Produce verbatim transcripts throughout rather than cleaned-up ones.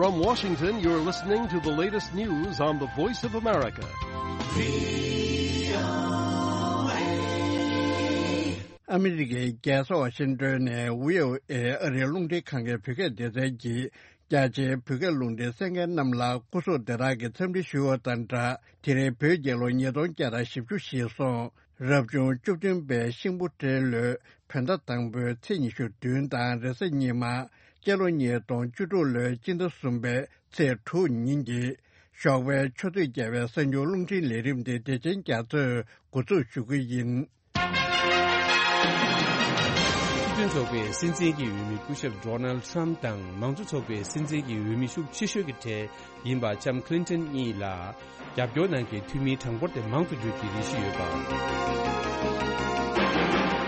From Washington, you're listening to the latest news on the Voice of America. ཨ་མི་རི་ཀའི་རྒྱལ་ས་ཝ་ཤིང་ཏོན་ནས་བྷི་ཨོ་ཨེ་ཨ་རིའི་རླུང་འཕྲིན་ཁང་གི་བོད་སྐད་སྡེ་ཚན་གྱིས། རྒྱ་ཆེའི་བོད་སྐད་རླུང་འཕྲིན་གསན་མཁན་རྣམས་ལ་སྐུ་གཟུགས་བདེ་ཐང་གི་འཚམས་འདྲི་ཞུ་བ་དང་སྦྲགས། དེ་རིང་བོད་རྒྱལ་ལོ་ཉིས་སྟོང་བརྒྱ་དང་བཞི་བཅུ་ཞེས་སོང་། རབ་བྱུང་བཅུ་བདུན་པའི་ཤིང་བུ་སྤྲེལ་ལོའི་བོད་ཟླ་དང་པོའི་ཚེས་ཉི་ཤུ་བདུན་དང་རེས་གཟའ་ཉི་མ། སྤྱི་ལོ་ཉིས་སྟོང་བཅུ་དྲུག་ལོའི་སྤྱི་ཟླ་གསུམ་པའི་ཚེས་དྲུག་ཉིན་གྱི་ཞོགས་པའི་ཆུ་ཚོད་བརྒྱད་པའི་གསར་འགྱུར་རླུང་འཕྲིན་ལས་རིམ་དེ་བདེ་ཆེན་རྒྱ་མཚོས་འགོ་འཛུགས་ཞུ་གི་ཡིན། སྤྱི་མཐུན་ཚོགས་པའི་སྲིད་འཛིན་གྱི་འོས་མི་སྐུ་ཞབས་ཌོ་ནལ་ཁྲམ་དང་མང་གཙོ་ཚོགས་པའི་སྲིད་འཛིན་གྱི་འོས་མི་ཤུགས་ཆེ་ཤོས་ཀྱི་གྲས་ཡིན་པ་ལྕམ་ཁི་ལིན་ཏོན་གཉིས་ལ་རྒྱབ་སྐྱོར་གནང་མཁན་འཐུས་མིའི་གྲངས་འབོར་དེ་མང་དུ་འགྱུར་གྱི་རེ་ཞུ་ཡོད་པ།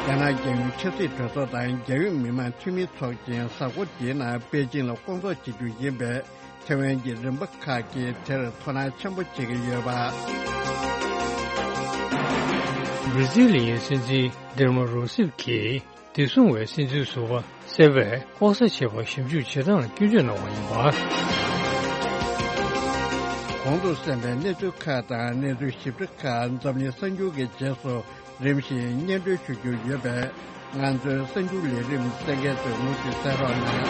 རྒྱ་ནག་རྒྱལ་ཡོངས་ཆབ་སྲིད་གྲོས་ཚོགས་དང་རྒྱལ་ཡོངས་མི་དམངས་འཐུས་མི་ཚོགས་ཆེན་གཟའ་འཁོར་འདིའི་ནང་པེ་ཅིང་ལ་སྐོང་ཚོགས་བྱེད་རྒྱུ་ཡིན་པས། ཐེ་ཝན་གྱི་རིམ་པ་ཁག་གིས་དེར་དོ་སྣང་ཆེན་པོ་བྱེད་ཀྱི་ཡོད་པ། བྷི་རི་ཛིལ་ཡི་སྲིད་འཛིན་ཌིལ་མ་རུ་སིབ་ཀྱིས་བདེ་སྲུང་བའི་སྲིད་འཛིན་ཟུར་པ་སེ་བས་ལྐོག་ཟ་བྱས་པར་ཞིབ་འཇུག་བྱེད་སྟངས་ལ་སྐྱོན་བརྗོད་གནང་བ་ཡིན་པ། གོང་དུ་གསན་པའི་གནས་ཚུལ་ཁག་དང་གནས་ཚུལ་ཞིབ་ཕྲ་ཁག་འཛམ་གླིང་གསར་འགྱུར་གྱི་རྗེས་སུ་རིམ་བཞིན་སྙན་སྒྲོན་ཞུ་རྒྱུ་ཡོད་པས། ང་ཚོའི་གསར་འགྱུར་ལས་རིམ་གསན་མཁན་ཚོས་མུ་མཐུད་གསན་རོགས་གནང་།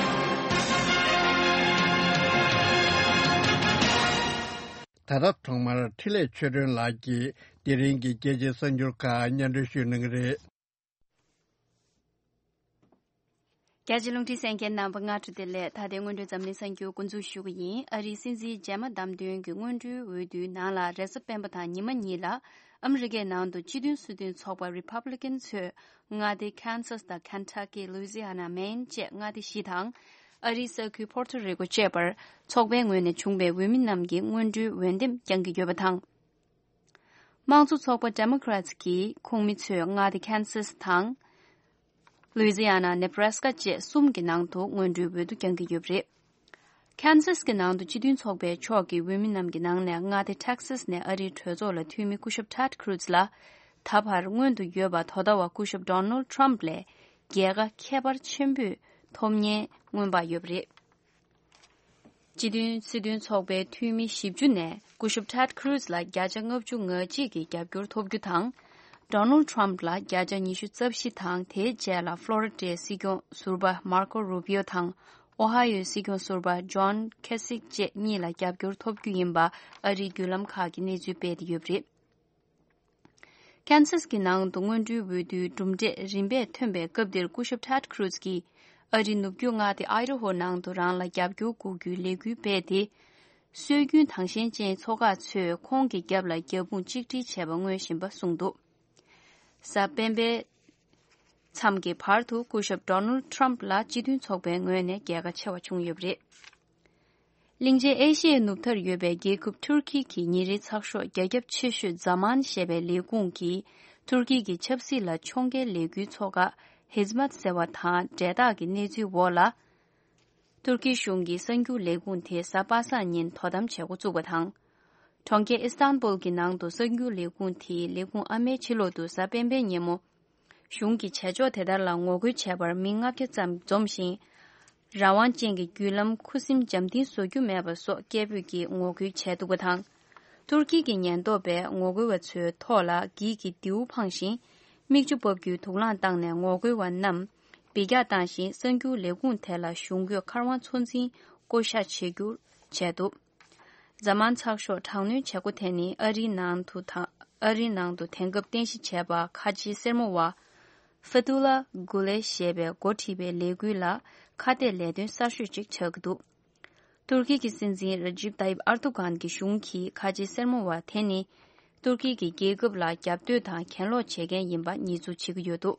ད་ལྟ་ཐོག་མར་འཕྲིན་ལས་ཆོས་སྒྲོན་ལགས་ཀྱིས་དེ་རིང་གི་རྒྱལ་སྤྱིའི་གསར་འགྱུར་ཁག་སྙན་སྒྲོན་ཞུ་གནང་གི་རེད། རྒྱ་ཆེའི་རླུང་འཕྲིན་གསན་མཁན་རྣམ་པ་སྔ་དྲོ་བདེ་ལེགས། ད་ལྟའི་སྔོན་འགྲོའི་འཛམ་གླིང་གསར་འགྱུར་འགོ་འཛུགས་ཞུ་གི་ཡིན། ཨ་རིའི་སྲིད་འཛིན་རྗེས་མ་བདམས་ཐོན་གྱི་སྔོན་འགྲོའི་འོས་བསྡུའི་ནང་ལ་རེས་གཟའ་སྤེན་པ་དང་ཉི་མ་གཉིས་ལ་ཨ་མི་རི་ཀའི་ནང་དུ་སྤྱི་མཐུན་སྲིད་དོན་ཚོགས་པ་Republican་ཚོས་མངའ་སྡེ་Kansas་དང་Kentucky། Louisiana། Maine་བཅས་མངའ་སྡེ་བཞི་དང་། ཨ་རིའི་ས་ཁུལ་Puerto Rico་བཅས་པར་ཚོགས་པའི་ངོས་ནས་བྱུང་བའི་འོས་མི་རྣམས་ཀྱིས་སྔོན་འགྲོའི་འོས་འདེམས་བསྐྱང་གི་ཡོད་པ་དང་། དམངས་གཙོ་ཚོགས་པ་Democrats་གི་ཁོངས་མི་ཚོས་མངའ་སྡེ་Kansas་དང་། Louisiana། Nebraska་བཅས་གསུམ་གྱི་ནང་དུ་སྔོན་འགྲོའི་འོས་བསྡུ་བསྐྱང་གི་ཡོད་པ་རེད། Kansas་གི་ནང་དུ་སྤྱི་མཐུན་ཚོགས་པའི་ཕྱོགས་ཀྱི་འོས་མི་རྣམས་ཀྱི་ནང་ནས་མངའ་སྡེ་Texas་ནས་ཨ་རིའི་གྲོས་ཚོགས་ལ་འཐུས་མི་སྐུ་ཞབས་Ted Cruz་ལ་ད་བར་སྔོན་དུ་ཡོད་པ་དོ་ཟླ་བ་སྐུ་ཞབས་Donald Trump་ལས་རྒྱལ་ཁ་ཁྱད་པར་ཆེན་པོས་ཐོབ་མཁན་མངོན་པ་ཡོད་པ་རེད། སྤྱི་མཐུན་སྲིད་དོན་ཚོགས་པའི་འཐུས་མི་བཞི་བཅུ་ནས་སྐུ་ཞབས་Ted Cruz་ལ་བརྒྱ་ཆ་ལྔ་བཅུ་ང་གཅིག་གི་རྒྱབ་སྐྱོར་ཐོབ་རྒྱུ་དང་། Donald Trump་ལ་བརྒྱ་ཆ་ཉི་ཤུ་རྩ་བཞི་དང་། དེའི་རྗེས་ལ་Florida་སྲིད་སྐྱོང་ཟུར་པ་Marco Rubio་དང་Ohio་སྲིད་སྐྱོང་ཟུར་པ་John Kasich་བཅས་གཉིས་ལ་རྒྱབ་སྐྱོར་ཐོབ་རྒྱུ་ཡིན་པ་ཨ་རིའི་བརྒྱུད་ལམ་ཁག་གིས་གནས་ཚུལ་སྤེལ་ཏེ་ཡོད་པ་རེད། Kansas་གི་ནང་དུ་སྔོན་འགྲོའི་འོས་བསྡུའི་གྲུབ་འབྲས་རིམ་པས་ཐོན་པའི་སྐབས་འདིར་སྐུ་ཞབས་Ted Cruz་གྱིས་ཨ་རིའི་ནུབ་རྒྱུད་མངའ་སྡེ་Idaho་ནང་དུ་རང་ལ་རྒྱབ་སྐྱོར་དགོས་རྒྱུའི་ལས་འགུལ་སྤེལ་ཏེ། སྲོལ་རྒྱུན་དང་ཞེན་ཅན་ཚོགས་ཁག་ཚོས་ཁོང་གི་རྒྱབ་ལ་རྒྱབ་དཔུང་གཅིག་སྒྲིལ་བྱས་པ་མངོན་བཞིན་པ་གསུངས་འདུག་གཟའ་སྤེན་པའི་མཚམས་ཀྱི་བར་དུ་སྐུ་ཞབས་Donald Trump་ལ་སྤྱི་མཐུན་ཚོགས་པའི་ངོས་ནས་རྒྱལ་ཁ་ཆེ་བ་བྱུང་ཡོད་པ་རེད། གླིང་ཆེན་ཨེ་ཤི་ཡའི་ནུབ་མཐར་ཡོད་པའི་རྒྱལ་ཁབ་ཐུར་ཁི་གི་ཉིན་རེའི་ཚགས་ཤོག་རྒྱ་ཁྱབ་ཆེ་ཤོས་Zaman་ཞེས་པའི་ལས་ཁུངས་ཀྱིས་ཐུར་ཁི་གི་ཆབ་སྲིད་ལ་ཕྱོགས་འགལ་ལས་འགུལ་ཚོགས་ཁག་Hizmet་ཟེར་བ་དང་འབྲེལ་ཐག་གི་གནས་ཚུལ་འོག་ལ། ཐུར་ཁི་གཞུང་གི་གསར་འགྱུར་ལས་ཁུངས་དེ་གཟའ་པ་སངས་ཉིན་དོ་དམ་བྱེད་འགོ་བཙུགས་པ་དང་། གྲོང་ཁྱེར་ཨི་སྟན་བུལ་གྱི་ནང་དུ་གསར་འགྱུར་ལས་ཁུངས་དེའི་ལས་ཁུངས་ཨ་མའི་ཕྱི་ལོགས་དུ་གཟའ་སྤེན་པའི་ཉིན་མོ། གཞུང་གི་བྱེད་ཕྱོགས་དེ་ལྟར་ལ་ངོ་རྒོལ་བྱས་པར་མི་ལྔ་བརྒྱ་ཙམ་འཛོམས་ཤིང་། རང་དབང་ཅན་གྱི་བརྒྱུད་ལམ་ཁུ་སིམ་འཇམ་ཐིང་བཟོ་རྒྱུ་མེད་པ་སོགས་སྐད་འབོད་ཀྱིས་ངོ་རྒོལ་བྱས་འདུག་པ་དང་། ཐུར་ཁི་གི་ཉེན་རྟོག་པས་ངོ་རྒོལ་བ་ཚོའི་ཐོག་ལ་འགྱིག་གི་མདེའུ་འཕངས་ཤིང་། མིག་ཆུ་འབབ་རྒྱུའི་དུག་རླངས་བཏང་ནས་ངོ་རྒོལ་བ་རྣམས་འབུད་རྒྱག་བཏང་ཞིང་། གསར་འགྱུར་ལས་ཁུངས་དེ་ལ་གཞུང་གིས་མཁར་དབང་ཚོད་འཛིན་བསྐོ་གཞག་བྱེད་རྒྱུ་བྱས་འདུག་གཟའ་མང་ཚགས་ཤོག་དྲག་གནོན་བྱེད་སྒོ་དེ་ནི་ཨ་རིའི་ནང་དུ་དང་། ཨ་རིའི་ནང་དུ་དེང་སྐབས་རྟེན་གཞི་བྱས་པ་ཁ་ཆེའི་སེར་མོ་བ་Fethullah Gulen་ཞེས་པས་འགོ་ཁྲིད་པའི་ལས་འགུལ་ལ་ཁ་གཏད་ལས་དོན་གསར་ཤོས་ཅིག་ཆགས་ཀྱི་འདུག་ཏུར་ཀི་གི་སྲིད་འཛིན་Recep Tayyip Erdogan་གྱི་གཞུང་གིས་ཁ་ཆེའི་སེར་མོ་བ་དེ་ནི་ཏུར་ཀི་གི་རྒྱལ་ཁབ་ལ་རྒྱབ་གཏོད་དང་གྱེན་ལོག་བྱེད་མཁན་ཡིན་པ་ཉེས་འཛུགས་བྱེད་ཀྱི་ཡོད་འདུག་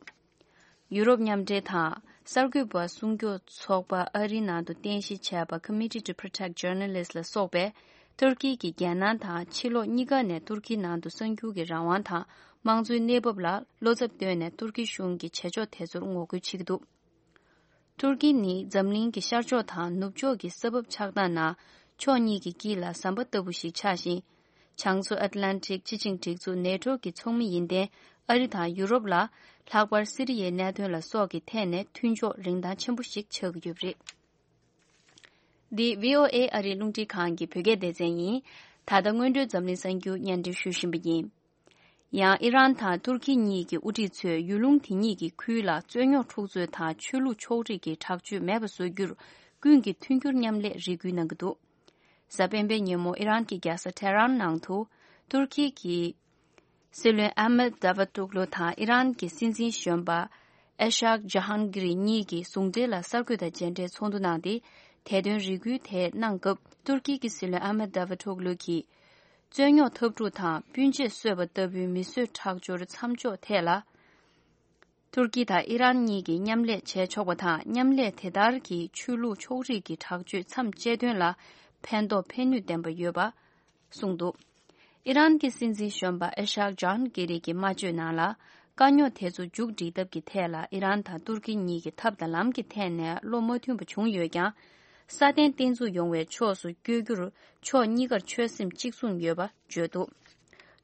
ཡུ་རོབ་མཉམ་འབྲེལ་དང་གསར་འགོད་པ་སྲུང་སྐྱོབ་ཚོགས་པ་ཨ་རིའི་ནང་དུ་རྟེན་གཞི་བྱས་པ་Committee to Protect Journalists་ལ་སོགས་པས་ཏུར་ཀི་གི་རྒྱལ་ནང་དང་ཕྱི་ལོགས་གཉིས་ཀ་ནས་ཏུར་ཀིའི་ནང་དུ་གསར་འགྱུར་གྱི་རང་དབང་དང་དམངས་གཙོའི་གནས་བབ་ལ་བློ་འཚབ་བཏོན་ནས་ཏུར་ཀི་གཞུང་གི་བྱེད་ཕྱོགས་དེ་ཚོར་ངོ་རྒོལ་བྱེད་ཀྱི་འདུག་ཏུར་ཀི་ནི་འཛམ་གླིང་གི་ཤར་ཕྱོགས་དང་ནུབ་ཕྱོགས་ཀྱི་ས་བབ་ཆགས་སྟངས་ནང་ཕྱོགས་གཉིས་ཀྱི་དཀྱིལ་ལ་ཟམ་པ་ལྟ་བུ་ཞིག་ཆགས་ཤིང་། བྱང་མཚོ་ཨཊ་ལན་ཊིག་སྤྱི་ཆིངས་སྒྲིག་འཛུགས་NATO་གི་ཚོགས་མི་ཡིན་ཏེ། ཨ་རི་དང་ཡུ་རོབ་ལ་ལྷག་པར་སི་རི་ཡའི་གནད་དོན་ལ་སོགས་ཀྱི་ཐད་ནས་མཐུན་ཕྱོགས་རིན་ཐང་ཆེན་པོ་ཞིག་ཆགས་ཀྱི་ཡོད་པ་རེད། འདི་བྷི་ཨོ་ཨེ་ཨ་རིའི་རླུང་འཕྲིན་ཁང་གི་བོད་སྐད་སྡེ་ཚན་ཡིན། ད་ལྟ་སྔོན་འགྲོའི་འཛམ་གླིང་གསར་འགྱུར་སྙན་སྒྲོན་ཞུ་བཞིན་པ་ཡིན། ཡང་ཨི་རན་དང་ཏུར་ཁི་གཉིས་ཀྱི་དབུ་ཁྲིད་ཚོས་ཡུལ་ལུང་དེ་གཉིས་ཀྱི་ཁུལ་ལ་རྩོད་རྙོག་འཁྲུག་རྩོད་དང་ཆོས་ལུགས་ཕྱོགས་རིས་ཀྱི་དྲག་སྤྱོད་མེད་པ་བཟོ་རྒྱུར་ཀུན་གྱིས་མཐུན་འགྱུར་མཉམ་ལས་རེ་སྐུལ་གནང་གི་འདུག། གཟའ་སྤེན་པའི་ཉིན་མོ་ཨི་རན་གྱི་རྒྱལ་ས་ཐེ་རན་ནང་དུ་ཏུར་ཁི་གི་སྲིད་བློན་ཨ་མད་དཱ་ཝུ་ཏོག་ལུ་དང་ཨི་རན་གྱི་སྲིད་འཛིན་གཞོན་པ་ཨེ་ཤག་ཇ་ཧན་གྷི་རི་གཉིས་ཀྱིས་ཟུང་འབྲེལ་ལ་གསར་འགོད་པ་མཇལ་འཕྲད་ཚོགས་འདུ་གནང་སྟེ། དེ་དོན་རེ་སྐུལ་དེ་གནང་སྐབས། ཏུར་ཀི་གི་སྲིད་བློན་ཨ་མད་དཱ་ཝུ་ཏོག་ལུ་གིས། རྩོད་རྙོག་འཐབ་འཁྲུག་དང་སྤུན་མཆེད་གསོད་པ་ལྟ་བུའི་མི་གསོད་ཁྲག་སྦྱོར་མཚམས་འཇོག་ཐད་ལ། ཏུར་ཀི་དང་ཨི་རན་གཉིས་ཀྱིས་མཉམ་ལས་བྱས་ཆོག་པ་དང་། མཉམ་ལས་དེ་ལྟར་གྱིས་ཆོས་ལུགས་ཕྱོགས་རིས་ཀྱི་དྲག་སྤྱོད་མཚམས་གཅད་དོན་ལ་ཕན་ཐོགས་ཕན་ནུས་ལྡན་པ་ཡོད་པ་གསུངས་འདུག། ཨི་རན་གྱི་སྲིད་འཛིན་གཞོན་པ་ཨེ་ཤག་ཇཱན་གྷི་རི་གིས་སྨྲ་བརྗོད་ནང་ལ། དཀའ་རྙོག་དེ་ཚོ་མཇུག་སྒྲིལ་ཐབས་ཀྱི་ཐད་ལ་ཨི་རན་དང་ཏུར་ཀི་གཉིས་ཀྱི་ཐབས་དང་ལམ་གྱི་ཐད་ནས་བློ་མ་མཐུན་པ་བྱུང་ཡོད་ཀྱང་། སྲ་བརྟན་བརྟན་ཚུགས་ཡོང་བའི་ཕྱོགས་སུ་བསྐྱོད་རྒྱུར་ཕྱོགས་གཉིས་ཀར་ཆོད་སེམས་གཅིག་མཚུངས་ཡོད་པ་བརྗོད་འདུག།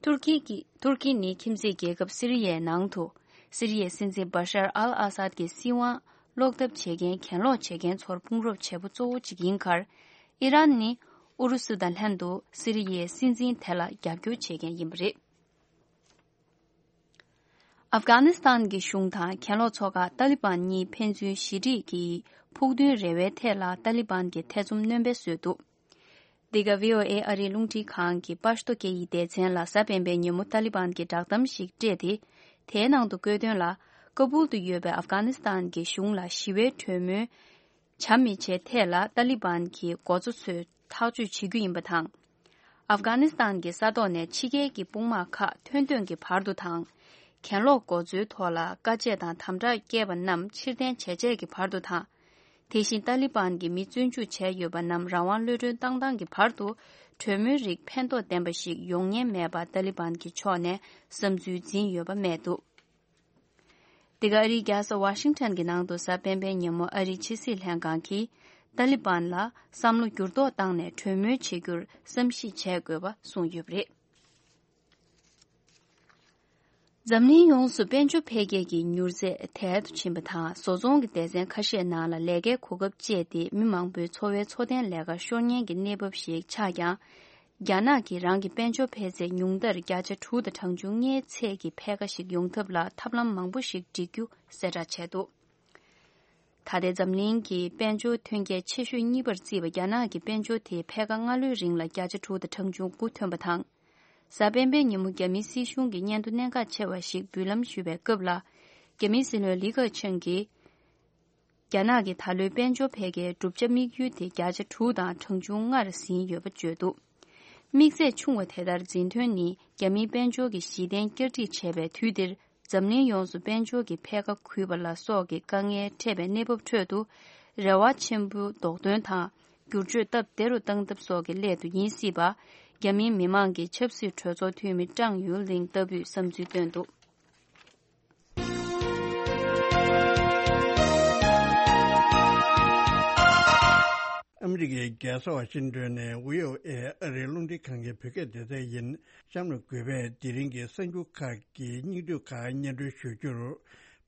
ཏུར་ཀི་གི་ཏུར་ཀི་ནི་ཁྱིམ་མཚེས་རྒྱལ་ཁབ་སི་རི་ཡའི་ནང་དུ། སི་རི་ཡའི་སྲིད་འཛིན་བ་ཤར་ཨལ་ཨ་སཱད་ཀྱི་སྲིད་དབང་སློག་ཐབས་བྱེད་མཁན་གྱེན་ལོག་བྱེད་མཁན་ཚོར་དཔུང་རོགས་བྱེད་པོ་གཙོ་བོ་གཅིག་ཡིན་ཁར། ཨི་རན་ནི་ཨུ་རུ་སུ་དང་ལྷན་དུ་སི་རི་ཡའི་སྲིད་འཛིན་དེ་ལ་རྒྱབ་སྐྱོར་བྱེད་མཁན་ཡིན་པ་རེད། ཨབ་གྷ་ནི་སི་ཐན་གྱི་གཞུང་དང་གྱེན་ལོག་ཚོགས་ཁག་ཏཱ་ལི་བན་གཉིས་ཕན་ཚུན་ཞི་འགྲིག་གི་ཕུགས་འདུན་རེ་བའི་ཐད་ལ་ཏཱ་ལི་བན་གྱིས་ཐེ་ཚོམ་སྣོན་པ་བཟོས་འདུག། འདི་ག་བྷི་ཨོ་ཨེ་ཨ་རིའི་རླུང་འཕྲིན་ཁང་གི་པ་ཤ་ཏོ་སྐད་ཡིག་སྡེ་ཚན་ལ་གཟའ་སྤེན་པའི་ཉིན་མོ་ཏཱ་ལི་བན་གྱིས་བསྒྲགས་གཏམ་ཞིག་སྤྲད་དེ། དེའི་ནང་དུ་བཀོད་དོན་ལ། ཀ་བུལ་དུ་ཡོད་པའི་ཨབ་གྷ་ནི་སི་ཐན་གྱི་གཞུང་ལ་ཞི་བའི་གྲོས་མོལ་བྱ་མི་བྱའི་ཐད་ལ་ཏཱ་ལི་བན་གྱི་འགོ་གཙོ་ཚོས་ཐག་གཅོད་བྱེད་རྒྱུ་ཡིན་པ་དང་། ཨབ་གྷ་ནི་སི་ཐན་གྱི་ས་ཐོག་ནས་ཕྱི་རྒྱལ་གྱི་དཔུང་དམག་ཁག་ཐོན་ཐོན་གྱི་བར་དུ་དང་། གྱེན་ལོག་འགོ་གཙོའི་ཐོག་ལ་དཀའ་སྤྱད་དང་དམ་དྲག་བསྐྱེད་པ་རྣམས་ཕྱིར་འཐེན་བྱས་རྗེས་ཀྱི་བར་དུ་དང་། དེ་བཞིན་ཏཱ་ལི་བན་གྱིས་མི་བཙོན་འཇུག་བྱས་ཡོད་པ་རྣམས་རང་དབང་གློད་གྲོལ་བཏང་སྟངས་ཀྱི་བར་དུ། གྲོས་མོལ་རིགས་ཕན་ཐོགས་ལྡན་པ་ཞིག་ཡོང་ཉེན་མེད་པ་ཏཱ་ལི་བན་གྱི་ཕྱོགས་ནས་བསམ་ཚུལ་འཛིན་ཡོད་པ་སྨྲས་འདུག། འདི་ག་ཨ་རིའི་རྒྱལ་ས་ཝ་ཤིང་ཊོན་གྱི་ནང་དུ་གཟའ་སྤེན་པའི་ཉིན་མོ་ཨ་རིའི་ཕྱི་སྲིད་ལྷན་ཁང་གིས་ཏཱ་ལི་བན་ལ་བསམ་བློ་འགྱུར་ལྡོག་བཏང་ནས་གྲོས་མོལ་བྱེད་རྒྱུར་བསམ་གཞིག་བྱེད་དགོས་པ་གསུངས་ཡོད་པ་རེད། འཛམ་གླིང་ཡོངས་སུ་དཔལ་འབྱོར་འཕེལ་རྒྱས་ཀྱི་མྱུར་ཚད་དལ་དུ་ཕྱིན་པ་དང་། བཟོ་ཚོང་གི་སྡེ་ཚན་ཁ་ཤས་ནང་ལ་ལས་ཀའི་གོ་སྐབས་བཅད་དེ་མི་མང་པོའི་འཚོ་བའི་འཚོ་རྟེན་ལས་ཀ་ཤོར་ཉེན་གྱི་གནས་བབ་ཞིག་ཆགས་ཀྱང་། རྒྱ་ནག་གིས་རང་གི་དཔལ་འབྱོར་འཕེལ་ཚད་ཉུང་མཐར་བརྒྱ་ཆ་དྲུག་དང་གྲངས་ཆུང་ལྔའི་ཚད་ཀྱི་འཕེལ་ཁ་ཞིག་ཡོང་ཐབས་ལ་ཐབས་ལམ་མང་པོ་ཞིག་སྒྲིག་རྒྱུ་གསལ་བསྒྲགས་བྱས་འདུག། ད་ལྟའི་འཛམ་གླིང་གི་དཔལ་འབྱོར་ཐོན་སྐྱེད་ཆེ་ཤོས་གཉིས་པར་བརྩིས་པ་རྒྱ་ནག་གི་དཔལ་འབྱོར་དེ་ཕྱེད་ཀ་སྔ་ལོའི་རིང་ལ་བརྒྱ་ཆ་དྲུག་དང་གྲངས་ཆུང་དགུ་ཐོན་པ་དང་། གཟའ་སྤེན་པའི་ཉིན་མོ་རྒྱ་མིའི་སྲིད་གཞུང་གི་སྙན་ཐོ་གནད་འགག་ཆེ་བ་ཞིག་འབུལ་ལམ་ཞུས་པའི་སྐབས་ལ། རྒྱ་མིའི་སྲིད་བློན་ལི་ཁེ་ཆང་གིས། རྒྱ་ནག་གི་ད་ལོའི་དཔལ་འབྱོར་འཕེལ་རྒྱས་བསྒྲུབ་བྱ་དམིགས་ཡུལ་དེ་བརྒྱ་ཆ་དྲུག་དང་གྲངས་ཆུང་ལྔར་ཟིན་ཡོད་པ་བརྗོད་འདུག། དམིགས་ཚད་ཆུང་བ་དེ་ལྟར་འཛིན་ཐོན་ནི་རྒྱ་མིའི་དཔལ་འབྱོར་གྱི་གཞི་རྟེན་བསྐྱར་སྒྲིག་བྱས་པའི་དུས་འདིར། འཛམ་གླིང་ཡོངས་སུ་དཔལ་འབྱོར་གྱི་འཕེལ་ཁ་གུད་པ་ལ་སོགས་ཀྱི་དཀའ་ངལ་འཕྲད་པའི་གནས་བབ་ཁྲོད་དུ། རེ་བ་ཆེན་པོ་ལྡོག་འདོན་དང་། བསྒྱུར་བཅོས་སྟབས་བདེ་རུ་བཏང་ཐབས་སོགས་ཀྱི་སླད་དུ་ཡིན་སྲིད་པ། རྒྱ་མིའི་མི་མང་གི་ཆབ་སྲིད་གྲོས་ཚོགས་འཐུས་མི་ཀྲང་ཡུན་ལིང་ལྟ་བུས་བསམ་ཚུལ་བཏོན་འདུག། ཨ་མི་རི་ཀའི་རྒྱལ་ས་ཝ་ཤིང་ཏོན་ནས་བྷི་ཨོ་ཨེ་ཨ་རིའི་རླུང་འཕྲིན་ཁང་གི་བོད་སྐད་སྡེ་ཚན་ཡིན། གཤམ་ལ་གུས་པས་དེ་རིང་གི་གསར་འགྱུར་ཁག་གི་སྙིང་བསྡུས་ཁག་སྙན་སྒྲོན་ཞུ་རྒྱུར།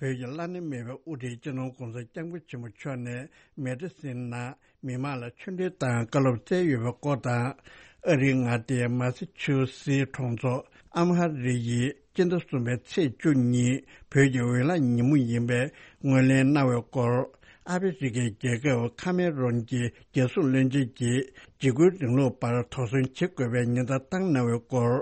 བོད་ཀྱི་བླ་ན་མེད་པའི་དབུ་ཁྲིད་སྤྱི་ནོར་༧གོང་ས་༧སྐྱབས་མགོན་ཆེན་པོ་མཆོག་ནས་མེ་ཏྲ་སིན་ནང་མི་མང་ལ་ཆོས་འབྲེལ་དང་བཀའ་སློབ་སྩལ་ཡོད་པའི་སྐོར་དང་། ཨ་རིའི་མངའ་སྡེ་མ་སི་ཆུ་སི་གྲོང་ཚོ་ཨམ་ཧ་རི་ཡི་སྤྱི་ཟླ་གསུམ་པའི་ཚེས་བཅུ་གཉིས་བོད་ཀྱི་འོས་བླངས་ཉིན་མོ་ཡིན་པའི་ངོས་ལེན་གནང་བའི་སྐོར། ཨ་ཕི་རི་ཀའི་རྒྱལ་ཁབ་ཁ་མེ་རོན་གྱི་རྒྱལ་སྲུང་བློན་ཆེན་གྱིས་འཇིགས་སྐུལ་རིང་ལུགས་པར་དོགས་ཟོན་བྱེད་དགོས་པའི་ཉེན་བརྡ་བཏང་གནང་བའི་སྐོར།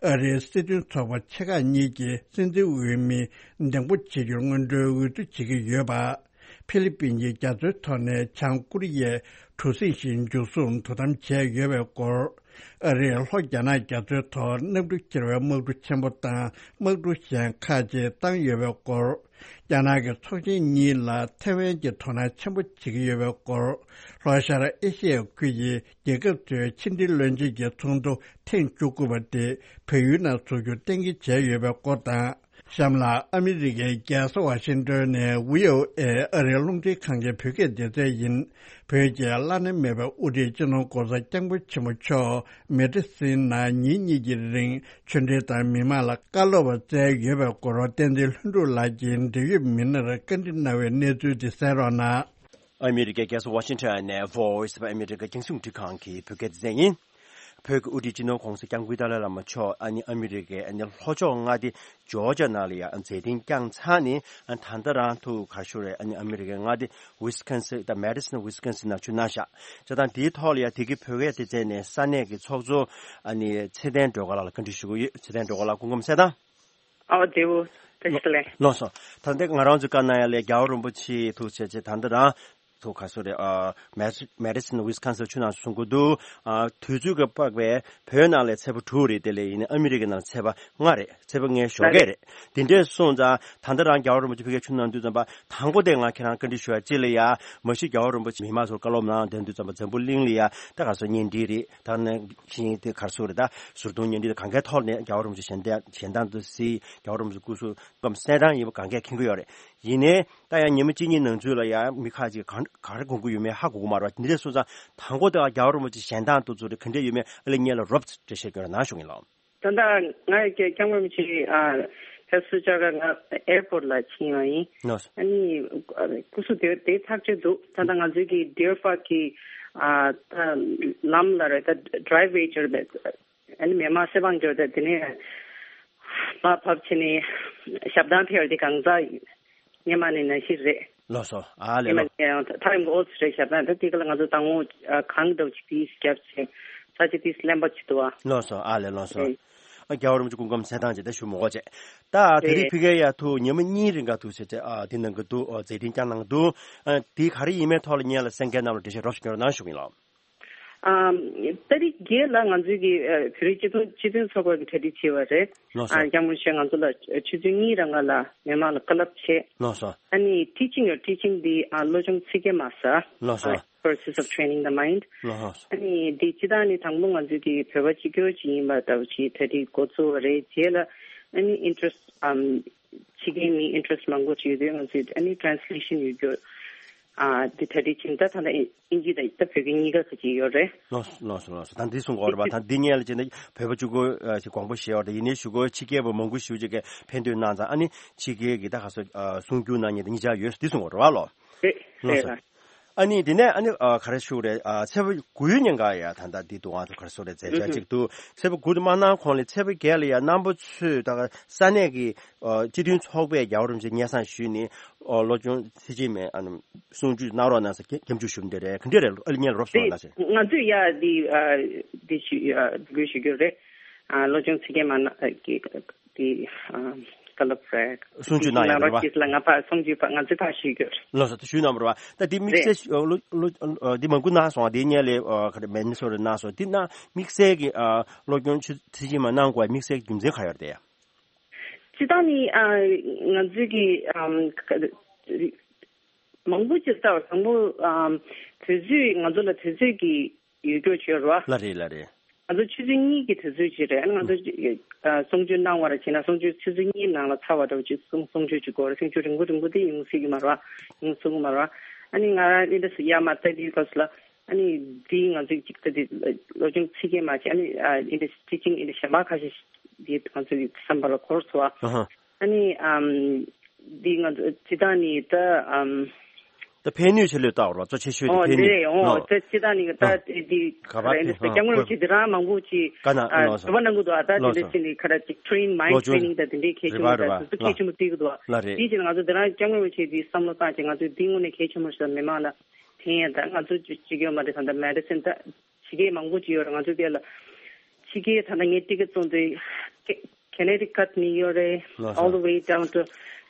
ཨ་རིའི་སྲིད་དོན་ཚོགས་པ་ཆེ་ཁག་གཉིས་ཀྱི་སྲིད་འཛིན་འོས་མི་འདེམས་བསྐོ་བྱེད་རྒྱུར་སྔོན་འགྲོའི་འོས་བསྡུ་བྱེད་ཀྱི་ཡོད་པ། ཧྥི་ལི་པིན་གྱི་རྒྱ་མཚོའི་ཐོག་ནས་བྱང་ཀོ་རི་ཡའི་གྲུ་གཟིངས་ཤིག་མཇུག་སྲུང་དོ་དམ་བྱས་ཡོད་པའི་སྐོར། ཨ་རིས་ལྷོ་རྒྱ་ནག་རྒྱ་མཚོའི་ཐོག་གནམ་གྲུ་འཁྱེར་བའི་དམག་གྲུ་ཆེན་པོ་དང་དམག་གྲུ་གཞན་ཁག་ཅིག་བཏང་ཡོད་པའི་སྐོར། རྒྱ་ནག་གི་ཚོགས་ཆེན་གཉིས་ལ་ཐེ་ཝན་གྱིས་དོ་སྣང་ཆེན་པོ་བྱེད་ཀྱི་ཡོད་པའི་སྐོར། ལྷོ་ཤར་ཨེ་ཤི་ཡའི་ཁུལ་གྱི་རྒྱལ་ཁབ་ཚོའི་ཕྱི་འབྲེལ་བློན་ཆེན་གྱི་ཚོགས་འདུ་ཐེངས་བཅུ་དགུ་པ་དེ་བལ་ཡུལ་ནང་འཛུགས་རྒྱུ་གཏན་འཁེལ་བྱས་ཡོད་པའི་སྐོར་དང་། གཤམ་ལ་ཨ་མི་རི་ཀའི་རྒྱལ་ས་ཝ་ཤིང་ཏོན་ནས་བྷི་ཨོ་ཨེ་ཨ་རིའི་རླུང་འཕྲིན་ཁང་གི་བོད་སྐད་སྡེ་ཚན་ཡིན། བོད་ཀྱི་བླ་ན་མེད་པའི་དབུ་ཁྲིད་སྤྱི་ནོར་༧གོང་ས་༧སྐྱབས་མགོན་ཆེན་པོ་མཆོག་མེ་ཏྲ་སིན་ནང་ཉིན་གཉིས་ཀྱི་རིང་ཆོས་འབྲེལ་དང་མི་མང་ལ་བཀའ་སློབ་སྩལ་ཡོད་པའི་སྐོར་བསྟན་འཛིན་ལྷུན་གྲུབ་ལགས་ཀྱིས་འབྲེལ་ཡོད་མི་སྣར་བཀའ་འདྲི་གནང་བའི་གནས་ཚུལ་དེ་གསན་རོགས་གནང་། ཨ་མི་རི་ཀའི་རྒྱལ་ས་ཝ་ཤིང་ཊོན་ནས་Voice of America རྒྱང་སྲིང་རླུང་འཕྲིན་ཁང་གི་བོད་སྐད་སྡེ་ཚན་ཡིན། བོད་ཀྱི་དབུ་ཁྲིད་སྤྱི་ནོར་༸གོང་ས་༸སྐྱབས་མགོན་ཏཱ་ལའི་བླ་མ་མཆོག་ཨ་ནི་ཨ་མི་རི་ཀའི་ཨ་ནི་ལྷོ་ཕྱོགས་མངའ་སྡེ་ཇོར་ཇ་ནང་ལ་ཡ་མཛད་འཕྲིན་བསྐྱངས་ཚར་ནས། ཨ་ད་ལྟ་རང་ཐུག་ག་ཞུ་རེད། ཨ་ནི་ཨ་མི་རི་ཀའི་མངའ་སྡེ་ཝི་སི་ཀོན་སིན་དང་མེ་ཌི་སིན་ཝི་སི་ཀོན་སིན་ནང་ཕྱིར་གནང་ཤག་བྱས་ཙང་དེའི་ཐོག་ལ་ཡ་དེ་གི་བོད་སྐད་སྡེ་ཚན་ནས་ས་གནས་ཀྱི་ཚོགས་གཙོ་ཨ་ནི་ཚེ་བརྟན་སྒྲོལ་དཀར་ལགས་ལ་བཀའ་འདྲི་ཞུ་གི་ཡོད། ཚེ་བརྟན་སྒྲོལ་དཀར་ལགས་སྐུ་ཁམས་གསལ་ཐང་། ཨོ་དེའུ། བཀྲ་ཤིས་བདེ་ལེགས། ལགས་སོ། ད་ལྟ་ང་རང་ཚོའི་བཀའ་གནང་ཡ་ལས་རྒྱལ་བ་རིན་པོ་ཆེ་ཐུག་བྱས་རྗེས་ད་ལྟ་རང་ཐུག་ག་སོ་རེད། ཨ་མེ་མེ་ཌི་སིན་ཝི་སི་ཀོན་སིན་ཕྱིར་གནང་སོང་གི་འདུག་ཨ་དུས་ཚོད་ཀྱི་དཔག་པའི་བོད་ནང་ལ་ཚེས་པ་དྲུག་རེད། དེ་ལས་ཡིན་ན་ཨ་མི་རི་ཀའི་ནང་ཚེས་པ་ལྔ་རེད། ཚེས་པ་ལྔའི་ཞོགས་ཀས་རེད། དེ་འདྲས་སོང་ཙང་ད་ལྟ་རང་རྒྱལ་བ་རིན་པོ་ཆེ་ཕ་གིར་ཕྱིར་གནང་དུས་ཙམ་པ་དང་པོ་དེ་ང་ཁྱེད་རང་བཀའ་འདྲི་ཞུ་ཡ་གཅིག་ལ་ཡ་མ་གཞི་རྒྱལ་བ་རིན་པོ་ཆེ་མི་མང་ཚོར་བཀའ་སློབ་གནང་བསྡད་དུས་ཙམ་པ་འཛམ་བུ་གླིང་ལ་ཡ་ད་ག་སོ་བརྙན་འཕྲིན་རེད། ད་ནང་བཞིན་དེ་གར་སོ་རེད། ད་ཟུར་གདོང་བརྙན་འཕྲིན་དེ་གང་གའི་ཐོག་ནས་རྒྱལ་བ་རིན་པོ་ཆེ་ཞལ་ཏ་ཞལ་ཏང་དུ་གཟིགས། རྒྱལ་བ་རིན་པོ་ཆེ་སྐུ་གཟུགས་སྐམ་གསལ་ཐང་ཡིན་པ་གང་གས་མཁྱེན་གྱི་ཡོད་རེད། ཡིན་ནའི་ད་ཡང་ཉི་མ་གཅིག་གཉིས་ནང་ཚུད་ལ་ཡང་མི་ཁག་ཅིག་གང་ག་རེ་དགོངས་ཀྱི་ཡོད་མེད་ཧ་གོ་གི་མ་རེད་བ། འདི་འདྲ་སོང་ཙང་དང་པོ་དེ་རྒྱལ་བ་རིན་པོ་ཆེ་ཞལ་ཏང་དུ་ཚུད་རེད། ག་འདྲས་ཡོད་མེད་ཨ་ལེ་ཉེ་ལ་རོབ་འགྲེལ་བཤད་སྐྱོན་ར་ནང་ཞུ་གིན་ལགས། ད་ལྟ་ང་ཡི་སྐྱབས་མགོན་རིན་པོ་ཆེ་ཨ་ཕེབས་བསུ་བཅར་ག་ང་ཨེར་པོར་ལ་ཕྱིན་ཡོང་ཡིན། ལགས་སོ། ཨ་ནི་སྐུ་གཟུགས་དེ་དེ་ཐག་ཆོད་འདུག་ད་ལྟ་ང་ཚོའི་གི་ཌི་ཡར་པཱག་གི་ཨ་ད་ལམ་ལ་རེད། ད་ཌི་རའི་ཝེ་ཅར་བས། ཨ་ནི་མི་མང་སེ་བང་འབྱོར་ཏེ་དེ་ནས་མར་བབས་བྱས་ནས་ཞབས་ཏང་ཕེབས་དེ་གང་ཟག་སྔོན་མ་ནས་ནང་བཞིན་རེད། ལགས་སོ། ཨ་ལེ་སྔོན་མ་ལགས། ནས་ཡང་ཐག་ཡོང་གི་ཨོ་ཙི་རེད། ཞབས་ཏང་ད་དེ་ག་ལ་ང་ཚོ་དང་པོ་གང་འདྲ་བོ་ཅིག་དེས་རྒྱབ་བྱས་ས་ཆ་དེས་ལེན་པ་ཅིག་འདུག་བ། ལགས་སོ། ཨ་ལེ་ལགས་སོ། རེད། ཨ་རྒྱལ་བ་རིན་པོ་ཆེ་སྐུ་ཁམས་གསལ་ཐང་ཅིག་ད་ཞུ་མི་དགོས་བྱས། ད་དེ་རིང་ཕ་གིར་ཡ་ཐུག་ཉི་མ་གཉིས་རིང་ག་ཐུག་བྱས་ཏེ་ཨ་དེ་གནང་གི་འདུག་ཨ་མཛད་འཕྲིན་བསྐྱངས་གནང་གི་འདུག་ཨ་དེ་ག་རེ་ཡིན་མིན་ཐོག་ལ་ངེད་ལ་གསན་མཁན་རྣམས་ལ་འགྲེལ་བཤད་རོབ་ཞིག་སྐྱོན་རོགས་གནང་ཞུ་གིན་ལགས། ཨམ། ཏ་རིག་བརྒྱད་ལ་ང་ཚོའི་གི་ཨ་བོད་རིགས་སྤྱི་མཐུན་སྤྱི་མཐུན་ཚོགས་པ་གི་གྲ་སྒྲིག་བྱས་པ་རེད། ལགས་སོ། ཨ་སྐྱབས་མགོན་ཆེན་ང་ཚོ་ལ་ཆུ་ཚོད་གཉིས་རང་ག་ལ་མི་མང་ལ་བཀའ་སློབ་བྱས། ལགས་སོ། ཨ་ནི་ཊི་ཅིང་ཡོད། ཊི་ཅིང་འདི་ཨ་བློ་སྦྱོང་ཚིག་བརྒྱད་མ་ཟ། ལགས་སོ། ཨ་Courses of Training the Mind། ལགས་སོ། ཨ་ནི་འདི་སྤྱི་བཏང་ནི་དང་པོ་ང་ཚོའི་གི་བོད་པ་གཅིག་གྱུར་ཅིག་ཡིན་པ་ལྟ་བུ་ཅིག་གྲ་སྒྲིག་འགོ་བཙུགས་པ་རེད། རྗེས་ལ་ཨ་ནི་ཨིན་ཊ་རེ་སི་ཊི་ཨམ། ཕྱི་རྒྱལ་མི་ཨིན་ཊ་རེ་སི་ཊི་མང་པོ་ཅིག་ཡོད་དུས་ང་ཚོས་ཨ་ནི་ཊེ་རན་སི་ལེ་ཤན་ཡོད་རྒྱུ། ཨ་དེ་གྲ་སྒྲིག་བྱེད། ད་ད་ལྟ་ཨིན་ཨིན་ཇི་དང་ད་བོད་སྐད་གཉིས་ཀ་ག་ཅིག་ཡོད་རེད། ལགས་སོ་ལགས་སོ་ལགས་སོ། ད་འདི་གསུང་གི་ཡོད་རེད་བ། ད་འདི་སྔོན་ལ་བྱས་ན་བོད་པ་གཅིག་པོ་ཨ་ཅིག་དགོངས་པ་བཞེས་པ་རེད། ཡིན་ནའི་གཞུག་གུ་ཕྱི་རྒྱལ་པ་མང་པོ་ཞེ་པོ་ཅིག་གིས་ཕན་ཐོགས་གནང་ཙང་ཨ་ནི་ཕྱི་རྒྱལ་གྱི་ད་ག་སོ་ཨ་གསུང་རྒྱུ་གནང་མཁན་དེ་གཉིས་ཆ་ཡོད། འདི་གསུང་གི་ཡོད་རེད་བ་ལོ། རེད། ལགས་སོ། རེད་ལགས། ཨ་ནི་དེ་ནས་ཨ་ནི་ཨ་ག་རེ་ཞུ་རེད། ཨ་ཚེས་པ་དགུའི་ཉིན་ཀ་ཡ་ད་ལྟ་འདི་འདུག་ཨང་ཚོ་ག་རེ་ཞུ་རེད། མཛད་འཆར་ཨུ་ཧུ། གཅིག་འདུག་ཚེས་པ་དགུ་དེ་མ་གནང་གོང་ལ་ཚེས་པ་བརྒྱད་ལ་ཡ་རྣམ་པ་ཚོས་ད་ས་གནས་ཀྱི་ཨ་སྤྱི་མཐུན་ཚོགས་པས་རྒྱལ་བ་རིན་པོ་ཆེ་སྙན་སེང་ཞུས་ནས་ཨ་བློ་སྦྱོང་ཚིག་བརྗེ་མེད་ཨ་ནི་གསུང་ཆོས་གནང་རོགས་གནང་ཟེར་སྐྱབས་འཇུག་ཞུ་འདི་རེད། ག་འདྲས་རེད། ཨ་ལེ་ངས་རོབ་གསུང་རོགས་གནང་ཟེར། ང་ཚོས་ཡ་འདི་ཨ་འདི་ཞུ་ཨ་འདི་དགོས་ཞུ་རྒྱུ་རེད། ཨ་བློ་སྦྱོང་ཚིག་བརྗེ་མ་གནང་ཨ་གི་དེ་ཨ་བཀའ་སློབ་རེད། གསུང་ཆོས་གནང་ཡོད་རེད་བ། ལགས་སོ། ང་ཕར་གསུང་ཆོས་ཕར་ང་ཚོས་ཕར་ཞུས་དགོས། ལགས་སོ། ད་ཞུས་གནང་བ་རེད་བ། ད་འདི་དམིགས་བསལ་ཨ་ལོ་ལོ་ཨ་འདི་མང་པོ་གནང་སོང་། འདི་སྔོན་ལ་ཨ་ག་རེ་མི་ནི་སོ་ཊ་གནང་སོང་། འདི་ནང་དམིགས་བསལ་གྱི་ཨ་སློབ་སྦྱོང་ཆུ་ཚོད་གཅིག་མ་གནང་དགོས་པའི་དམིགས་བསལ་གྱི་རྒྱུ་མཚན་ག་ཡོད་རེད་དེ། སྤྱིར་བཏང་ནི་ཨ་ང་ཚོའི་གི་ཨམ་ག་མང་པོ་ཅིག་ལྟ་བ་དང་པོ་ཨམ་དུས་ཚོད་ང་ཚོ་ལ་དུས་ཚོད་ཀྱི་ཡོད་རྒྱུ་བྱོས་རོ། ལགས་རེད་ལགས་རེད། ང་ཚོ་ཆུ་ཚོད་གཉིས་ཀྱི་དུས་ཚོད་ཅིག་རེད། ཨ་ནི་ང་ཚོ་ཨ་གསུང་ཆོས་གནང་བ་ར་བྱས་ན་གསུང་ཆོས་ཆུ་ཚོད་གཉིས་ནང་ལ་ཚར་བ་འདྲ་བོ་ཅིག་གསུང་གསུང་ཆོས་ཅིག་དགོས་རེད། གསུང་ཆོས་རིང་པོ་རིང་པོ་དེ་ཡོང་སྲིད་ཀྱི་མ་རེད་བ། ཡོང་སྲིད་ཀྱི་མ་རེད་བ། ཨ་ནི་ང་རང་ཨིན་ཌི་ཡ་མ་ལྟ་དུས་སྐབས་སུ་ལ་ཨ་ནི་འདི་ང་ཚོའི་ཅིག་ལྟ་དུས་སློབ་སྦྱོང་ཚིག་བརྒྱད་མ་བྱས། ཨ་ནི་ཨ་ཨིན་ཌི་ཊི་ཅིང་ཨིན་ཌི་གཞན་པ་ཁ་ཤས་འདི་ང་ཚོའི་བསམ་པ་ལ་འཁོར་སོང་བ། ཨ་ཧ། ཨ་ནི་ཨམ་འདི་ང་ཚོ་སྤྱི་བཏང་ནི་ད་ཨམ། ད་ཕན་ནུས་ཆེ་ལོས་བཏགས་རོགས་གཙོ་ཆེ་ཤོས་དེ་ཨོ་ཕན་ནུས་འདི་རེད། ཨོ་ལོ། ད་སྤྱི་བཏང་ནི་ད་ཨ་འདི་ག་པ་རེད། དེ་སྐྱབས་མགོན་རིན་པོ་ཆེ་འདི་རང་མང་པོ་ཅིག་ག་ན་ཨ་ལོ་སོ། དུ་བ་གནང་གི་འདུག་ཨ་ད་ལོ་དེ་འདྲ་སོ། ཅི་ནི་ཁ་ར་ཅིག་ཊེ་རེ་ནིང་མའིན་ཌི་ལོ་ཊེ་རེ་ནིང་ད་དེ་འདྲའི་གལ་ཆེན་པོ་རེད་བ་རེད་བ། ད་དེ་གལ་ཆེན་པོ་བརྩི་གི་འདུག་ལ་རེད། དེ་བྱས་ན་ང་ཚོ་འདི་རང་སྐྱབས་མགོན་རིན་པོ་ཆེ་འདི་བསམ་བློ་བཏང་བྱས་ང་ཚོས་འདི་དངོས་གནས་གལ་ཆེན་པོ་ཞིག་ལ་མི་མང་ལ་ཕན་ཡ། ད་ང་ཚོ་གཅིག་ཡོད་མ་རེད། ད་ད་མེ་ཌི་སིན་ད། ཕྱི་རྒྱལ་མང་པོ་ཅིག་ཡོད་རེད། ང་ཚོ་དེ་ལ་ཕྱི་རྒྱལ་ད་ལྟ་ངས་ཊི་ཀེ་ཊི་བཙོང་དུས་ཀེ་ཀེ་ནེ་ཊི་ཀཊ་མི་ཡོད་རེད། ལགས་སོ། All the way down to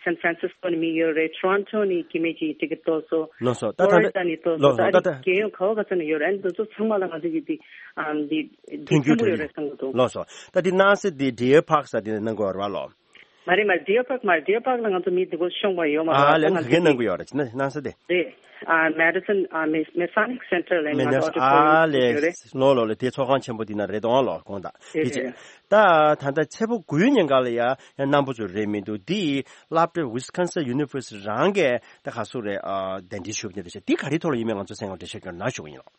San Francisco ནས་མི་ཡོད་རེད། Toronto ནས་ཀྱི་མེད་ཀྱི་ཊི་ཀེ་ཊི་ཏོག་སོ། ལགས་སོ། ད་ད་Florida ནས་ཏོག་སོ། ལགས་སོ། ད་ད་རྒྱལ་ཡོངས་ག་བ་ག་ཚོད་ནས་ཡོད་རེད། ཨ་ནི་འདི་ཚོ་ཚང་མ་ལ་ང་ཚོ་གི་དེ་ཨམ་དེ་མཐུན་འགྱུར་ཆེན་པོ་ཡོད་རེད་བསམ་གི་འདུག་ལགས་སོ། ད་དེ་གནང་སའི་དེ་ཌི་ཡར་པཱག་ཟེར་དེ་ནས་གནང་དགོས་རེད་བ་ལོ། མ་རེད་མ་རེད། ཌི་ཡར་པཱག་མ་རེད། ཌི་ཡར་པཱག་ལ་ང་ཚོ་མི་འདི་གོ་ཤོང་བ་ཡོད་མ་རེད། ཨ་ལས་ད་ང་ཚོ་ག་གེ་གནང་གི་ཡོད་རེད། ཅི་ན་གནང་ས་དེ། རེད། ཨ་མེ་ཌི་སོན་ཨ་མེ་མེ་སོ་ནིག་སེན་ཊར་ལ་ང་ཚོ་ཨ་ཊི་ཊོ་རི་ཊོ་རི་ཡོད་རེད། ལོ་ལོ་ལོ་དེ་ཚོགས་ཁང་ཆེན་པོ་འདི་ན་རེད་དོ་ལོ་དགོངས་དག་དེ་རེད་རེད་ཅེ། རེད། ད་ད་ལྟ་ཚེས་པ་དགུའི་ཉིན་ག་ལ་ཡ་ཡ་རྣམ་པ་ཚོ་རེད་མི་འདུག་འདི་སློབ་གྲྭ་ཝི་སི་ཀོན་སིན་ཡུ་ནི་ཝར་སི་ཊི་རང་གི་ད་ག་སུ་རེད། ཨ་དན་འདྲི་ཞུ་བ་འདི་རེད་ཅེ། འདི་ག་རེ་ཐོག་ལ་ཡིན་མིན་ང་ཚོ་སེམས་ཁམས་འགྲེལ་བཤད་སྐྱོན་ན་ཞུ་གི་ཡིན་ལོ།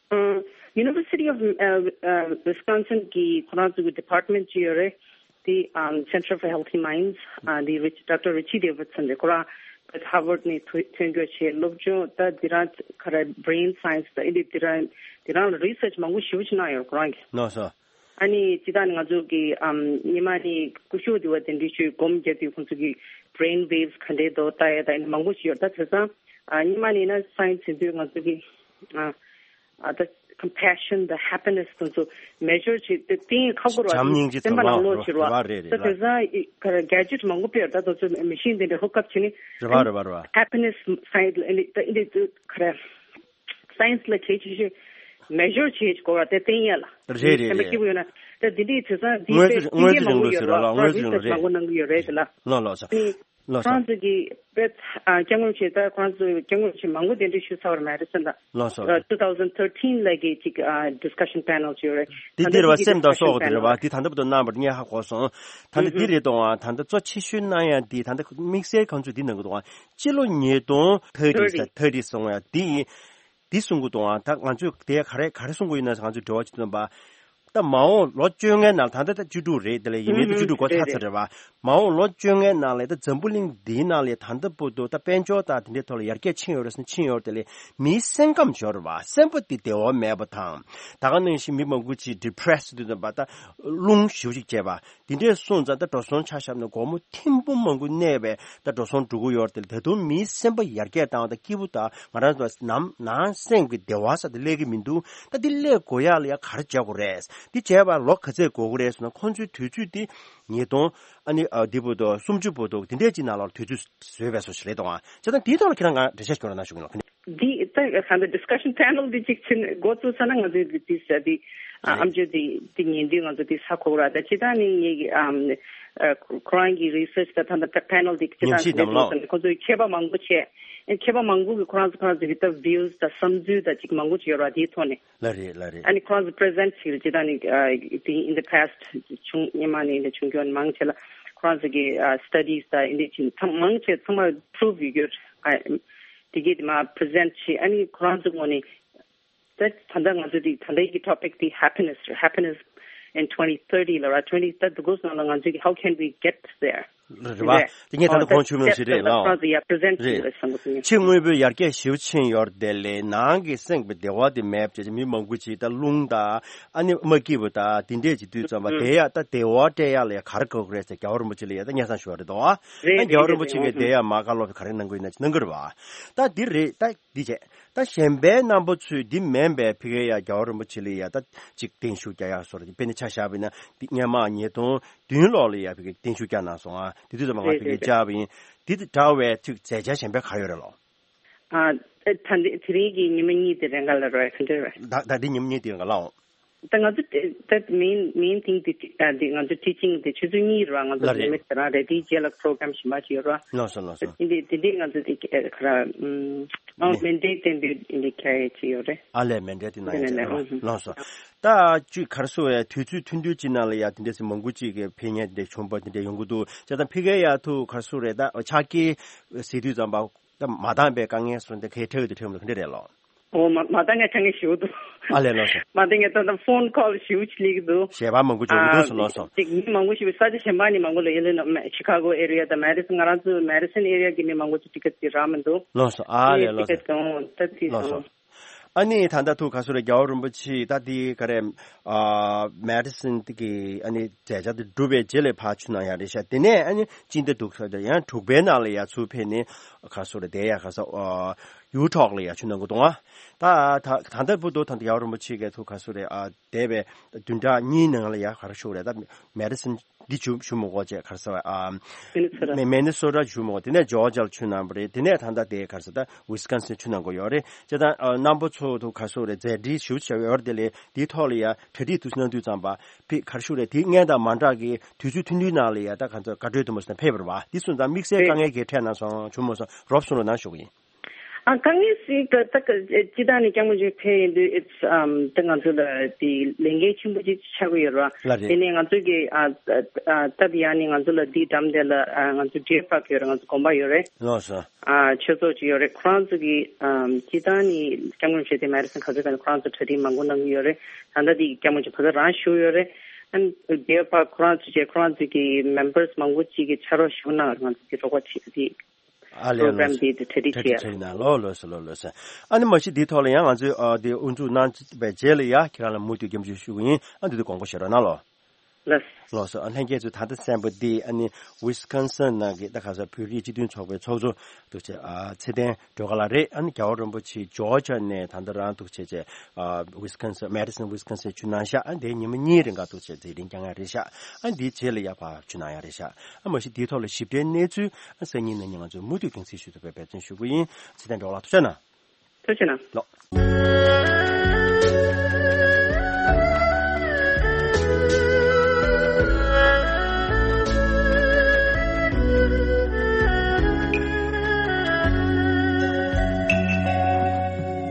ཨ་University of uh, uh, Wisconsin གི་ཁོ་རང་ཚོ་གི་ཌི་པཱར་ཊི་མེན་ཊི་ཅིག་ཡོད་རེད། དེ་ཨམ་Center for Healthy Minds ཨ་དེ་རི་ཌོག་ཊར་Richie Davidson རེད། ཁོ་རང་ Harvard་ནས་ཐོན་ཐོན་རྒྱུ་བྱས། སློབ་སྦྱོང་ད་འདི་རང་ག་རེ་brain science་ད་འདི་འདི་རང་འདི་རང་ལ་research་མང་པོ་ཞེ་པོ་ཅིག་གནང་ཡོད་ཁོ་རང་གིས། ལགས་སོ། ཨ་ནི་སྤྱིར་བཏང་ནས་ང་ཚོ་གི་ཨམ་ཉི་མ་ནས་སྐུ་ཞབས་འདི་བ་དེ་འདྲ་ཞིག་སྒོམ་རྒྱབ་དུས་ཁོང་ཚོ་གི་brain waves་ག་འདྲས་འདུག་ལྟ་ཡ་ད་ཨ་ནི་མང་པོ་ཞིག་ཡོད། ད་དེང་སང་ཨ་ཉི་མ་ནས་ན་science་ཡིན་དུས་ང་ཚོ་གི་ཨ་ཨ་ད་compassion་དང་happiness་ཁོང་ཚོ་measure་བྱེད་དེ་གཏན་ཁག་པོ་རེད་བ། བྱམས་སྙིང་རྗེ་སེམས་པ་ཚང་མ་ནང་ལོགས་བྱེད་རེད་བ། རེད་རེད་ད་རེད། དེང་སང་ཨི་ག་རེ་gadget་མང་པོ་སྤེལ་ད་དེ་ཚོ་machine་དེ་འདྲ་hook up་བྱས་ནས་རེད་བ་རེད་བ་རེད་བ། happiness side་ལ་ཨ་ནི་ད་ཨ་ནི་ག་རེ་science་ལ་གལ་ཆེ་ཤོས་measure་བྱེད་དགོས་པ་དེ་བསྟན་ཡ་ལ། རེད་རེད་སེམས་པ་རེད། སྐྱིད་པོ་ཡོད་ན་ད་འདི་འདྲའི་དེང་སང་འདི་དངོས་དཔེ་འདི་དངོས་དཔེ་གྲུབ་མང་པོ་ཡོད་རེད་ལ། ལགས་སོ། མང་པོ་ཡོད་རེད་ལ། ལགས་ལགས་སོ། ཨ་ནི་ལགས་སོ། ཁོང་ཚོ་གི་དཔེ་ཨ་སྐྱབས་མགོན་ཆེ་ད་ཁོང་ཚོ་སྐྱབས་མགོན་ཆེ་མང་པོ་གདན་འདྲེན་ཞུས་ཚར་བ་རེད་མེ་ཌི་སོན་ལ། ལགས་སོ། ཨ་two thousand thirteen་ལ་གི་ཅིག་ཨ་discussion panel་ཅིག་ཡོད་རེད། འདི་འདིར་བ་སེམས་དང་སྲོག་གི་རེད་བ། འདི་ད་ལྟ་བར་དུ་གནང་བར་ངས་ཧ་གོ་སོང་། ད་ལྟ་འདི་རེད་དང་བ། ད་ལྟ་གཙོ་ཆེ་ཤོས་གནང་ཡ་འདི་ད་ལྟ་དམིགས་བསལ་ཁོང་ཚོས་འདི་གནང་གི་འདུག་བ། སྤྱི་ལོ་ཉིས་སྟོང་ཐར་ཊི་ས་ཐར་ཊི་སོང་ཡ་འདི་ཡིན། འདི་གསུང་གི་འདུག་ཨ། ད་ང་ཚོས་དེ་ག་རེ་ག་རེ་གསུང་གི་ཡོད་ན་ང་ཚོས་འབྲེལ་བ་བྱེད་ཐུབ་པ། ད་མ་འོངས་ལོ་བཅོ་ལྔའི་ནང་ད་ལྟ་ད་བཅུ་དྲུག་རེད། དེ་ལས་ཡིན་མིན་བཅུ་དྲུག་འགོ་ཚར་ཚར་རེད་བ། མ་འོངས་ལོ་བཅོ་ལྔའི་ནང་ལས་ད་འཛམ་བུ་གླིང་འདིའི་ནང་ལས་ད་ལྟ་བར་དུ་ད་དཔལ་འབྱོར་དང་དེ་འདྲའི་ཐོག་ལ་ཡར་རྒྱས་ཕྱིན་ཡོད་རེད་ཟེར་ན་ཕྱིན་ཡོད་རེད། དེ་ལས་མིའི་སེམས་ཁམས་ཡོད་རེད་བ། སེམས་པ་འདི་བདེ་བ་མེད་པ་དང་། ད་ག་ནང་བཞིན་མི་མང་པོ་ཅིག་depressed་དུ་ད་ལྟ་རླུང་ཞེ་པོ་ཅིག་བྱས་པ། འདི་འདྲས་སོང་ཙང་ད་འགྲོ་སོང་ཆ་བཞག་ན་སྒོར་མོ་ཐེར་འབུམ་མང་པོ་གནས་པའི་ད་འགྲོ་སོང་འགྲོ་གི་ཡོད་རེད་དེ། ད་དུང་མིའི་སེམས་པ་ཡར་རྒྱས་བཏང་བ་དང་སྐྱིད་པོ་དང་ང་རང་ཚོ་ནམ་ནང་སེམས་ཀྱི་བདེ་བ་ས་དེ་སླེབས་ཀྱི་མི་འདུག་ད་འདི་སླེབས་དགོས་ཡག་ལ་ཡ་ག་རེ་བྱ་དགོས་རེད། འདི་བྱས་པ་ལོ་ག་ཚོད་འགོར་གི་རེད་ཟེར་ན། ཁོང་ཚོའི་དུས་ཚོད་འདི་ཉིས་སྟོང་ཨ་ནི་ཨ་འདི་བར་དུ་སུམ་ཅུ་བར་དུ་འདི་འདྲས་ཅིག་ནང་ལ་དུས་ཚོད་བཟོས་པའི་བཟོ་ཞིག་རེད་དང་། བྱས་ཙང་འདིའི་ཐོག་ལ་ཁྱེད་རང་ང་འགྲེལ་བཤད་ཞུ་རོགས་གནང་ཞུ་གི་ཡིན་ལ། འདི་ད་ད་ལྟ་discussion panel་འདི་གཅིག་ཕྱིན་འགོ་བཙུགས་ས་ན་ང་ཚོས་འདི་འདི་ས་འདི་ཨ་རེད། ཨམ་ཅོག་འདི་འདི་ཉན་དུས་ང་ཚོ་འདི་ས་གོ་ར། ད་ཅི་ད་ནི་ངེད་ཀྱི་ཨམ་ཨ་ཁོ་རང་གི་research་ད་ད་ད་panel་འདི་ཅི་ཉམས་ཞིབ་དང་ལ། ཁོ་ཚོས་མཁས་པ་མང་པོ་བྱས། མཁས་པ་མང་པོ་གི་ཁོ་རང་ཚོ་ཁོ་རང་ཚོ་གི་ད་views་ད་བསམ་ཚུལ་ད་ཅིག་མང་པོ་ཅིག་ཡོད་ར། དེའི་ཐོག་ནས། ལ་རེད་ལ་རེད། ཨ་ནི་ཁོ་རང་ཚོ་present་བྱས་ཅི་ད་ནི་ཨ་འདི་in the past་བྱུང་སྔོན་མ་ནས་འདི་བྱུང་རྒྱུ་མང་ཆེ་ལ་ཁོ་རང་ཚོ་གི་ཨ་studies་ད་འདི་ཅི་ཚང་མང་ཆེ་ཚང་མ་prove་ཡོད་རྒྱུ་ཨ། དེ་གས་དེ་མ་present་བྱས། ཨ་ནི་ཁོ་རང་ཚོ་ངོས་ནས་ད་ད་ལྟ་ང་ཚོ་དེ་ད་ལྟའི་གི་topic་དེ་happiness་རེད། Happiness in twenty thirty་ལ་ར། twenty thirty་དེ་གོ་སོང་ལ་ང་ཚོ་གི་how can we get there་ལ་རེད་བ། རེད། དེ་ངས་ད་ལྟ་གོང་ཞུས་མ་ཞིག་རེད་ལགས། ཁོ་རང་ཚོ་ཡ་present་རེད། བྱས་ལ་བསམ་གི་འདུག་ཕྱི་དངོས་པོའི་ཡར་རྒྱས་ཞེ་པོ་ཕྱིན་ཡོད་རེད་དེ་ལས་ནང་གི་སེམས་ཀྱི་བདེ་བ་དེ་མེད་པ་བྱས་ཅིག་མི་མང་པོ་ཅིག་ད་རླུང་དང་ཨ་ནི་མ་སྐྱིད་པ་དང་དེ་འདྲས་ཅིག་དུས་ཙམ་པ་དེ་ཡ་ད་བདེ་བ་སྤྲད་ཡག་ལ་ཡ་ག་རེ་དགོས་ཀྱི་རེད་ཟེར་རྒྱལ་བ་རིན་པོ་ཆེ་ལ་ཡ་ད་སྙན་སེང་ཞུ་བ་རེད་དོ། ཨ་རེད་ད་རྒྱལ་བ་རིན་པོ་ཆེ་གིས་དེ་ཡ་མ་བཀའ་སློབ་ག་རེ་གནང་གི་ཡོད་ན་ཅིག་གནང་གི་རེད་བ། ད་འདི་རེད། ད་འདི་བྱས། ད་གཞན་པའི་རྣམ་པ་ཚོས་འདི་མིན་པའི་ཕ་གིའི་ཡ་རྒྱལ་བ་རིན་པོ་ཆེ་ལ་ཡ་ད་ཅིག་བརྟན་བཞུགས་རྒྱག་ཡག་བཟོ་འདྲ་དཔེར་ན་ཆ་བཞག་པ་ཡིན་ན་འདི་སྔོན་མ་ཉིས་སྟོང་བདུན་ལོ་ལ་ཡ་ཕ་གིར་བརྟན་བཞུགས་བསྐྱངས་གནང་སོང་ཨ། དེ་དུས་ཙམ་པ་ང་ཕ་གིར་བཅར་བ་ཡིན། འདི་དང་འདྲ་བའི་ཚིག་མཛད་འཆར་གཞན་པ་ག་རེ་ཡོད་རེད་ལོ། ཨ། ད་འདི་དེ་རིང་གི་ཉི་མ་གཉིས་དེ་རེ་འགའ་ལ་རོལ་ཁ་འདྲ་རེད། ད་ད་འདི་ཉི་མ་གཉིས་དེ་རེ་འགའ་ལ་འོང་། ད་ང་ཚོ་ད་main main thing་དེ་ད་འདི་ང་ཚོ་teaching་དེ་ཆུ་ཚོད་གཉིས་རེད་བ། ང་ཚོ་ལ་རེད། limit་རང་རེད། དེའི་རྗེས་ལ་program་གཞན་པ་ཞིག་ཡོད་རེད་བ། ལགས་སོ་ལགས་སོ། འདི་འདི་འདི་ང་ཚོ་དེ་ག་ར་ཨམ་ཨ་ནི་མན་ཌེ་དེ་འདི་འདི་ཁ་ཡ་ཅི་ཡོད་རེད། ཨ་ལས་མན་ཌེ་དེ་ནང་ཡ་ཅི་རེད་བ། ལགས་སོ། ད་ཅིག་ག་རེ་ཟེར་བས་དུས་ཚོད་ཐུང་ཐུང་ཅིག་ནང་ལ་ཡ་དེ་འདྲས་སེ་མང་པོ་ཅིག་གི་ཕེབས་མཁན་དེ་འདྲས་བྱུང་བ་དེ་འདྲས་ཡོང་གི་འདུག་བྱས་ཙང་ཕ་གིའི་ཡ་ཐུག་ག་རེ་ཟེར་རེད། ད་ཕྱག་འཁྱེར་ཟེར་དུས་ཙམ་པ། ད་མ་འདང་བའི་དཀའ་ངལ་སོགས་འདི་གའི་འཕྲད་ཀྱི་འདུག་འཕྲད་མི་འདུག་ག་འདྲ་རེད་ལོ། ཨོ་མ་མ་འདང་ངས་དཀའ་ངལ་ཞེ་པོ་འདུག་ཨ་ལས་ལགས་སོ། མ་འདང་ངས་ད་ལྟ་phone call་ཞེ་པོ་ཅིག་སླེབས་ཀྱི་འདུག་བྱས་པ་མང་པོ་བྱུང་གི་འདུག་སོ་ལགས་སོ། ཅིག་མི་མང་པོ་ཞིག་ས་ཆ་གཞན་པ་ནས་མང་པོ་ལ་Illinois་Chicago area་དང་Madison་ང་རང་ཚོ་Madison area་གི་མི་མང་པོ་ཅིག་ticket་དེ་རག་མི་འདུག་ལགས་སོ། ཨ་ལས་ལགས་སོ། Ticket་དང་ད་དེ་ལགས་སོ། སོང་། ཨ་ནི་ད་ལྟ་ཐུག་ག་སུ་རེད། རྒྱལ་བ་རིན་པོ་ཆེ་ད་དེ་ག་རེ་ཨ་Madison་དེ་གི་ཨ་ནི་མཛད་འཆར་དེ་གྲུབ་པའི་རྗེས་ལ་ཕར་ཆུ་ནང་ཡར་རེད་ཤག་དེ་ནས་ཨ་ནི་ཅི་འདྲ་འདུག་ཟེར་ཡང་དྲུག་པའི་ནང་ལ་ཡར་ཚུར་ཕེབས་ནས་ག་སུ་རེད། དེ་ཡ་ག་ས་ཨ་Utah་ལ་ཡར་ཆུ་ནང་གི་འདུག་ཨ་ད་ད་ད་ལྟ་བུ་དུ་ད་ལྟ་རྒྱལ་བ་རིན་པོ་ཆེ་གི་ཐུག་ག་སུ་རེད། ཨ་འདས་པའི་བདུན་ཕྲག་གཉིས་ནང་ལ་ཡར་ག་རེ་ཞུ་རེད། ད་Madison་འདི་ཞུ་ཞུ་མི་དགོས་བྱས་ག་རེ་ཟེར་བ་ཨ། Minnesota། མེ་Minnesota་ཞུ་མི་དགོས། དེ་ནས་Georgia་ལ་ཆུ་ནང་པ་རེད། དེ་ནས་ད་ལྟ་དེ་ག་རེ་ཟེར་ད་Wisconsin་ཆུ་ནང་གོ་ཡོད་རེད། བྱས་ཙང་ཨ་རྣམ་པ་ཚོ་ཐུག་ག་སུ་རེད། མཛད་འཕྲིན་ཞུ་བྱས་ཡོད་རེད། དེ་ལས་དེའི་ཐོག་ལ་ཡ་གྲ་སྒྲིག་དུ་གནང་དུས་ཙམ་པ་ཕི་ག་རེ་ཞུ་རེད། དེ་སྔན་དང་མ་འདྲ་གི་དུས་ཚོད་ཐུང་ཐུང་ནང་ལ་ཡ་ད་ག་ཚོད་བཀའ་འཁྲོལ་དུ་མ་སོང་ཕེབས་པ་རེད་བ། དེ་སོང་ཙང་དམིགས་བསལ་དཀའ་ངལ་གྱི་འཕྲད་ན་སོང་བྱུང་མ་སོང་རོབ་གསུང་རོགས་གནང་ཞུ་གི་ཡིན། ཨ་དཀའ་ངལ་ཞིག་ད་ད་སྤྱི་བཏང་ནས་སྐྱབས་མགོན་མཆོག་ཕེབས་ཡིན་དུས་it's um ད་ང་ཚོ་ལ་དེ་ལས་འགན་ཆེན་པོ་ཅིག་ཆགས་ཀྱི་ཡོད་རེད་བ། ལ་རེད། དེ་ནས་ང་ཚོ་གི་ཨ་ཨ་སྟབས་ཡག་ནས་ང་ཚོ་ལ་དེའི་འགྲམ་དེ་ལ་ཨ་ང་ཚོ་Deer Park་ཡོད་རེད། ང་ཚོ་དགོན་པ་ཡོད་རེད། ལགས་སོ། ཨ་ཆོས་ཚོགས་ཅིག་ཡོད་རེད། ཁོ་རང་ཚོ་གི་ཨམ་སྤྱི་བཏང་ནས་སྐྱབས་མགོན་མཆོག་དེ་Madison་ག་ཚོད་ཀྱང་ཁོ་རང་ཚོ་གྲ་སྒྲིག་མང་པོ་གནང་གི་ཡོད་རེད། ད་ལྟ་དེ་སྐྱབས་མགོན་མཆོག་ཕ་གི་རང་བཞུགས་ཡོད་རེད། ཨ་Deer Park་ཁོ་རང་ཚོ་བཅས་ཁོ་རང་ཚོ་གི་members་མང་པོ་ཅིག་གི་ཕྱག་རོགས་ཞུ་གནང་ང་ཚོ་གི་རོགས་པ་བྱེད་དེ། ཨ་ལས། program འདི་གྲ་སྒྲིག་བྱས། གྲ་སྒྲིག་བྱས་ཡིན་ན་ལོ་ལོ་སོ་ལོ་ལོ་སོ། ཨ་ནི་མ་གཞི་འདིའི་ཐོག་ལ་ཡང་ང་ཚོས་ཨ་འདི་དབུ་འཛུགས་གནང་བའི་རྗེས་ལ་ཡ་ཁྱེད་རང་ལ་མུ་མཐུད་སྐྱབས་འཇུག་ཞུ་གི་ཡིན། ཨ་འདི་དུས་དགོངས་པ་བཞེས་རོགས་གནང་ལོ། ལགས། ལགས་སོ། ཨ་ལྷན་རྒྱས་ཚོས་ད་ལྟ་གསན་པ་འདི་ཨ་ནི་ཝི་སི་ཀོན་སིན་ནང་གི་ད་ག་ས་བོད་རིགས་སྤྱི་མཐུན་ཚོགས་པའི་ཚོགས་གཙོ་འདུག་ཅེས་ཨ་ཚེ་བརྟན་སྒྲོལ་དཀར་ལགས་རེད། ཨ་ནི་རྒྱལ་བ་རིན་པོ་ཆེ་ཇོར་ཇ་ནས་ད་ལྟ་རང་འདུག་ཅེས་ཅེས་ཨ་ཝི་སི་ཀོན་སིན་མེ་ཌི་སོན་ཝི་སི་ཀོན་སིན་བཅར་གནང་ཤག་ཨ་འདིའི་ཉི་མ་གཉིས་རིང་ག་འདུག་ཅེས་མཛད་རིམ་བསྐྱངས་ཡ་རེད་ཤག་ཨ་འདིའི་རྗེས་ལ་ཡ་ཕར་བཅར་གནང་ཡ་རེད་ཤག་ཨ་མ་གཞི་འདིའི་ཐོག་ལ་ཞིབ་ཕྲའི་གནས་ཚུལ་ཨ་སང་ཉིན་གནངས་ཉིན་ང་ཚོས་མུ་མཐུད་རྒྱང་སྲིང་ཞུ་ཐུབ་པའི་འབད་བརྩོན་ཞུ་གི་ཡིན། ཚེ་བརྟན་སྒྲོལ་དཀར་ལགས་ཐུགས་རྗེ་གནང་། ཐུགས་རྗེ་གནང་། ལགས།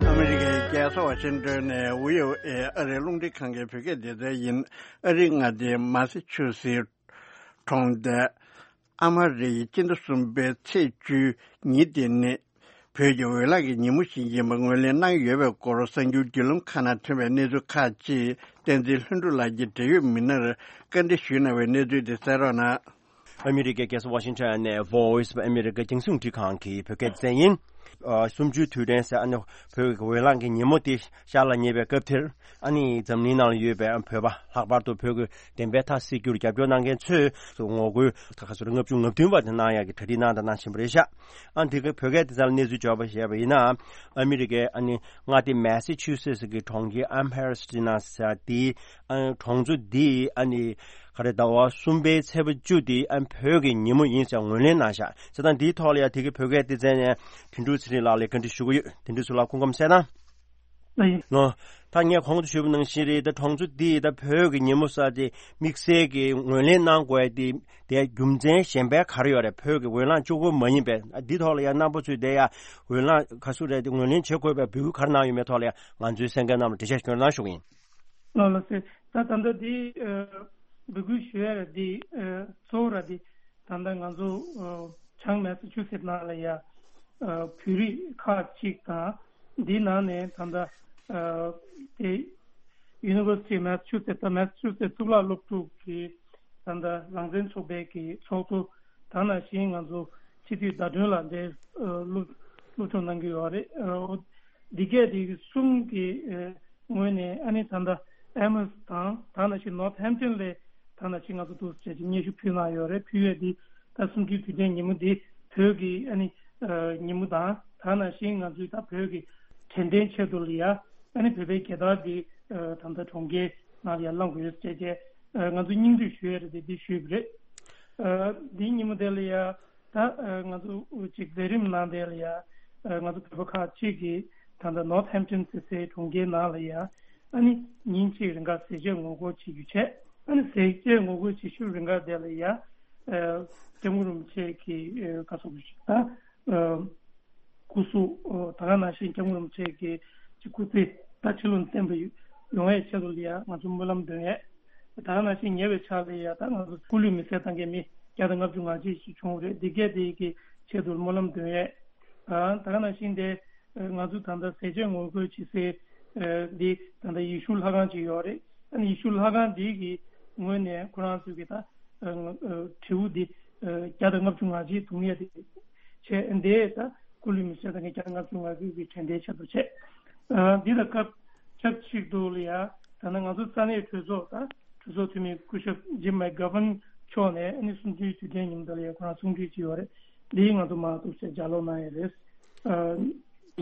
ཨ་མི་རི་ཀའི་རྒྱལ་ས་ཝ་ཤིང་ཏོན་ནས་ཝི་ཨོ་ཨེ་ཨ་རིའི་རླུང་འཕྲིན་ཁང་གི་བོད་སྐད་སྡེ་ཚན་ཡིན། ཨ་རིའི་མངའ་སྡེ་མ་སི་ཆུ་སི་གྲོང་རྡལ། ཨ་མ་རི་ཡི་སྤྱི་ཟླ་གསུམ་པའི་ཚེས་བཅུ་ཉིན་དེ་ནི་བོད་ཀྱི་འོས་བརླག་གི་ཉིན་མོ་ཞིག་ཡིན་པ་ངོས་ལེན་གནང་ཡོད་པའི་སྐོར་གསར་འགྱུར་བརྒྱུད་ལམ་ཁག་ནང་ཐོན་པའི་གནས་ཚུལ་ཁག་ཅིག་བསྟན་འཛིན་ལྷུན་གྲུབ་ལགས་ཀྱིས་འབྲེལ་ཡོད་མི་སྣར་བཀའ་འདྲི་ཞུས་གནང་བའི་གནས་ཚུལ་དེ་གསན་རོགས་གནང་། ཨ་མི་རི་ཀའི་རྒྱལ་ས་ཝ་ཤིང་ཊོན་ནས་Voice of America རྒྱང་སྲིང་རླུང་འཕྲིན་ཁང་གི་བོད་སྐད་སྡེ་ཚན་ཡིན། ཨ་གསུམ་བཅུའི་དུས་དྲན་ཟེར་ཨ་ནི་བོད་ཀྱི་འོས་བརླག་གི་ཉིན་མོ་དེ་ཤར་ལ་ཉེ་བའི་སྐབས་དེར། ཨ་ནི་འཛམ་གླིང་ནང་ལ་ཡོད་པའི་བོད་པ་ལྷག་པར་དུ་བོད་ཀྱི་བདེན་པའི་མཐའ་གསལ་རྒྱུར་རྒྱབ་སྐྱོར་གནང་མཁན་ཚོས་ངོ་རྒོལ་ད་ག་ཚོད་ལྔ་བཅུ་ང་བདུན་པ་དེ་གནང་ཡག་གི་གྲ་སྒྲིག་གནང་དང་གནང་བཞིན་པ་རེད་ཤག་ཨ་འདི་ག་བོད་སྐད་དེ་ཚོ་ལ་གནས་ཚུལ་འབྱོར་བ་ཞུས་པ་ཡིན་ན། ཨ་མི་རི་ཀའི་ཨ་ནི་མངའ་སྡེ་མེ་སི་ཆུ་སེ་སི་གི་གྲོང་ཁྱེར་ཨམ་ཧེ་རི་སི་ཏི་ན་ཟེར་དེའི་ཨ་གྲོང་ཚོ་འདི་ཨ་ནི་ག་རེ་ཟླ་བ་གསུམ་པའི་ཚེས་པ་བཅུ་དེ་ཨ་བོད་ཀྱི་ཉིན་མོ་ཡིན་ཟེར་ངོས་ལེན་གནང་ཤག་བྱས་ཙང་འདིའི་ཐོག་ལ་ཡང་དེ་གི་བོད་སྐད་སྡེ་ཚན་ནས་དོན་གྲུབ་ཚེ་རིང་ལགས་ལ་བཀའ་འདྲི་ཞུ་གི་ཡོད། དོན་གྲུབ་ཚེ་རིང་ལགས་སྐུ་ཁམས་བཟང་ན། ལགས་ཡིན། ལགས། ད་ངས་གོང་དུ་ཞུས་པ་ནང་བཞིན་རེད། ད་གྲོང་ཚོ་འདི་ད་བོད་ཀྱི་ཉིན་མོ་ཟེར་དེ་དམིགས་བསལ་གྱི་ངོས་ལེན་གནང་དགོས་དེ་དེའི་རྒྱུ་མཚན་གཞན་པ་ག་རེ་ཡོད་རེད། བོད་ཀྱི་འོས་ལངས་གཅིག་པོ་མ་ཡིན་པས་འདི་ཐོག་ལ་ཡང་རྣམ་པ་ཚོས་དེ་ཡང་འོས་ལངས་ག་ཚོད་རེད་དེ་ངོས་ལེན་བྱེད་དགོས་པའི་འབོད་སྐུལ་ག་རེ་གནང་ཡོད་མེད་ཐོག་ལ་ཡང་ང་ཚོའི་གསན་མཁན་རྣམས་ལ་འགྲེལ་བཤད་ཞུ་གནང་ཞུ་གི་ཡིན། ལགས་ལགས་སེ། ད་ད་ལྟ་འདི་ཨ་འབོད་སྐུལ་ཞུ་ཡ་ར་འདི་ཨ་གཙོ་བོ་ར་འདི་ད་ལྟ་ང་ཚོ་ཨ་བྱང་མེ་སི་ཆུ་སེ་ནང་ལ་ཡ་ཨ་བོད་རིགས་ཁག་ཅིག་དང་འདི་ནང་ནས་ད་ལྟ་ཨ་དེ་University of Massachusetts ད་མེ་སི་ཆུ་སེ་གཙུག་ལག་སློབ་ཕྲུག་གི་ད་ལྟ་རང་བཙན་ཚོགས་པའི་གི་ཚོགས་གཙོ་ད་ནང་བཞིན་ང་ཚོ་སྤྱི་འཐུས་ཟླ་སྒྲོན་ལགས་འདིར་ཨ་སློབ་སློབ་སྦྱོང་གནང་གི་ཡོད་རེད། ཨ་འདི་གས་དེ་གསུམ་གི་ཨ་ངོས་ནས་ཨ་ནི་ད་ལྟ་ཨེ་མོས་དང་ད་ནང་བཞིན་ནོར་ཐ་ཧེམ་ཊོན་ལས་ད་ནང་བཞིན་ང་ཚོ་འདུག་ཟེར་གྱི་སྙན་ཞུ་ཕུལ་གནང་ཡོད་རེད། ཕུལ་ཡས་འདི་ད་གསུམ་བཅུའི་དུས་དྲན་ཉིན་མོ་འདི་བོད་ཀྱི་ཨ་ནི་ཨ་ཉིན་མོ་དང་ད་ནང་བཞིན་ང་ཚོའི་ད་བོད་ཀྱི་དྲན་རྟེན་ཆེད་དུ་ལ་ཡ་ཨ་ནི་བོད་པའི་རྒྱལ་དར་འདི་ཨ་ད་ལྟ་གྲོང་ཁྱེར་ནང་ལ་ཡ་བསླང་དགོས་ཡོད་ཟེར་བྱས་ཨ་ང་ཚོ་སྙིང་བསྡུས་ཞུ་ཡས་རེད་དེ་འདི་ཞུས་པ་རེད། ཨ་འདིའི་ཉིན་མོ་དེ་ལ་ཡ། ད་ཨ་ང་ཚོ་ཅིག་མཛད་རིམ་ནང་དེ་ལ་ཡ་ཨ་ང་ཚོ་བོད་པ་ཁག་ཅིག་གིས་ད་ལྟ་ནོར་ཐ་ཧེམ་ཊོན་ཟེར་སའི་གྲོང་ཁྱེར་ནང་ལ་ཡ་ཨ་ནི་ཉིན་གཅིག་རིང་ག་ཟས་བཅད་ངོ་རྒོལ་བྱེད་རྒྱུ་བྱས། ཨ་ནི་ཟས་བཅད་ངོ་རྒོལ་བྱེད་ཤུལ་རིང་ག་དེ་ལ་ཡ་ཨ་སྐྱབས་མགོན་རིན་པོ་ཆེ་གི་ཨ་ག་སོགས་ཀྱི་ད་ཨ་སྐུ་གཟུགས་ཨ་ད་ག་ནང་བཞིན་སྐྱབས་མགོན་རིན་པོ་ཆེ་གི་ཅིག་སྐུ་ཚེ་ད་ཕྱི་ལོགས་ནས་བསྟན་པ་ཡོང་ཡས་ཆེད་དུ་ལ་ཡ་ང་ཚོ་སྨོན་ལམ་འདོན་ཡས། ད་ག་ནང་བཞིན་ཉེ་བའི་ཆར་ལ་ཡ་ད་ང་ཚོ་སྐུ་ལུས་མེ་སྲེག་བཏང་མཁན་མི་བརྒྱ་དང་ལྔ་བཅུ་ང་གཅིག་ཞིག་བྱུང་བ་རེད། འདི་གས་དེ་གི་ཆེད་དུ་སྨོན་ལམ་འདོན་ཡས། ཨ་ད་ག་ནང་བཞིན་དེ་ང་ཚོ་ད་ལྟ་ཟས་བཅད་ངོ་རྒོལ་བྱེད་སའི་འདི་ད་ལྟ་ཡེ་ཤུ་ལྷ་ཁང་ཅིག་ཡོད་རེད། ཨ་ནི་ཡེ་ཤུ་ལྷ་ཁང་འདི་གི་ངོས་ནས་ཁོ་རང་ཚོས་གི་ད་དྲེའུ་འདི་བརྒྱ་དང་ལྔ་བཅུ་ང་གཅིག་བརྡུང་ཡས་དེ་བྱས། འདི་ད་སྐུ་ལུས་མེ་སྲེག་བཏང་མཁན་བརྒྱ་དང་ལྔ་བཅུ་ང་གཅིག་གི་དྲན་རྟེན་ཆེད་དུ་བྱས། ཨ་འདི་ལ་སྐབས་ཆབས་ཅིག་ཏུ་ལ་ཡ་ད་ནང་ང་ཚོ་ས་གནས་གྲོས་ཚོགས་དང་གྲོས་ཚོགས་འཐུས་མི་སྐུ་ཞབས་ཇིམ་མེག་གྷ་ཝན་མཆོག་ནས་ཨ་ནི་གསུམ་བཅུའི་དུས་དྲན་ཉིན་མོ་དེ་ལ་ཡ་ཁོ་རང་གསུང་གྲོས་ཅིག་ཡོད་རེད། འདི་ང་ཚོ་མ་གཏོགས་ཅིག་ལྗགས་ཀློག་གནང་ཡས་རེད། ཨ་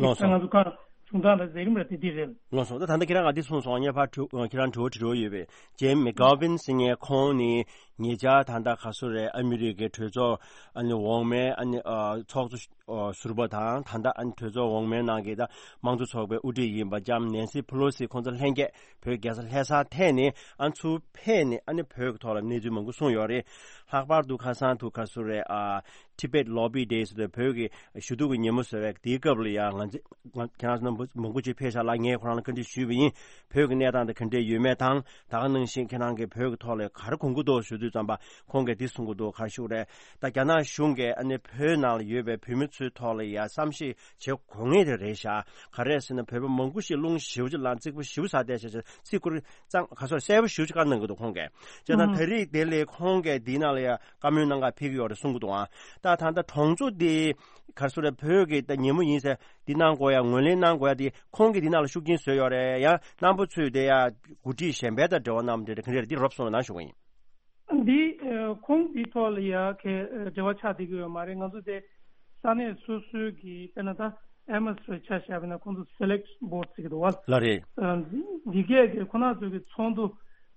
ལགས་སོ། ད་ང་ཚོ་གང་བྱུང་སྟངས་དང་མཛད་རིམ་ར་དེ་འདི་རེད། ལགས་སོ། ད་ད་ལྟ་ཁྱེད་རང་ང་འདི་གསུངས་སོང་། ངས་ཕར་དྲི་ཁྱེད་རང་དྲི་བ་དྲི་རོགས་ཡོད་པས། ཇིམ་མེག་གྷ་ཝན་ཟེར་མཁན་ཁོང་ནི་ཉེ་ཆར་ད་ལྟ་ག་སུ་རེད། ཨ་མི་རི་ཀའི་གྲོས་ཚོགས་ཨ་ནི་འོག་མའི་ཨ་ནི་ཨ་ཚོགས་གཙོ་ཨ་ཟུར་པ་དང་ད་ལྟ་ཨ་ནི་གྲོས་ཚོགས་འོག་མའི་ནང་གི་ད་དམངས་གཙོ་ཚོགས་པའི་དབུ་ཁྲིད་ཡིན་པ་ལྕམ་ནེན་སི་ཕེ་ལོ་སི་ཁོང་ཚོ་ལྷན་རྒྱས་བོད་རྒྱལ་ས་ལྷ་སར་ཐད་ནས་ཨ་ཚུར་ཕེབས་ནས་ཨ་ནི་བོད་ཀྱི་ཐོག་ལ་གནས་ཚུལ་མང་པོ་གསུངས་ཡོད་རེད། ལྷག་པར་དུ་ཁ་སང་དུ་ག་སུ་རེད། ཨ་Tibet Lobby Day ཟེར་དུས་བོད་ཀྱི་ཞུ་གཏུག་གི་ཉིན་མོ་ཟེར་བའི་དེའི་སྐབས་ལ་ཡང་ང་ཚོ་ང་ཁྱེད་རང་ཚོ་རྣམ་པ་མང་པོ་ཅིག་ཕེབས་ཤག་ལ། ངས་ཁོ་རང་ལ་བཀའ་འདྲི་ཞུས་པ་ཡིན། བོད་ཀྱི་གནས་སྟངས་དེ་ག་འདྲས་ཡོད་མེད་དང་། ད་ག་ནང་བཞིན་ཁྱེད་རང་གིས་བོད་ཀྱི་ཐོག་ལ་ག་རེ་གོ་གི་འདུག་ཞུ་ དུས་ཙམ་པ་ཁོང་གིས་འདི་གསུང་གི་འདུག་ག་རེ་ཞུ་རེད། ད་རྒྱ་ནག་གཞུང་གིས་ཨ་ནི་བོད་ནང་ལ་ཡོད་པའི་བོད་མི་ཚོའི་ཐོག་ལ་ཡ་བསམ་ཤེས་བྱེད་དགོས་ངེས་དེ་རེད་ཤག་ག་རེ་ཟེར་ན་བོད་པ་མང་པོ་ཞིག་རླུང་ཞེ་པོ་ཅིག་ལངས། ཚིག་པོ་ཞེ་པོ་ཟ་བསྡད་ཤག་ཚིག་ཁུར་གཙང་ག་སོགས་གསལ་པོ་ཞེ་པོ་ཅིག་བཀའ་གནང་གི་འདུག་ཁོང་གིས། བྱས་ཙང་ད་རེས་དེ་ལས་ཁོང་གིས་འདི་ནང་ལ་ཡ་བཀའ་མོལ་གནང་ག་ཕེབས་ཀྱི་ཡོད་རེད་གསུང་གི་འདུག་ཨང་། ད་ད་ལྟ་གྲོང་ཚོ་འདི་ག་རེ་ཟེར་རེད། བོད་ཀྱི་ད་ཉིན་མོ་ཡིན་ཟེར་འདི་གནང་དགོས་ཡ་ངོས་ལེན་གནང་དགོས་ཡ་འདི་ཁོང་གིས་འདི་ནང་ལ་ཤུགས་རྐྱེན་བཟོས་ཡོད་རེད། ཡང་རྣམ་པ་ཚོས་དེ་ཡ་འགོ་ཁྲིད་གཞན་པའི་དང་འབྲེལ་བ་གནང་བ་འདི་རེད། ག་འདྲ་རེད། འདི་རོབ་གསུངས་རོགས་གནང་ཞུ་གི་ཡིན། འདི་ཨ་ཁོང་འདི་ཐོག་ལ་ཡ་གའི་ཨ་འབྲེལ་བ་ཆགས་བསྡད་ཀྱི་ཡོད་མ་རེད། ང་ཚོ་དེ་ས་གནས་སོ་སོའི་གི་དཔེར་ན་ད་ཨེམ་ཨེས་རེ་ཆ་བཞག་པ་ན་ཁོང་ཚོ་སེ་ལེག་བྷོ་ཌི་ཟེར་གྱི་འདུག་བ། ལགས་རེད། ཨ་འདི་གས་གི་ཁོ་ན་ཚོ་གི་ཚོགས་འདུ་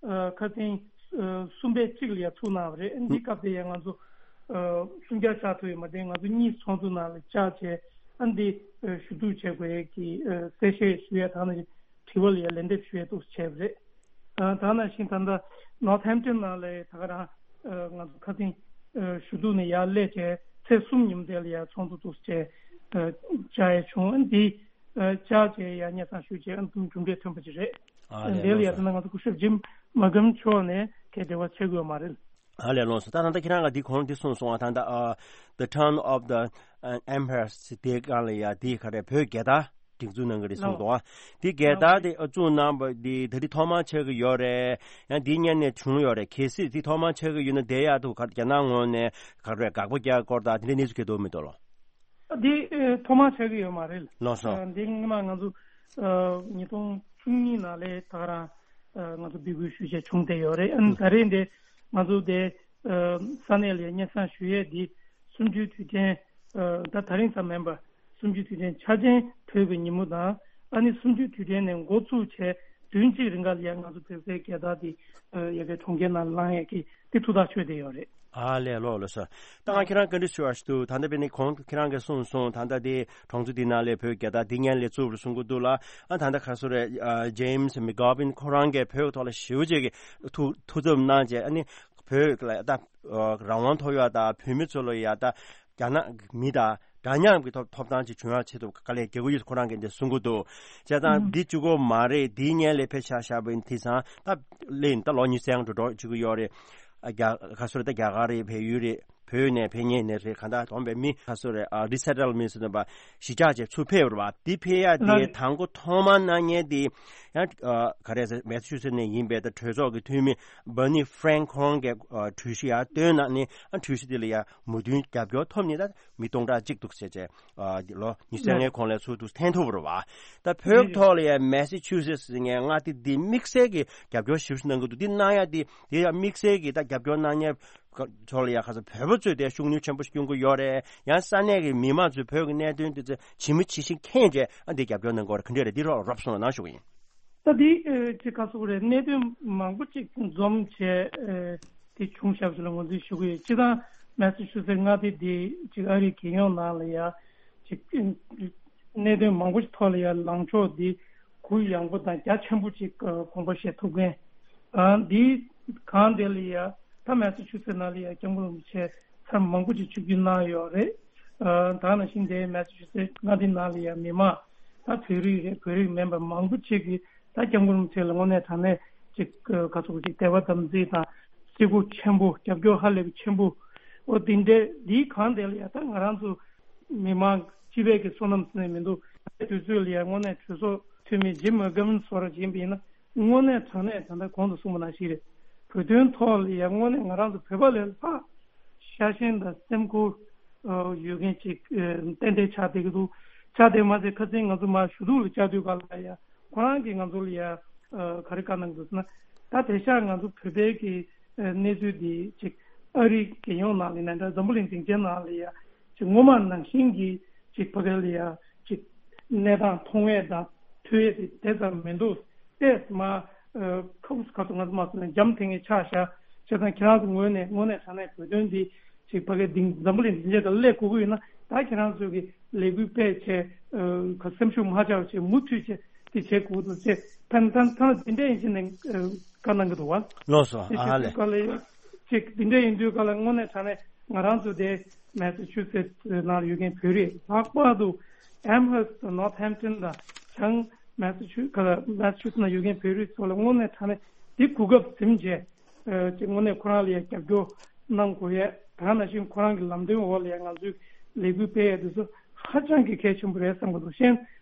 ཨ་ཁ་སང་ཨ་གསུམ་པའི་གཅིག་ལ་ཡ་ཚུགས་གནང་བ་རེད། འདི་སྐབས་དེ་ཡ་ང་ཚོ་ཨ་སུམ་བརྒྱ་ཆགས་ཐུབ་ཡོད་མ་རེད། ང་ཚོ་གཉིས་ཚོགས་འདུ་ནང་ལ་བཅར་བྱས་ཨ་འདི་ཨ་ཞུ་གཏུག་བྱེད་དགོས་ཡས་ཀྱི་ཨ་གསལ་བཤད་ཞུ་ཡས་དང་ནི་དྲི་བ་ལ་ཡ་ལན་འདེབས་ཞུ་ཡས་འདུག་བྱས་པ་རེད། ཨ་ད་ནང་བཞིན་ད་ལྟ་ནོར་ཐེམ་ཊོན་ནང་ལ་ད་ག་རང་ཨ་ང་ཚོ་ཁ་སང་ཨ་ཞུ་གཏུག་ནས་ཡར་སླེབས་བྱས་ཚེས་གསུམ་ཉིན་དེ་ལ་ཡ་ཚོགས་འདུ་འདུག་བྱས་ཨ་བཅར་ཡས་བྱུང་། ཨ་འདི་ཨ་བཅར་བྱས་ཡ་སྙན་སེང་ཞུས་བྱས་ཨ་འདུག་གྲུབ་འབྲས་ཐོན་པ་ཅིག་རེད། ཨ་ལས་ཨ་འདི་ལ་ལགས་ཡ་ད་སོ། ནང་ང་ཚོ་སྐུ་ཞབས་ཇིམ་མ་གམ་མཆོག་ནས་གའི་འབྲེལ་བ་བྱེད་དགོས་མ་རེད། ཨ་ལས་ལགས་སོ། ད་ད་ལྟ་ཁྱེད་རང་ག་འདི་གོང་འདི་གསུངས་སོང་ང་། ད་ལྟ་ཨ་The Turn of the Emperor དེའི་སྒང་ལ་ཡ་འདི་ག་རེ་བོད་རྒྱལ་དར་སྒྲེང་འཛུགས་གནང་གི་རེད་གསུངས་འདུག་ཨ། འདི་རྒྱལ་དར་དེ་ཨ་བཙུགས་གནང་བ་འདི་ད་འདི་ཐོག་མར་ཆགས་ཀྱི་ཡོད་རེད། ཡང་འདི་སྔོན་ནས་བྱུང་ཡོད་རེད། གལ་སྲིད་འདི་ཐོག་མར་ཆགས་ཀྱི་ཡོད་ན་དེ་ཡག་འདུག་ག་རྒྱ་ནག་ངོས་ནས་ག་རེ་དགག་པ་རྒྱག་སྐོར་དང་དེ་འདྲའི་གནས་ཚུལ་ག་འདུག་མི་འདུག་ལོ། འདི་ཨེ་ཐོག་མར་ཆགས་ཀྱི་ཡོད་མ་རེད། ལགས་སོ། ཨ་འདི་སྔོན་མ་ང་ཚོ་ཨ་ཉིས་སྟོང་བཅུ་གཉིས་ནང་ལས་ད་ག་རང་ཨ་ང་ཚོ་འབོད་སྐུལ་ཞུ་བྱས་བྱུང་བསྡད་ཡོད་རེད། ཨ་ནི་ད་རེས་འདི་ང་ཚོ་དེ་ཨ་ས་གནས་ལ་སྙན་སེང་ཞུ་ཡས་འདི་གསུམ་བཅུའི་དུས་དྲན་ཨ་ད་ད་རིང་ཙམ་མིན་པར་གསུམ་བཅུའི་དུས་དྲན་འཆར་ཅན་བོད་ཀྱི་ཉིན་མོ་དང་ཨ་ནི་གསུམ་བཅུའི་དུས་དྲན་ནས་འགོ་བཙུགས་བྱས་བདུན་གཅིག་རིང་ག་ལ་ཡ་ང་ཚོ་བོད་པའི་རྒྱལ་དར་འདི་ཨ་ཡ་གའི་གྲོང་ཁྱེར་ནང་ལངས་ཡས་ཀྱི་འདི་ཐུགས་ཐག་ཆོད་བསྡད་ཡོད་རེད། ཨ་ལས་ལགས་སོ། ད་ང་ཁྱེད་རང་བཀའ་འདྲི་ཞུ་བ་ཞིག་འདུག་ད་ལྟ་དཔེར་ན་གོང་ཁྱེད་རང་གིས་གསུངས་སོང་། ད་ལྟ་དེ་གྲོང་ཚོ་འདི་ནང་ལས་བོད་རྒྱལ་དར་འདི་སྔོན་ལས་བཙུགས་རེད་གསུང་གི་འདུག་ལ། ཨ་ད་ལྟ་ག་སུ་རེད། ཨ་James McGovern ཁོ་རང་གིས་བོད་ཐོག་ལ་ཞེ་པོ་ཅིག་གི་ཐུགས་ཐུགས་འཚབ་གནང་བྱས་ཨ་ནི་བོད་ལ་ད་ཨ་རང་དབང་ཐོབ་ཡ་ད་བོད་མི་ཚོ་ལ་ཡ་ད་རྒྱ་ནག་མི་དང་འདྲ་མཉམ་གྱི་ཐོབ་ཐོབ་ཐང་ཅིག་བྱུང་ཡ་ཆེད་དུ་དཀའ་ལས་རྒྱག་གི་ཡོད་ཁོ་རང་གིས་འདི་གསུང་གི་འདུག་བྱས་ཙང་འདི་གཅིག་པོ་མ་རེད། འདི་སྔོན་ལས་ཕེབས་ཤག་ཤག་པ་ཡིན་དེ་ཙང་ད་ལན་ད་ལོ་ཉི་ཤུ་ཙམ་འགྲོ་འགྲོ་བཅུག་གི་ཡོད་རེད། ཨ་རྒྱ་ག་སོ་རེད། ད་རྒྱ་གར་རེད། བལ་ཡུལ་རེད། བོད་ནས་ཕེབས་མཁན་ནས་རེད། གང་ལྟར་དོན་པའི་མི་ག་སོ་རེད། ཨ་རི་སེ་ཊལ་མེན་ཊི་ཟེར་དུས་གཞིས་ཆགས་བྱས་ཚུར་ཕེབས་རེད་བ། འདི་ཕེབས་ཡ་དེ་དང་པོ་ཐོག་མར་གནང་མཁན་དེ་ཡང་ཨ་ག་རེ་ཟེར་མེ་སི་ཆུ་སེ་ཊི་ནས་ཡིན་པའི་ད་གྲོས་ཚོགས་ཀྱི་འཐུས་མི་བར་ནི་ཧྥ་རེང་ཁོང་གིས་ཨ་གྲོས་གཞི་ཡར་བཏོན་གནང་ནས་ཨ་གྲོས་གཞི་དེ་ལ་ཡ་མོས་མཐུན་རྒྱབ་སྐྱོར་ཐོབ་ནས་ད་མི་སྟོང་ཕྲག་གཅིག་འདུག་ཟེར་བྱས། ཨ་ལོ་ཉི་ཤུ་རྩ་ལྔའི་གོང་ལ་ཚུར་འདུག་འཐེན་ཐུབ་རེད་བ། ད་བོད་ཐོག་ལ་ཡ་མེ་སི་ཆུ་སེ་ཊི་ཟེར་མཁན་མངའ་སྡེ་འདི་དམིགས་བསལ་གྱི་རྒྱབ་སྐྱོར་ཞེ་པོ་ཞིག་གནང་གི་འདུག་འདི་གནང་ཡ་འདི་དེ་ཡ་དམིགས་བསལ་གྱི་ད་རྒྱབ་སྐྱོར་གནང་མཁན་ཚོ་ལ་ཡ་ག་ཚོད་བོད་པ་ཚོས་དེ་ཤུགས་སྣོན་ཆེན་པོ་ཞིག་སྐྱོན་གྱི་ཡོད་རེད། ཡང་ས་གནས་ཀྱི་མི་མང་ཚོས་བོད་ཀྱི་གནད་དོན་དེ་ཚོ་ཇི་མ་ཇི་བཞིན་མཁྱེན་བྱས་ཨ་འདི་རྒྱབ་སྐྱོར་གནང་གི་ཡོད་རེད། ག་འདྲ་རེད། འདི་རོབ་རོབ་གསུངས་རོགས་གནང་ཞུ་གི་ཡིན། ད་འདི་ཨེ་ཅིག་ག་ཟེར་དགོས་རེད། གནད་དོན་མང་པོ་ཅིག་འཛོམས་བྱས་ཨེ་དེ་བྱུང་བཞག་པ་ཞིག་ལ་ངོས་འཛིན་ཞུ་གི་ཡོད། སྤྱིར་བཏང་མེ་སི་ཆུ་སེ་ཊི་མངའ་སྡེ་འདི་ཅིག་ཨ་རིའི་རྒྱལ་ཡོངས་ནང་ལ་ཡ་ཅིག་གནད་དོན་མང་པོ་ཞིག་ཐོག་ལ་ཡ་ལངས་ཕྱོགས་འདི་གུ་ཡངས་པོ་དང་རྒྱ་ཆེན་པོ་ཅིག་དགོངས་པ་བཞེས་ཐུབ་མཁན། ཨ་འདི་གང་དེ་ལ་ཡ་ད་མེ་སི་ཆུ་སེ་ཊི་ནང་ལ་ཡ་སྐྱབས་མགོན་རིན་པོ་ཆེ་ཚར་མང་པོ་ཅིག་ཆིབས་བསྒྱུར་གནང་ཡོད་རེད། ཨ་ད་ནང་བཞིན་དེ་མེ་སི་ཆུ་སེ་ཊི་མངའ་སྡེ་ནང་ལ་ཡ་མི་མང་ད་བོད་རིགས་རེད། བོད་རིགས་མིན་པ་མང་པོ་ཅིག་གིས་ད་སྐྱབས་མགོན་རིན་པོ་ཆེ་ལ་དངོས་གནས་དྲང་གནས་ཅིག་ག་ཚོད་ཅིག་དད་པ་དམ་ཚིག་དང་བརྩི་བཀུར་ཆེན་པོ། རྒྱབ་སྐྱོར་ཧ་ལས་པའི་ཆེན་པོ། འོ་དེ་འདྲའི་འདིའི་གང་དེ་ལ་ཡ་ད་ང་རང་ཚོ་མི་མང་སྤྱི་པའི་གི་བསོད་ནམས་ཟེར་ནས་མི་འདུག་དུས་ཚོད་ལ་ཡ་དངོས་གནས་གྲོས་ཚོགས་འཐུས་མི་ཇིམ་མེག་གྷོ་ཝན་སོགས་ར་ཅིག་ཡིན་པ་ཡིན་ན་དངོས་གནས་དྲང་གནས་ད་ལྟ་གོང་དུ་གསུངས་པ་ནང་བཞིན་རེད། བོད་དོན་ཐོག་ལ་ཡ་དངོས་གནས་ང་རང་ཚོ་བོད་པ་ལས་ལྷག་ཤ་ཞེན་དང་སེམས་ཁུར་ཡོད་མཁན་ཅིག་ཏན་ཏན་ཆགས་བསྡད་ཀྱི་འདུག་ཆགས་བསྡད་མ་ཟད་ཁ་སང་ང་ཚོ་མར་ཞུ་གཏུག་ལ་བཅར་དུས་ག་ལ་ཡ་ཁོ་རང་གིས་ང་ཚོ་ལ་ཡ་ག་རེ་བཀའ་གནང་འདུག་ཟེར་ན། ད་དེང་སང་ང་ཚོ་བོད་པའི་གི་གནས་ཚུལ་འདི་ཅིག་ཨ་རིའི་རྒྱལ་ཡོངས་ནང་ལ་ཡིན་ན་འདྲ། འཛམ་བུ་གླིང་སྡིངས་ཆའི་ནང་ལ་ཡ་ཅིག་སྔོན་མ་ནང་བཞིན་གྱི་ཅིག་ཕ་གི་ལ་ཡ་ཅིག་གནས་སྟངས་མཐོང་ཡས་དང་ཐོས་ཡས་དེ་དེ་ཙམ་མི་འདུག་ཏེས་མ་ཁ་ཁུ་ཁ་ཐུག་ང་ཚོ་མ་སོང་ན་འཇམ་ཐིང་ངེ་ཆགས་ཤག་བྱས་ཙང་ཁྱེད་རང་ཚོ་ངོས་ནས་དངོས་གནས་དྲང་གནས་བོད་དོན་འདི་ཅིག་ཕ་གི་སྡིངས་འཛམ་བུ་གླིང་སྡིངས་ཆ་དང་སླེབས་དགོས་ཀྱི་ཡོད་ན་ད་ཁྱེད་རང་ཚོ་གི་ལས་འགུལ་སྤེལ་བྱས་ཁ་སེམས་ཤུགས་མ་ཆག་བྱས་མུ་མཐུད་བྱས་དེ་བྱེད་དགོས་འདུག་ཅེས་ཕན་ཐང་ཐང་འདི་འདྲ་ཡིན་ཕྱིན་ནས་བཀའ་གནང་གི་འདུག་བ། ལགས་སོ། དེ་ཨ་ལས། བྱེད་དུས་ག་ལ་ཅིག་འདི་འདྲ་ཡིན་དུས་ག་ལ་དངོས་གནས་དྲང་གནས་ང་རང་ཚོ་དེ་མེ་སི་ཆུ་སེ་ཊི་ནང་ལ་ཡོད་མཁན་བོད་རིགས་ལྷག་པར་དུ་ཨེམ་ཧར་སི་དང་ནོར་ཐེམ་ཊོན་དང་བྱང་མེ་སི་ཆུ་ག་ལ་མེ་སི་ཆུ་སེ་ཊི་ནང་ཡོད་མཁན་བོད་རིགས་ཚོ་ལ་དངོས་གནས་དྲང་གནས་འདི་གོ་སྐབས་ཟིན་བྱས། ཨ་ཅིག་དངོས་གནས་ཁོ་རང་ལ་ཡང་རྒྱབ་སྐྱོར་གནང་དགོས་ཡས། ད་ནང་བཞིན་ཁོ་རང་གི་ལམ་སྟོན་འོག་ལ་ཡང་ང་ཚོས་ལས་འགུལ་སྤེལ་ཡས་དེ་ཚོ་ཧ་ཅང་གི་གལ་ཆེན་པོ་རེད་བསམ་གྱི་འདུག་གཞན་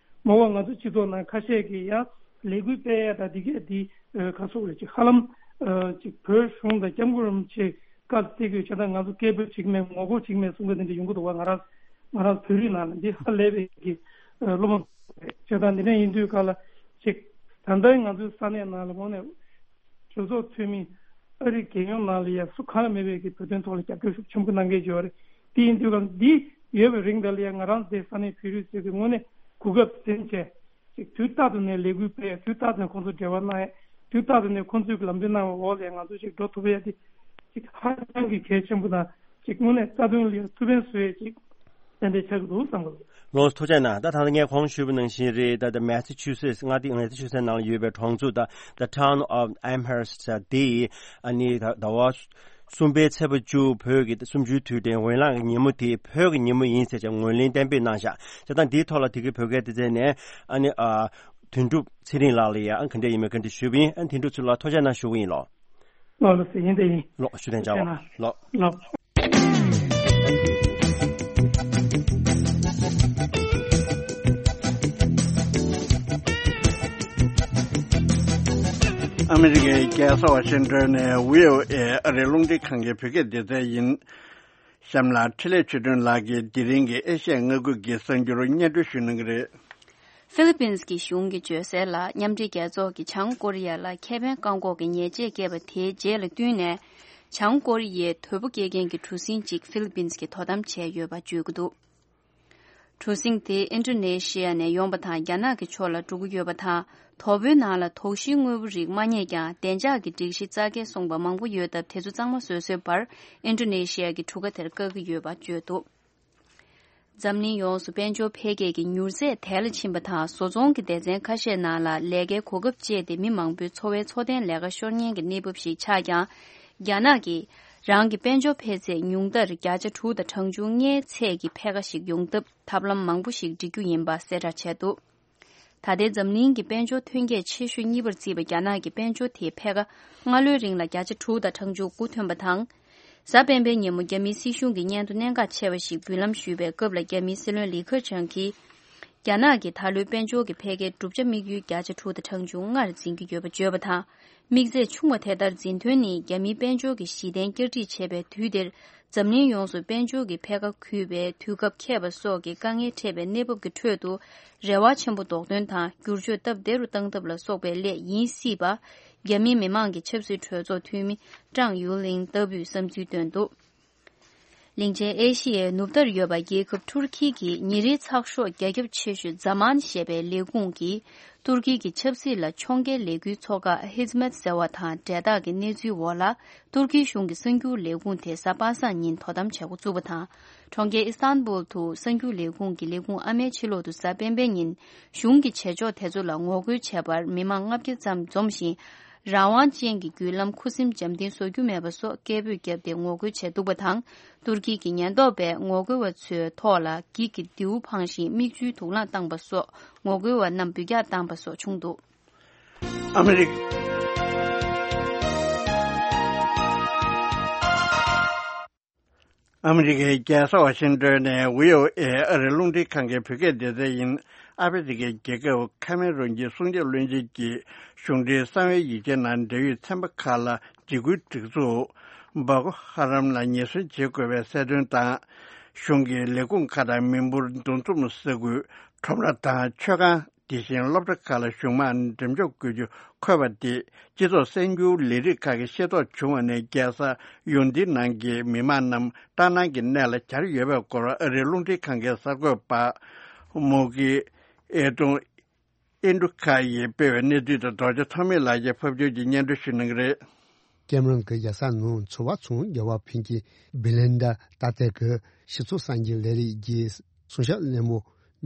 མ་འོངས་ང་ཚོ་སྤྱི་ཚོགས་ནང་ཁ་ཤས་ཀྱིས་ཡང་ལས་འགུལ་སྤེལ་ཡས་དང་འདི་གས་འདི་ཨ་ག་སོགས་རེད། ཅིག་ཧ་ལམ་ཨ་ཅིག་བོད་གཞུང་དང་སྐྱབས་མགོན་རིན་པོ་ཆེ་བཀའ་སྩལ་དགོས་བྱས་ཙང་ང་ཚོ་སྐད་འབོད་བྱེད་ཀྱི་མེད། ངོ་རྒོལ་བྱེད་ཀྱི་མེད་གསུང་མཁན་དེ་འདྲ་ཡོང་གི་འདུག་བ། ང་རང་ང་རང་བོད་རིགས་ནང་ལ་འདི་ཧ་ལས་པའི་གི་ཨ་སློབ་མ་རེད། བྱས་ཙང་འདི་འདྲ་ཡིན་དུས་ག་ལ་ཅིག་ད་ལྟའི་ང་ཚོའི་ས་གནས་ནང་ལ་དངོས་གནས་གྲོས་ཚོགས་འཐུས་མི་ཨ་རིའི་རྒྱལ་ཡོངས་ནང་ལ་ཡང་སུ་གང་ལ་མེད་པའི་གི་བོད་དོན་ཐོག་ལ་རྒྱབ་སྐྱོར་ཤུགས་ཆེན་པོ་གནང་མཁན་ཅིག་ཡོད་རེད། དེ་ཡིན་དུས་ག་ལ་འདི་ཡོད་པའི་རིང་དེ་ལ་ཡང་ང་རང་ཚོའི་ས་གནས་བོད་རིགས་ཚོས་གི་དངོས་གནས་གོ་སྐབས་ཟིན་བྱས། ཅིག་དུས་རྟག་ཏུ་ནས་ལས་འགུལ་སྤེལ་ཡ། དུས་རྟག་ཏུ་ནས་ཁོང་ཚོ་འབྲེལ་བ་གནང་ཡ། དུས་རྟག་ཏུ་ནས་ཁོང་ཚོས་ལམ་སྟོན་གནང་བའི་འོག་ལ་ང་ཚོ་ཅིག་འགྲོ་ཐུབ་ཡ་དེ་ཅིག་ཧ་ཅང་གི་གལ་ཆེན་པོ་དང་། ཅིག་དངོས་གནས་རྩ་དོན་ལ་ཡ་ཐུགས་ཕན་གསོས་ཡ་ཅིག་ཏན་ཏན་ཆགས་ཀྱི་འདུག་བསམ་གྱི་འདུག་ལགས་སོ། ཐུགས་རྗེ་གནང་། ད་ད་ལྟ་ངས་གོང་ཞུས་པ་ནང་བཞིན་རེད། ད་ད་མེ་ས་ཆུ་སེ་སི་མངའ་སྡེ་མེ་ས་ཆུ་སེ་སི་ནང་ལ་ཡོད་པའི་གྲོང་ཚོ་ད་The Town of Amherst དེ་ཨ་ནི་ད་ཟླ་བ་གསུམ་པའི་ཚེས་པ་བཅུ་བོད་ཀྱི་གསུམ་བཅུའི་དུས་དྲན་འོས་ལངས་ཀྱི་ཉིན་མོ་དེ་བོད་ཀྱི་ཉིན་མོ་ཡིན་ཟེར་ཅིག་ངོས་ལེན་གཏན་འབེབས་གནང་བཞག་བྱས་ཙང་འདིའི་ཐོག་ལ་དེ་གའི་བོད་སྐད་སྡེ་ཚན་ནས་ཨ་ནི་ཨ་དོན་གྲུབ་ཚེ་རིང་ལགས་ལ་ཡང་ག་འདྲ་ཡིན་མིན་ག་འདྲ་ཞུས་པ་ཡིན། ཨ་དོན་གྲུབ་ཚེ་རིང་ལགས་ཐུགས་རྗེ་གནང་ཞུ་གི་ཡིན་ལགས། ལགས་ལགས་སེ་ཡིན་དེ་ཡིན། ལགས་ཞུ་དོན་བྱ་བ་ལགས། ལགས། ཨ་མི་རི་ཀའི་རྒྱལ་ས་ཝ་ཤིང་ཏོན་ནས་བྷི་ཨོ་ཨེ་ཨ་རིའི་རླུང་འཕྲིན་ཁང་གི་བོད་སྐད་སྡེ་ཚན་ཡིན། གཤམ་ལ་འཕྲིན་ལས་ཆོས་སྒྲོན་ལགས་ཀྱིས་དེ་རིང་གི་ཨེ་ཤ་ཡ་མངའ་ཁུལ་གྱི་གསར་འགྱུར་སྙན་སྒྲོན་ཞུ་གནང་གི་རེད། ཧྥི་ལི་པིན་སི་གི་གཞུང་གིས་བརྗོད་གསལ་ལ། མཉམ་འབྲེལ་རྒྱལ་ཚོགས་ཀྱིས་བྱང་ཀོ་རི་ཡ་ལ་ཁེ་ཕན་བཀག་འགོག་གི་ཉེས་ཆད་བཀལ་བ་དེའི་རྗེས་ལ་བསྟུན་ནས། བྱང་ཀོ་རི་ཡའི་དོས་པོ་སྐྱེལ་མཁན་གྱི་གྲུ་གཟིངས་གཅིག་ཧྥི་ལི་པིན་སི་གིས་དོ་དམ་བྱས་ཡོད་པ་བརྗོད་ཀྱི་འདུག་གྲུ་གཟིངས་དེ་ཨིན་ཌོ་ནེ་ཤི་ཡ་ནས་ཡོང་པ་དང་། རྒྱ་ནག་གི་ཕྱོགས་ལ་འགྲོ་གི་ཡོད་པ་དང་། དོ་པོའི་ནང་ལ་དོགས་གཞིའི་དངོས་པོ་རིགས་མ་རྙེད་ཀྱང་། བདེ་འཇགས་ཀྱི་སྒྲིག་གཞི་རྩ་འགལ་སོང་པ་མང་པོ་ཡོད་སྟབས། དེ་ཚོ་གཙང་མ་བཟོ་བཟོས་པར་ཨིན་ཌོ་ནེ་ཤི་ཡ་གི་གྲུ་ཁ་དེར་བཀག་གི་ཡོད་པ་བརྗོད་འདུག་འཛམ་གླིང་ཡོངས་སུ་དཔལ་འབྱོར་འཕེལ་རྒྱས་ཀྱི་མྱུར་ཚད་དལ་ལ་ཕྱིན་པ་དང་། བཟོ་ཚོང་གི་སྡེ་ཚན་ཁ་ཤས་ནང་ལ་ལས་ཀའི་གོ་སྐབས་བཅད་དེ། མི་མང་པོའི་འཚོ་བའི་འཚོ་རྟེན་ལས་ཀ་ཤོར་ཉེན་གྱི་གནས་བབ་ཞིག་ཆགས་ཀྱང་། རྒྱ་ནག་གིས་རང་གི་དཔལ་འབྱོར་འཕེལ་ཚད་ཉུང་མཐར་བརྒྱ་ཆ་དྲུག་དང་གྲངས་ཆུང་ལྔའི་ཚད་ཀྱི་འཕེལ་ཁ་ཞིག་ཡོང་ཐབས་ཐབས་ལམ་མང་པོ་ཞིག་སྒྲིག་རྒྱུ་ཡིན་པ་གསལ་བསྒྲགས་བྱས་འདུག་ད་ལྟའི་འཛམ་གླིང་གི་དཔལ་འབྱོར་ཐོན་སྐྱེད་ཆེ་ཤོས་གཉིས་པར་བརྩིས་པའི་རྒྱ་ནག་གི་དཔལ་འབྱོར་དེའི་འཕེལ་ཁ་སྔ་ལོའི་རིང་ལ་བརྒྱ་ཆ་དྲུག་དང་གྲངས་ཆུང་དགུ་ཐོན་པ་དང་། གཟའ་སྤེན་པའི་ཉིན་མོ་རྒྱ་མིའི་སྲིད་གཞུང་གི་སྙན་ཐོ་གནད་འགག་ཆེ་བ་ཞིག་འབུལ་ལམ་ཞུས་པའི་སྐབས་ལ། རྒྱ་མིའི་སྲིད་བློན་ལི་ཁེ་ཆང་གིས། རྒྱ་ནག་གི་ད་ལོའི་དཔལ་འབྱོར་གྱི་འཕེལ་རྒྱས་གྲུབ་ཆ་དམིགས་ཡུལ་བརྒྱ་ཆ་དྲུག་དང་གྲངས་ཆུང་ལྔར་འཛིན་གྱི་ཡོད་པ་བརྗོད་པ་དང་། དམིགས་ཚད་ཆུང་བ་དེ་ལྟར་འཛིན་དོན་ནི། རྒྱ་མིའི་དཔལ་འབྱོར་གྱི་གཞི་རྟེན་བསྐྱར་སྒྲིག་བྱེད་པའི་དུས་འདིར། འཛམ་གླིང་ཡོངས་སུ་དཔལ་འབྱོར་གྱི་འཕེལ་ཁ་འགུལ་བའི་དུས་སྐབས་འཁེལ་བ་སོགས་ཀྱི་དཀའ་ངལ་འཕྲད་པའི་གནས་བབ་ཀྱི་ཁྲོད་དུ། རེ་བ་ཆེན་པོ་འདོགས་ཐོན་དང་། བསྒྱུར་བཅོས་སྟབས་བདེ་རུ་བཏང་ཐབས་ལ་སོགས་པའི་སླད་ཡིན་སྲིད་པ། རྒྱ་མིའི་མི་མང་གི་ཆབ་སྲིད་གྲོས་ཚོགས་འཐུས་མི་ཀྲང་ཡུ་ལིང་ལྟ་བུས་བསམ་ཚུལ་བཏོན་འདུག་གླིང་ཆེན་ཨེ་ཤི་ཡའི་ནུབ་མཐར་ཡོད་པ་རྒྱལ་ཁབ་ཐུར་ཁི་གི་ཉིན་རེའི་ཚགས་ཤོག་རྒྱ་ཁྱབ་ཆེ་ཤོས་ཛ་མཱན་ཞེས་པའི་ལས་ཁུངས་ཀྱིས། ཏུར་ཀི་གི་ཆབ་སྲིད་ལ་ཕྱོགས་འགལ་ལས་འགུལ་ཚོགས་ཁག་ཧི་ཛི་མད་ཟེར་བ་དང་འབྲེལ་ཐག་གི་གནས་ཚུལ་འོག་ལ། ཏུར་ཀིའི་གཞུང་གི་གསར་འགྱུར་ལས་ཁུངས་དེ་གཟའ་པ་སངས་ཉིན་དོ་དམ་བྱེད་འགོ་བཙུགས་པ་དང་། གྲོང་ཁྱེར་ཨི་སྟན་བུལ་དུ་གསར་འགྱུར་ལས་ཁུངས་ཀྱི་ལས་ཁུངས་ཨ་མའི་ཕྱི་ལོགས་དུ་གཟའ་སྤེན་པའི་ཉིན། གཞུང་གི་བྱེད་ཕྱོགས་དེ་ཚོ་ལ་ངོ་རྒོལ་བྱས་པར་མི་མང་ལྔ་བརྒྱ་ཙམ་འཛོམས་ཤིང་། རང་དབང་ཅན་གྱི་བརྒྱུད་ལམ་ཁུ་སིམ་འཇམ་ཐིང་བཟོ་རྒྱུ་མེད་པ་སོགས་སྐད་འབོད་བརྒྱབ་སྟེ་ངོ་རྒོལ་བྱས་འདུག་པ་དང་། ཏུར་ཀི་གི་ཉེན་རྟོག་པས་ངོ་རྒོལ་བ་ཚོའི་ཐོག་ལ་འགྱིག་གི་མདེའུ་འཕངས་ཤིང་མིག་ཆུའི་དུག་རླངས་བཏང་པ་སོགས་ངོ་རྒོལ་བ་རྣམས་འབུད་རྒྱག་བཏང་པ་སོགས་བྱུང་འདུག་ཨ་མི་རི་ཀ་ཨ་མི་རི་ཀའི་རྒྱལ་ས་ཝ་ཤིང་ཏོན་ནས་བྷི་ཨོ་ཨེ་ཨ་རིའི་རླུང་འཕྲིན་ཁང་གི་བོད་སྐད་སྡེ་ཚན་ཡིན། ཨ་ཧྥེ་རི་ཁའི་རྒྱལ་ཁབ་ཁ་མེ་རོན་གྱི་སྲུང་སྐྱོབ་བློན་ཆེན་གྱིས་གཞུང་འབྲེལ་གསང་བའི་ཡིག་ཆའི་ནང་འབྲེལ་ཡོད་ཚན་པ་ཁག་ལ་འཇིགས་སྐུལ་སྒྲིག་འཛུགས་བྷོ་ཀོ་ཧ་རམ་ལ་ཉེས་སྲུང་བྱེད་དགོས་པའི་གསལ་སྟོན་དང་། གཞུང་གི་ལས་ཁུངས་ཁག་དང་མི་འབོར་འདུ་འཛོམས་ས་ཁུལ། ཁྲོམ་ར་དང་མཆོད་ཁང་། དེ་བཞིན་སློབ་གྲྭ་ཁག་ལ་གཞུང་དམག་འགྲེམས་འཇོག་དགོས་རྒྱུ་འཁོད་པ་དེ། སྤྱི་ཚོགས་གསར་འགྱུར་ལས་རིགས་ཁག་གི་ཤེས་རྟོགས་བྱུང་བ་ནས། རྒྱལ་ས་ཡུང་ཏིན་ནང་གི་མི་མང་རྣམས་སྐྲག་སྣང་གི་གནས་ལ་གྱར་ཡོད་པའི་སྐོར་ཨ་རིའི་རླུང་འཕྲིན་ཁང་གི་གསར་འགོད་པ་མོ་གི་ཨེ་ཏུང་ཨེན་ཌུ་ཁ་ཡིས་སྤེལ་བའི་གནས་ཚུལ་དེ་རྡོ་རྗེ་ཐོགས་མེད་ལགས་ཀྱིས་ཕབ་སྒྱུར་གྱིས་སྙན་སྒྲོན་ཞུ་གནང་གི་རེད། ཀེམ་རོན་གྱི་རྒྱལ་ས་ནང་འཚོ་བ་ཚོང་རྒྱག་པ་ཕིན་ཀི་བི་ལིན་ཌ་ཏཱ་ཏེ་གི་སྤྱི་ཚོགས་གསར་འགྱུར་ལས་རིགས་ཀྱི་སྲུང་སྐྱོབ་བློན་པོ་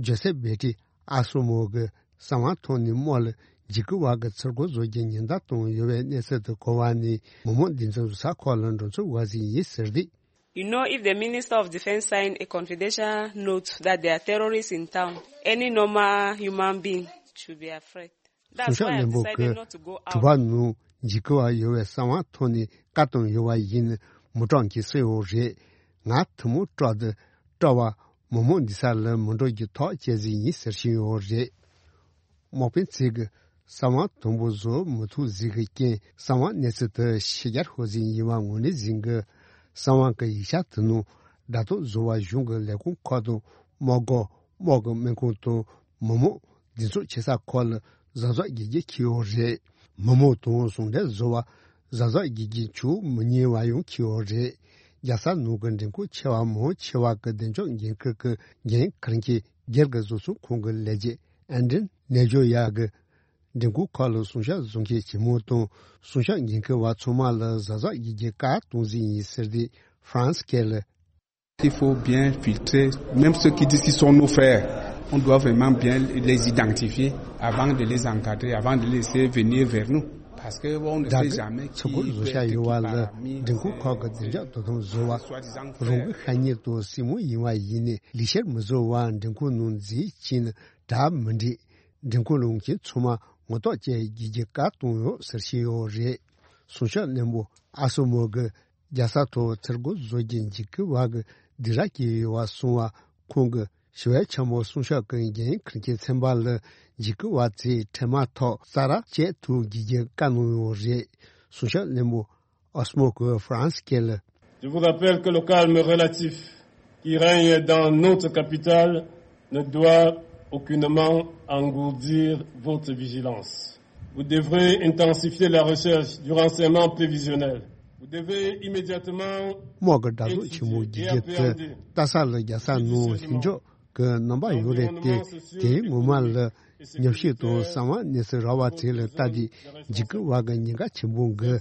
ཇོ་སེབ་བེ་ཏི་ཨ་སོ་མོ་གི་གསང་བ་ཐོག་ནས་དམག་ལ་འཇིགས་སྐུལ་བ་གི་ཚུར་རྒོལ་བཟོ་རྒྱུའི་ཉེན་བརྡ་བཏང་ཡོད་པའི་གནས་ཚུལ་དུ་གོ་བ་ནས། མི་མང་སྡེ་ཚན་གཟའ་འཁོར་ལ་འགྲོ་ཚུལ་བ་ཟིན་ཡིན་ཟེར་ཏེ། You know, if the Minister of Defense sign a confidential note that there are terrorists in town, any normal human being should be afraid. That's why I decided not to go out. གསུང་བཤད་བློན་པོ་གིས་གྲུ་པ་ནང་ འཇིགས་སྐུལ་བ་ཡོད་པའི་གསང་བ་ཐོག་ནས་བཀའ་བཏང་ཡོད་པ་ཡིན། མི་གྲངས་ཀྱིས་གསོལ་ཡོད་རེད། ང་ཐུན་མོང་སྤྲོ་བསྡུ་སྤྲོ་བ་མི་མང་འདུས་ས་ལ་མི་འགྲོ་རྒྱུ་ཐག་བཅད་ཟིན་ཡིན་ཟེར་བཞིན་ཡོད་རེད། དམག་དཔོན་ཚོས་ཀྱི་གསང་བ་དང་པོ་བཟོ་མི་ཐུབ་ཟིག་གི་རྐྱེན་གསང་བ་གནས་ཚུལ་དུ་ཕྱི་གྱར་ཤོར་ཟིན་ཡིན་པ་ངོས་ལེན་ཟིན་གི། གསང་བ་གི་ཡིག་ཆ་དེ་ནང་སྒྲ་ཐོ་བཟོ་བ་གཞུང་གི་ལས་ཁུངས་ཁག་དང་དམག་སྒར་དམག་གི་སྨན་ཁང་དང་མི་མང་འདུ་ཚོགས་ཆེ་ས་ཁག་ལ་གཟབ་གཟབ་རྒྱག་རྒྱུ་འཁྱེར་ཡོད་རེད། མི་མང་དང་ཟུང་འབྲེལ་བཟོ་བ་གཟབ་གཟབ་རྒྱག་རྒྱུ་འཁྱེར་མི་ཉན་པ་ཡང་འཁྱེར་ཡོད་རེད། རྒྱལ་ས་ནང་གི་མགྲོན་ཁང་ཆེ་བ་མང་ཆེ་བ་གི་བདེ་འཇགས་འགན་འཁུར་གི་འགན་འཁུར་མཁན་སྒེར་གྱི་བཟོ་ཚོང་ཁང་གི་ལས་བྱེད་ཨན་ཌྲིན་ནེ་ཇོ་ཡ་གི་མགྲོན་ཁང་ཁག་ལ་སྲུང་སྐྱོབ་བཟོ་མཁན་ཇེ་མང་དང་སྲུང་སྐྱོབ་འགན་འཁུར་བ་ཚང་མ་ལ་གཟབ་གཟབ་ཡིན་རྒྱུ་བཀའ་གཏོང་ཟིན་ཡིན་ཟེར་ཏེ་ཧྥ་རན་སི་སྐད་ལ། Il faut bien filtrer, même ceux qui disent qu'ils sont nos frères, on doit vraiment bien les identifier avant de les encadrer, avant de les laisser venir vers nous. Parce que on ne sait jamais qui peut être qui parmi ces, ces soi-disant frères. ད་གི་ཚོགས་འཁོར་བཟོ་བྱ་ཡོད་པ་ལ་མགྲོན་ཁང་ཁག་གི་བདེ་འཇགས་དོ་དམ་བཟོ་བ་རང་གི་ཤ་ཉེ་དང་སྲིང་མོ་ཡིན་པ་ཡིན་ནའི་ལས་བྱེད་མི་བཟོ་བ་མགྲོན་ཁང་ནང་འཛུལ་ཕྱིན་ན་གྲ་མི་འགྲིག་མགྲོན་ཁང་ལ་ཡོང་མཁན་ཚང་མ་ངོ་ཐོག་བཅད་རྒྱུའི་བཀའ་གཏོང་ཡོད་ཟེར་བཞིན་ཡོད་རེད། སྲུང་སྐྱོབ་བློན་པོ་ཨ་སོ་མོ་གི་རྒྱལ་ས་ཐོག་ཚུར་རྒོལ་བཟོ་རྒྱུ་འཇིགས་སྐུལ་བ་གི་སྡིགས་ར་སྐྱེས་ཡོད་པ་སོང་བ་ཁོང་གི་ཞི་བའི་ཆེན་མོ་སྲུང་སྐྱོབ་ཀྱི་འགན་འཁུར་མཁན་ཚན་པ་ལ་འཇིགས་སྐུལ་བ་ཚོས་འཕྲལ་མ་ཐོག་གསལ་བསྒྲགས་བྱེད་ཐུབ་རྒྱུའི་བཀའ་གནང་ཡོད་རེད། སྲུང་སྐྱོབ་བློན་པོ་ཨོ་སི་མོ་གིས་ཧྥ་རན་སི་སྐད་ལ། Je vous rappelle que le calme relatif qui règne dans notre capitale ne doit aucunement engourdir votre vigilance. Vous devrez intensifier la recherche du renseignement prévisionnel. Vous devez immédiatement དམག་གི་དྲག་རྩལ་ཆེན་མོ་བརྒྱུད་རྒྱུ་དེ་ལྟ་ས་ལ་རྒྱལ་ས་ནང་ལྷིང་འཇགས་ཀྱི་རྣམ་པ་ཡོད་རེད་དེ། དེའི་ངོ་མ་ལ་ཉམས་ཞིབ་དང་གསང་བ་གནས་ཚུལ་རག་པ་ཚོ་ལ་ལྟ་དུས་འཇིགས་སྐུལ་བ་གི་ཉེན་ཁ་ཆེན་པོ་འགི་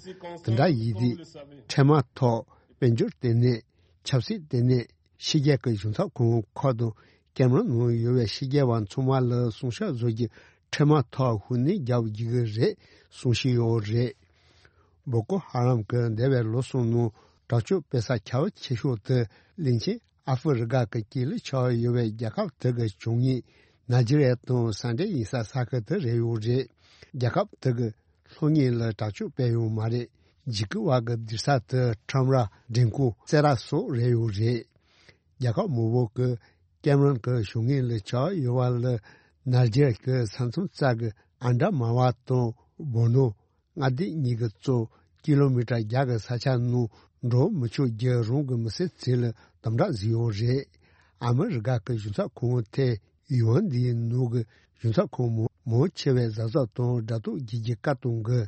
དེ་འདྲ་ཡིན་དུས་འཕྲལ་མ་ཐོག་དཔལ་འབྱོར་ལྟེ་གནས། ཆབ་སྲིད་ལྟེ་གནས། ཕྱི་རྒྱལ་གྱི་གཞུང་ཚབ་ཁང་ཁག་དང་ཀེམ་རོན་ནང་ཡོད་པའི་ཕྱི་རྒྱལ་བ་ཚང་མ་ལ་སྲུང་སྐྱོབ་བཟོ་རྒྱུ་འཕྲལ་མ་ཐོག་ཤུགས་སྣོན་རྒྱག་རྒྱུ་གི་རེད་གསུང་བཞིན་ཡོད་རེད། བོ་ཀོ་ཧ་རམ་གྱི་འདས་པའི་ལོ་གསུམ་ནང་དྲག་སྤྱོད་སྤེལ་ས་ཁྱབ་ཆེ་ཤོས་དེ་གླིང་ཆེན་ཨ་ཧྥེ་རི་ཀ་གི་དཀྱིལ་ལ་ཆགས་ཡོད་པའི་རྒྱལ་ཁབ་དེ་གི་བྱང་ངོས་ནཱི་ཇི་རི་ཡ་དང་ས་འབྲེལ་ཡིན་ས་ས་ཁུལ་དེ་རེད་ཡོད་རེད། རྒྱལ་ཁབ་དེ་གི་ལྷོ་ངོས་ལ་དྲག་སྤྱོད་སྤེལ་ཡོད་མ་རེད། འཇིགས་སྐུལ་བ་གི་སྡིགས་ས་དེ་ཁྲོམ་ར། མགྲོན་ཁང་། རྩེད་ར་སོགས་རེད་ཡོད་རེད། རྒྱལ་ཁབ་མང་པོ་གི་ཀེམ་རོན་གྱི་བྱང་ངོས་ལ་ཆགས་ཡོད་པ་ལ་ནཱི་ཇེ་རི་ཡ་གི་ས་མཚམས་རྩ་གི་ཨན་ཌ་མ་ཝ་དང་བོ་ནོ་མངའ་སྡེ་གཉིས་ཀྱི་གཙོ་ཀི་ལོ་མི་ཊར་བརྒྱ་གི་ས་ཆ་ནང་འགྲོ་མི་ཆོག་རྒྱུ་རང་གི་མི་སེར་ཚོ་ལ་དམ་དྲག་བཟོས་ཡོད་རེད། ཨ་མི་རི་ཀ་གི་གཞུང་ཚབ་ཁང་ཐེ་ཡུན་འདིའི་ནང་གི་གཞུང་ཚབ་ཁང་མང་མང་ཆེ་བས་གཟབ་གཟབ་དང་སྒྲ་རྟོག་བགྱིད་རྒྱུའི་བཀའ་གཏོང་གི།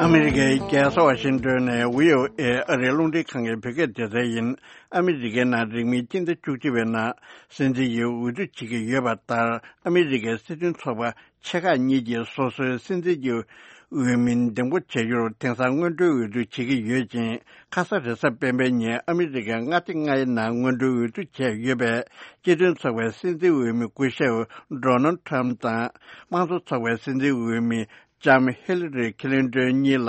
ཨ་མི་རི་ཀའི་རྒྱལ་ས་ཝ་ཤིང་ཏོན་ནས་བྷི་ཨོ་ཨེ་ཨ་རིའི་རླུང་འཕྲིན་ཁང་གི་བོད་སྐད་སྡེ་ཚན་ཡིན། ཨ་མི་རི་ཀའི་ནང་རིང་མིན་སྤྱི་ཟླ་བཅུ་གཅིག་པའི་ནང་སྲིད་འཛིན་གྱི་འོས་བསྡུ་བྱེད་ཀྱི་ཡོད་པ་ལྟར། ཨ་མི་རི་ཀའི་སྲིད་དོན་ཚོགས་པ་ཆེ་ཁག་གཉིས་ཀྱིས་སོ་སོའི་སྲིད་འཛིན་གྱི་འོས་མི་འདེམས་བསྐོ་བྱ་རྒྱུར་དེང་སང་སྔོན་འགྲོའི་འོས་བསྡུ་བྱེད་ཀྱི་ཡོད་ཅིང་། ཁ་ས་རེས་གཟའ་སྤེན་པའི་ཉིན་ཨ་མི་རི་ཀའི་མངའ་སྡེ་ལྔའི་ནང་སྔོན་འགྲོའི་འོས་བསྡུ་བྱས་ཡོད་པའི་སྤྱི་མཐུན་ཚོགས་པའི་སྲིད་འཛིན་འོས་མི་སྐུ་ཞབས་ཌོ་ནལ་ཁྲམ་དང་། དམངས་གཙོ་ཚོགས་པའི་སྲིད་འཛིན་འོས་མི་ལྕམ་ཧི་ལི་རི་ཁི་ལིན་ཏོན་གཉིས་ལ་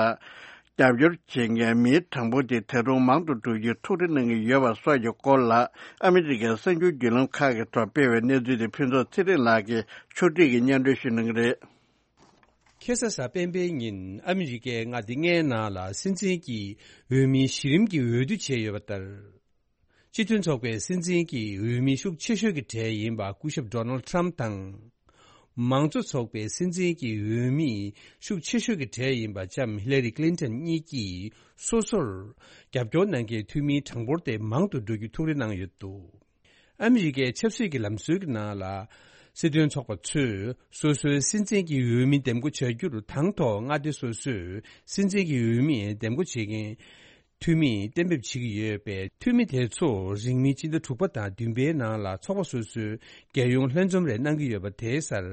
རྒྱབ་སྐྱོར་བྱེད་མཁན་མིའི་གྲངས་འབོར་དེ་ད་དུང་མང་དུ་འགྲོ་རྒྱུའི་ཐུགས་ཁུར་གནང་གི་ཡོད་པ་སོགས་ཀྱི་སྐོར་ལ། ཨ་མི་རི་ཀའི་གསར་འགྱུར་བརྒྱུད་ལམ་ཁག་གི་ཐོག་སྤེལ་བའི་གནས་ཚུལ་དེ་ཕུན་ཚོགས་ཚེ་རིང་ལགས་ཀྱིས་ཕྱོགས་སྒྲིག་གིས་སྙན་སྒྲོན་ཞུ་གནང་གི་རེད། ཁ་ས་གཟའ་སྤེན་པའི་ཉིན་ཨ་མི་རི་ཀའི་མངའ་སྡེ་ལྔའི་ནང་ལ་སྲིད་འཛིན་གྱི་འོས་མིའི་གཞི་རིམ་གྱི་འོས་བསྡུ་བྱས་ཡོད་པ་ལྟར། སྤྱི་མཐུན་ཚོགས་པའི་སྲིད་འཛིན་གྱི་འོས་མི་ཤུགས་ཆེ་ཤོས་ཀྱི་གྲས་ཡིན་པ་སྐུ་ཞབས་ཌོ་ནལ་ཁྲམ་དང་། མང་གཙོ་ཚོགས་པའི་སྲིད་འཛིན་གྱི་འོས་མི་ཤུགས་ཆེ་ཤོས་ཀྱི་གྲས་ཡིན་པ་ལྕམ་ཧི་ལ་རི་ཀླིན་ཏན་གཉིས་ཀྱིས་སོ་སོར་རྒྱབ་སྐྱོར་གནང་མཁན་འཐུས་མིའི་གྲངས་འབོར་དེ་མང་དུ་འགྲོ་རྒྱུ་ཐུགས་རེ་གནང་ཡོད་འདུག་ཨ་མི་རི་ཀའི་ཆབ་སྲིད་ཀྱི་ལམ་སྲོལ་གྱི་ནང་ལ། སྲིད་དོན་ཚོགས་པ་ཚོས་སོ་སོའི་སྲིད་འཛིན་གྱི་འོས་མི་འདེམས་བསྐོ་བྱ་རྒྱུར་དང་ཐོག་མངའ་སྡེ་སོ་སོས་སྲིད་འཛིན་གྱི་འོས་མི་འདེམས་བསྐོ་བྱེད་མཁན་འཐུས་མིས་གཏན་འབེབས་བྱེད་ཀྱི་ཡོད་པས། འཐུས་མི་དེ་ཚོ་རིང་མིན་སྤྱི་ཟླ་དྲུག་པ་དང་བདུན་པའི་ནང་ལ་ཚོགས་པ་སོ་སོའི་རྒྱལ་ཡོངས་ལྷན་འཛོམས་རེ་གནང་གི་ཡོད་པ་དེའི་སར།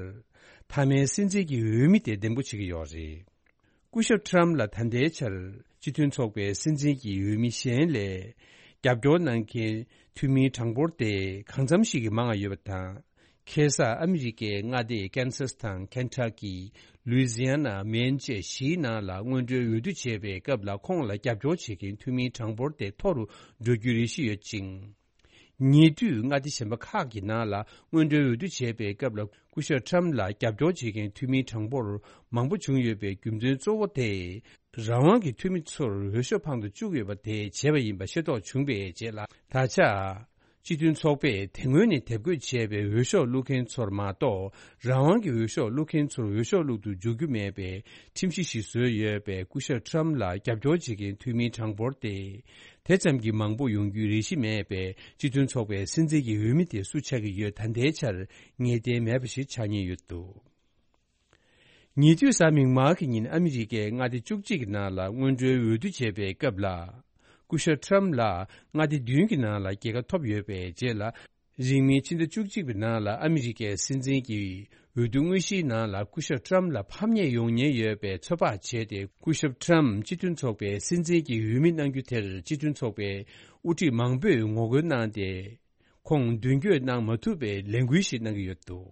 མཐའ་མའི་སྲིད་འཛིན་གྱི་འོས་མི་དེ་འདེམས་བསྐོ་བྱེད་ཀྱི་ཡོད་རེད། སྐུ་ཞབས་ཁྲམ་ལ་ད་ལྟའི་ཆར་སྤྱི་མཐུན་ཚོགས་པའི་སྲིད་འཛིན་གྱི་འོས་མི་གཞན་ལས་རྒྱབ་སྐྱོར་གནང་མཁན་འཐུས་མིའི་གྲངས་འབོར་དེ་གང་འཚམ་ཞིག་གིས་མང་བ་ཡོད་པ་དང་། ཁ་སང་ཨ་མི་རི་ཀའི་མངའ་སྡེ་ཀན་སཱས་དང་ཁེན་ཊ་ཀི། ལུའི་ཛི་ཡ་ན། མེན་བཅས་བཞིའི་ནང་ལ་སྔོན་འགྲོའི་འོས་བསྡུ་བྱས་པའི་སྐབས་ལ་ཁོང་ལ་རྒྱབ་སྐྱོར་བྱེད་མཁན་འཐུས་མིའི་གྲངས་འབོར་དེ་མཐོ་རུ་འགྲོ་རྒྱུའི་རེ་ཞིག་ཡོད་ཅིང་། ཉེ་དུས་མངའ་སྡེ་གཞན་པ་ཁག་གི་ནང་ལ་སྔོན་འགྲོའི་འོས་བསྡུ་བྱས་པའི་སྐབས་ལ་སྐུ་ཞབས་ཊམ་ལ་རྒྱབ་སྐྱོར་བྱེད་མཁན་འཐུས་མིའི་གྲངས་འབོར་མང་པོ་བྱུང་ཡོད་པའི་རྒྱུ་མཚན་གཙོ་བོ་དེ། རང་དབང་གི་འཐུས་མི་ཚོར་འོས་ཤོག་འཕངས་དུ་བཅུག་ཡོད་པ་དེས་བྱས་པ་ཡིན་པ་ཤེས་རྟོགས་བྱུང་བའི་རྗེས་ལ། ད་ཆ། སྤྱི་མཐུན་ཚོགས་པས་དེ་སྔོན་ནས་དེབ་འགོད་བྱས་པའི་འོས་ཤོག་བླུག་མཁན་ཚོར་མ་གཏོགས། རང་དབང་གི་འོས་ཤོག་བླུག་མཁན་ཚོར་འོས་ཤོག་བླུག་ཏུ་འཇུག་རྒྱུ་མེད་པའི་ཁྲིམས་གཞི་ཞིག་བཟོས་ཡོད་པས། སྐུ་ཞབས་ཊམ་ལ་རྒྱབ་སྐྱོར་བྱེད་མཁན་འཐུས་མིའི་གྲངས་འབོར་དེ། དེ་ཙམ་གྱིས་མང་པོ་ཡོང་རྒྱུའི་རེ་ཞིག་མེད་པས། སྤྱི་མཐུན་ཚོགས་པའི་སྲིད་འཛིན་གྱི་འོས་མི་དེ་སུ་ཆགས་ཀྱི་ཡོད་ད་ལྟའི་ཆར་ངེས་གཏན་མེད་པ་ཞིག་ཆགས་ཉེན་ཡོད་འདུག་ཉེ་དུས་གཟའ་མིག་དམར་གྱི་ཉིན་ཨ་མི་རི་ཀའི་མངའ་སྡེ་བཅུ་གཅིག་གི་ནང་ལ་སྔོན་འགྲོའི་འོས་བསྡུ་བྱས་པའི་སྐབས་ལ། སྐུ་ཞབས་ཊམ་ལ་མངའ་སྡེ་བདུན་གྱི་ནང་ལ་རྒྱལ་ཁ་ཐོབ་ཡོད་པའི་རྗེས་ལ། རིང་མིན་ཕྱི་ཟླ་བཅུ་གཅིག་པའི་ནང་ལ་ཨ་མི་རི་ཀའི་སྲིད་འཛིན་གྱི་འོས་བསྡུ་དངོས་གཞིའི་ནང་ལ་སྐུ་ཞབས་ཊམ་ལ་ཕམ་ཉེས་ཡོང་ཉེན་ཡོད་པའི་ཚོད་དཔག་བྱས་ཏེ། སྐུ་ཞབས་ཊམ་སྤྱི་མཐུན་ཚོགས་པའི་སྲིད་འཛིན་གྱི་འོས་མི་གནང་རྒྱུ་དེར་སྤྱི་མཐུན་ཚོགས་པའི་དབུ་ཁྲིད་མང་པོས་ངོ་རྒོལ་གནང་སྟེ། ཁོང་མདུན་སྐྱོད་གནང་མ་ཐུབ་པའི་ལས་འགུལ་ཞིག་གནང་གི་ཡོད་འདུག་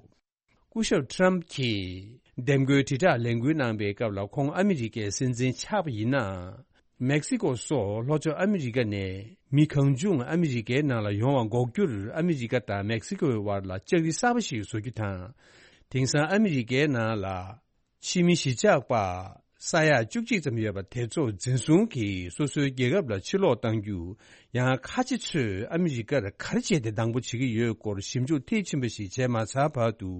སྐུ་ཞབས་ཊམ་གྱིས་འདེམས་བསྐོའི་དྲིལ་བསྒྲགས་ལས་འགུལ་གནང་པའི་སྐབས་ལ། ཁོང་ཨ་མི་རི་ཀའི་སྲིད་འཛིན་ཆགས་པ་ཡིན་ན། མེག་སི་ཀོ་སོགས་ལྷོ་ཕྱོགས་ཨ་མི་རི་ཀ་ནས་མི་གང་བྱུང་ཨ་མི་རི་ཀའི་ནང་ལ་ཡོང་བ་འགོག་རྒྱུར་ཨ་མི་རི་ཀ་དང་མེག་སི་ཀོའི་དབར་ལ་ལྕགས་རི་གསར་པ་ཞིག་བཟོ་རྒྱུ་དང་། དེང་སང་ཨ་མི་རི་ཀའི་ནང་ལ། ཕྱི་མི་གཞིས་ཆགས་པ་ས་ཡ་བཅུ་གཅིག་ཙམ་ཡོད་པ་དེ་ཚོ་འཛིན་བཟུང་གིས་སོ་སོའི་རྒྱལ་ཁབ་ལ་ཕྱིར་ལོག་གཏང་རྒྱུ། ཡང་ཁ་ཆེ་ཚོས་ཨ་མི་རི་ཀར་ག་རེ་བྱས་ཏེ་སྡང་པོ་བྱེད་ཀྱི་ཡོད་སྐོར་ཞིབ་འཇུག་མཐིལ་ཕྱིན་པ་ཞིག་བྱས་མ་ཚར་བར་དུ།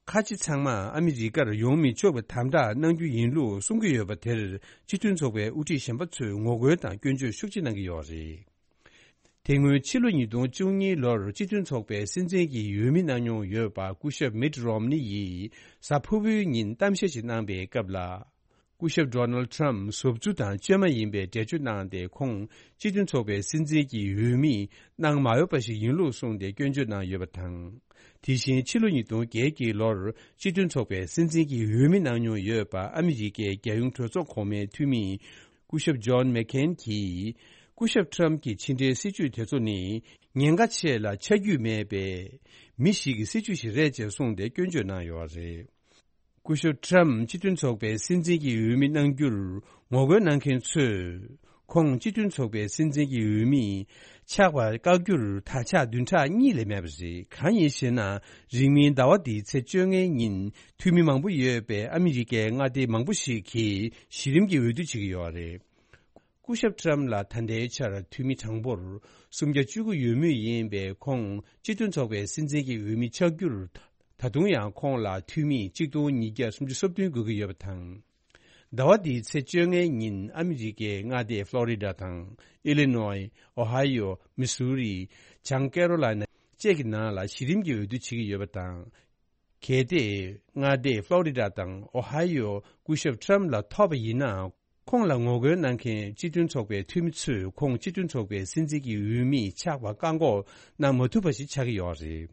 ཁ་ཆེ་ཚང་མ་ཨ་མི་རི་ཀར་ཡོང་མི་ཆོག་པའི་དམ་དྲག་གནང་རྒྱུ་ཡིན་ལུགས་གསུང་གི་ཡོད་པ་དེར། སྤྱི་མཐུན་ཚོགས་པའི་དབུ་ཁྲིད་གཞན་པ་ཚོས་ངོ་རྒོལ་དང་སྐྱོན་བརྗོད་ཤུགས་ཆེ་གནང་གི་ཡོད་རེད། དེ་སྔོན་ཕྱི་ལོ་ཉིས་སྟོང་བཅུ་གཉིས་ལོར་སྤྱི་མཐུན་ཚོགས་པའི་སྲིད་འཛིན་གྱི་འོས་མི་གནང་མྱོང་ཡོད་པ་སྐུ་ཞབས་མིད་རོམ་ནི་ཡིས་གཟའ་ཕུར་བུའི་ཉིན་གཏམ་བཤད་ཅིག་གནང་པའི་སྐབས་ལ། སྐུ་ཞབས་ཌོ་ནལ་ཊམ་ཟོབ་རྫུ་དང་བཅོས་མ་ཡིན་པའི་འགྲེལ་བརྗོད་གནང་སྟེ། ཁོང་སྤྱི་མཐུན་ཚོགས་པའི་སྲིད་འཛིན་གྱི་འོས་མི་གནང་མ་འོས་པ་ཞིག་ཡིན་ལུགས་གསུངས་ཏེ་སྐྱོན་བརྗོད་གནང་ཡོད་པ་དང་། དེ་བཞིན་ཕྱི་ལོ་ཉིས་སྟོང་བརྒྱད་ཀྱི་ལོར་སྤྱི་མཐུན་ཚོགས་པའི་སྲིད་འཛིན་གྱི་འོས་མི་གནང་མྱོང་ཡོད་པ་ཨ་མི་རི་ཀའི་རྒྱལ་ཡོངས་གྲོས་ཚོགས་གོང་མའི་འཐུས་མི། སྐུ་ཞབས་ཇོན་མེག་ཁེན་གྱིས། སྐུ་ཞབས་ཊམ་གྱི་ཕྱི་འབྲེལ་སྲིད་བྱུས་དེ་ཚོ་ནི་ཉེན་ཁ་ཆེ་ལ་ཆ་རྒྱུས་མེད་པའི་མི་ཞིག་གི་སྲིད་བྱུས་ཤིག་རེད་ཅེས་གསུངས་ཏེ་སྐྱོན་བརྗོད་གནང་ཡོད་པ་རེད། སྐུ་ཞབས་ཊམ་སྤྱི་མཐུན་ཚོགས་པའི་སྲིད་འཛིན་གྱི་འོས་མི་གནང་རྒྱུར་ངོ་རྒོལ་གནང་མཁན་ཚོས། ཁོང་སྤྱི་མཐུན་ཚོགས་པའི་སྲིད་འཛིན་གྱི་འོས་མི་ཆགས་པར་བཀག་རྒྱུར་དར་ཆ་བདུན་ཕྲག་གཉིས་ལས་མེད་པ་རེད། གང་ཡིན་ཞེ་ན། རིང་མིན་ཟླ་བ་འདིའི་ཚེས་བཅོ་ལྔའི་ཉིན་འཐུས་མི་མང་པོ་ཡོད་པའི་ཨ་མི་རི་ཀའི་མངའ་སྡེ་མང་པོ་ཞིག་གིས་གཞི་རིམ་གྱི་འོས་བསྡུ་བྱེད་ཀྱི་ཡོད་རེད། སྐུ་ཞབས་ཊམ་ལ་ད་ལྟའི་ཆར་འཐུས་མི་གྲངས་འབོར་སུམ་བརྒྱ་བཅུ་དགུ་ཡོད་མུས་ཡིན་པས། ཁོང་སྤྱི་མཐུན་ཚོགས་པའི་སྲིད་འཛིན་གྱི་འོས་མི་ཆགས་རྒྱུར། ད་དུང་ཡང་ཁོང་ལ་འཐུས་མི་གཅིག་སྟོང་ཉིས་བརྒྱ་སུམ་ཅུ་སོ་བདུན་དགོས་ཀྱི་ཡོད་པ་དང་། ཟླ་བ་འདིའི་ཚེས་བཅོ་ལྔའི་ཉིན་ཨ་མི་རི་ཀའི་མངའ་སྡེ་ཕློ་རི་ཌ་དང་། ཨི་ལི་ནོའི། ཨོ་ཧའི་ཡོ། མི་སུ་རི། བྱང་ཀེ་རོ་ལའི་ན་བཅས་ཀྱི་ནང་ལ་གཞི་རིམ་གྱི་འོས་བསྡུ་བྱེད་ཀྱི་ཡོད་པ་དང་། གལ་ཏེ་མངའ་སྡེ་ཕློ་རི་ཌ་དང་ཨོ་ཧའི་ཡོ་སྐུ་ཞབས་ཊམ་ལ་ཐོབ་པ་ཡིན་ན། ཁོང་ལ་ངོ་རྒོལ་གནང་མཁན་སྤྱི་མཐུན་ཚོགས་པའི་འཐུས་མི་ཚོས་ཁོང་སྤྱི་མཐུན་ཚོགས་པའི་སྲིད་འཛིན་གྱི་འོས་མི་ཆགས་པར་བཀག་འགོག་གནང་མ་ཐུབ་པ་ཞིག་ཆགས་ཀྱི་ཡོད་རེད།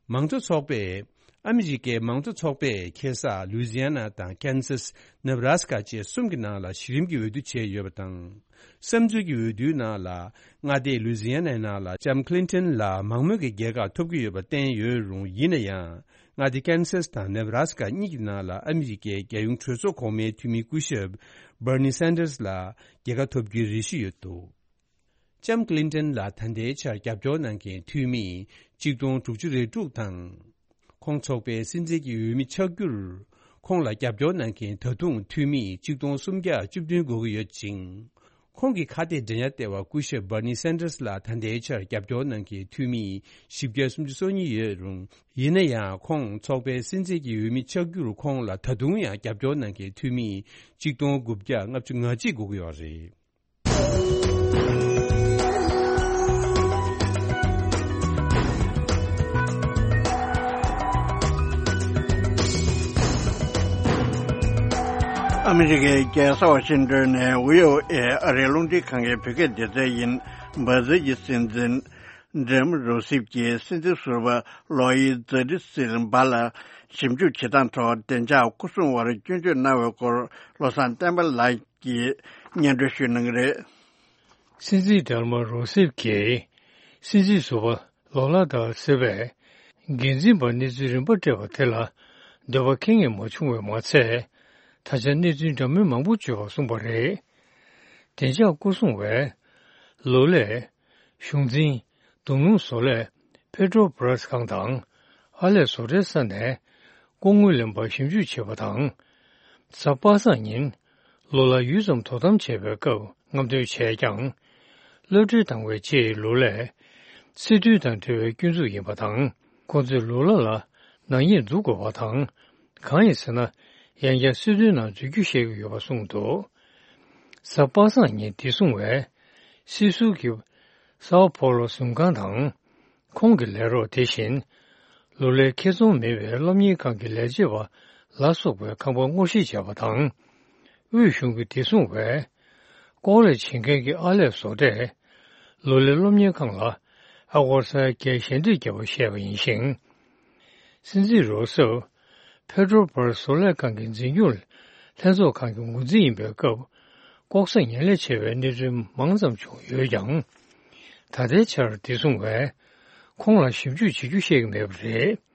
མང་གཙོ་ཚོགས་པས། ཨ་མི་རི་ཀའི་མང་གཙོ་ཚོགས་པས་ཁ་སང་ལུའི་ཛི་ཡ་ན་དང་ཀན་སཱས། ནེ་བྷ་ར་སི་ཀ་བཅས་གསུམ་གྱི་ནང་ལ་གཞི་རིམ་གྱི་འོས་བསྡུ་བྱས་ཡོད་པ་དང་། བསམ་ཚུལ་གྱི་འོས་བསྡུའི་ནང་ལ་མངའ་སྡེ་ལུའི་ཛི་ཡ་ནའི་ནང་ལ་ལྕམ་ཀི་ལིན་ཏོན་ལ་མང་མོས་ཀྱི་རྒྱལ་ཁ་ཐོབ་ཀྱི་ཡོད་པ་བསྟན་ཡོད་རུང་། ཡིན་ན་ཡང་། མངའ་སྡེ་ཀན་སཱས་དང་ནེ་བྷ་ར་སི་ཀ་གཉིས་ཀྱི་ནང་ལ་ཨ་མི་རི་ཀའི་རྒྱལ་ཡོངས་གྲོས་ཚོགས་གོང་མའི་འཐུས་མི་སྐུ་ཞབས་བྷར་ནི་སན་ཏར་ལ་རྒྱལ་ཁ་ཐོབ་རྒྱུའི་རེ་ཞུ་ཡོད་འདུག་ལྕམ་ཀི་ལིན་ཏོན་ལ་ད་ལྟའི་ཆར་རྒྱབ་སྐྱོར་གནང་མཁན་འཐུས་མི་གཅིག་སྟོང་དྲུག་ཅུ་རེ་དྲུག་དང་། ཁོང་ཚོགས་པའི་སྲིད་འཛིན་གྱི་འོས་མི་ཆགས་རྒྱུར། ཁོང་ལ་རྒྱབ་སྐྱོར་གནང་མཁན་ད་དུང་འཐུས་མི་གཅིག་སྟོང་སུམ་བརྒྱ་བཅུ་བདུན་དགོས་ཀྱི་ཡོད་ཅིང་། ཁོང་གི་ཁ་གཏད་འགྲན་ཡ་ལྟེ་བ་སྐུ་ཞབས་བྷར་ནི་སན་ཏར་ལ་ད་ལྟའི་ཆར་རྒྱབ་སྐྱོར་གནང་མཁན་འཐུས་མི་བཞི་བརྒྱ་སུམ་ཅུ་སོ་གཉིས་ཡོད་རུང་། ཡིན་ན་ཡང་ཁོང་ཚོགས་པའི་སྲིད་འཛིན་གྱི་འོས་མི་ཆགས་རྒྱུར་ཁོང་ལ་ད་དུང་ཡང་རྒྱབ་སྐྱོར་གནང་མཁན་འཐུས་མི་གཅིག་སྟོང་དགུ་བརྒྱ་ལྔ་བཅུ་ང་གཅིག་དགོས་ཀྱི་ཡོད་རེད། ཨ་མི་རི་ཀའི་རྒྱལ་ས་ཝ་ཤིང་ཏོན་ནས་བྷི་ཨོ་ཨེ་ཨ་རིའི་རླུང་འཕྲིན་ཁང་གི་བོད་སྐད་སྡེ་ཚན་ཡིན། འབའ་ཟིལ་གྱི་སྲིད་འཛིན་ཌིལ་མ་རུ་སིབ་ཀྱིས་སྲིད་འཛིན་ཟུར་པ་ལོ་ཡི་ཛ་ཏི་སིལ་བྷ་ལ་ཞིབ་འཇུག་བྱེད་སྟངས་ཐོག་བདེ་འཇགས་སྐོར་སྲུང་བར་སྐྱོན་བརྗོད་གནང་བའི་སྐོར་བློ་བཟང་བསྟན་པ་ལགས་ཀྱིས་སྙན་སྒྲོན་ཞུ་གནང་གི་རེད། སྲིད་འཛིན་ཌིལ་མ་རུ་སིབ་ཀྱིས་སྲིད་འཛིན་ཟུར་པ་ལོ་ལ་ད་སིལ་བས་ འགན་འཛིན་པར་གནས་ཚུལ་རིམ་པ་སྤྲད་པ་དེ་ལ་འདོད་པ་ཁེངས་ངེས་མ་བྱུང་བས་མ་ཚད། ད་ཆ་གནས་ཚུལ་འདྲ་མིན་མང་པོ་བརྗོད་པ་གསུངས་པ་རེད། བདེ་འཇགས་སྐོར་སྲུང་བས་ལོ་ལེགས། གཞུང་འཛིན། མདུང་ལུང་བཟོ་ལས་པེ་ཏྲོ་བྷ་ར་སི་ཁང་དང་ཨར་ལས་བཟོ་གྲྭའི་ས་ནས་ལྐོག་དངུལ་ལེན་པར་ཞིབ་འཇུག་བྱས་པ་དང་། གཟའ་པ་སངས་ཉིན་ལོ་ལ་ཡུད་ཙམ་དོ་དམ་བྱས་པའི་སྐབས་རྔམ་སྟོན་བྱས་ཀྱང་། གློད་གྲོལ་བཏང་བའི་རྗེས་ལོ་ལེགས། སྲིད་དོན་དང་འབྲེལ་བའི་སྐྱོན་འཛུགས་ཡིན་པ་དང་། ཁོ་ཚོས་ལོ་ལ་ལ་ནག་ཉེས་འཛུགས་དགོས་པ་དང་། གང་ཡིན་ཟེར་ན། ཡང་བསྐྱར་སྲིད་དོན་ནང་འཛུལ་རྒྱུ་བཤད་ཀྱི་ཡོད་པ་གསུངས་འདུག་གཟའ་པ་སངས་ཉིན་བདེ་སྲུང་བས་སྲིད་ཟུར་གྱི་སའོ་པོ་ལོ་ཟུར་ཁང་དང་། ཁོང་གི་ལས་རོགས་དེ་བཞིན། ལོ་ལའི་ཁེ་ཚོང་མེད་པའི་སློབ་གཉེར་ཁང་གི་ལས་བྱེད་པ་ལ་སོགས་པའི་ཁང་པ་སྔོག་བཤེར་བྱས་པ་དང་། དབུས་གཞུང་གི་བདེ་སྲུང་བས། ལྐོག་ལས་བྱེད་མཁན་གྱི་ཨར་ལས་བཟོ་གྲས་ལོ་ལའི་སློབ་གཉེར་ཁང་ལ་ཨ་སྒོར་ས་ཡ་བརྒྱད་ཞལ་འདེབས་བརྒྱབ་པ་བཤད་པ་ཡིན་ཞིང་། སྲིད་འཛིན་རོ་སེབ་པེ་ཏྲོ་བྷ་ར་སི་བཟོ་ལས་ཁང་གི་འཛིན་སྐྱོང་ལྷན་ཚོགས་ཁང་གི་འགོ་འཛིན་ཡིན་པའི་སྐབས། ལྐོག་ཟ་ངན་ལས་བྱས་པའི་གནས་ཚུལ་མང་ཙམ་བྱུང་ཡོད་ཀྱང་། ད་ལྟའི་ཆར་བདེ་སྲུང་བས་ཁོང་ལ་ཞིབ་འཇུག་བྱེད་རྒྱུ་བཤད་ཀྱི་མེད་པ་རེད།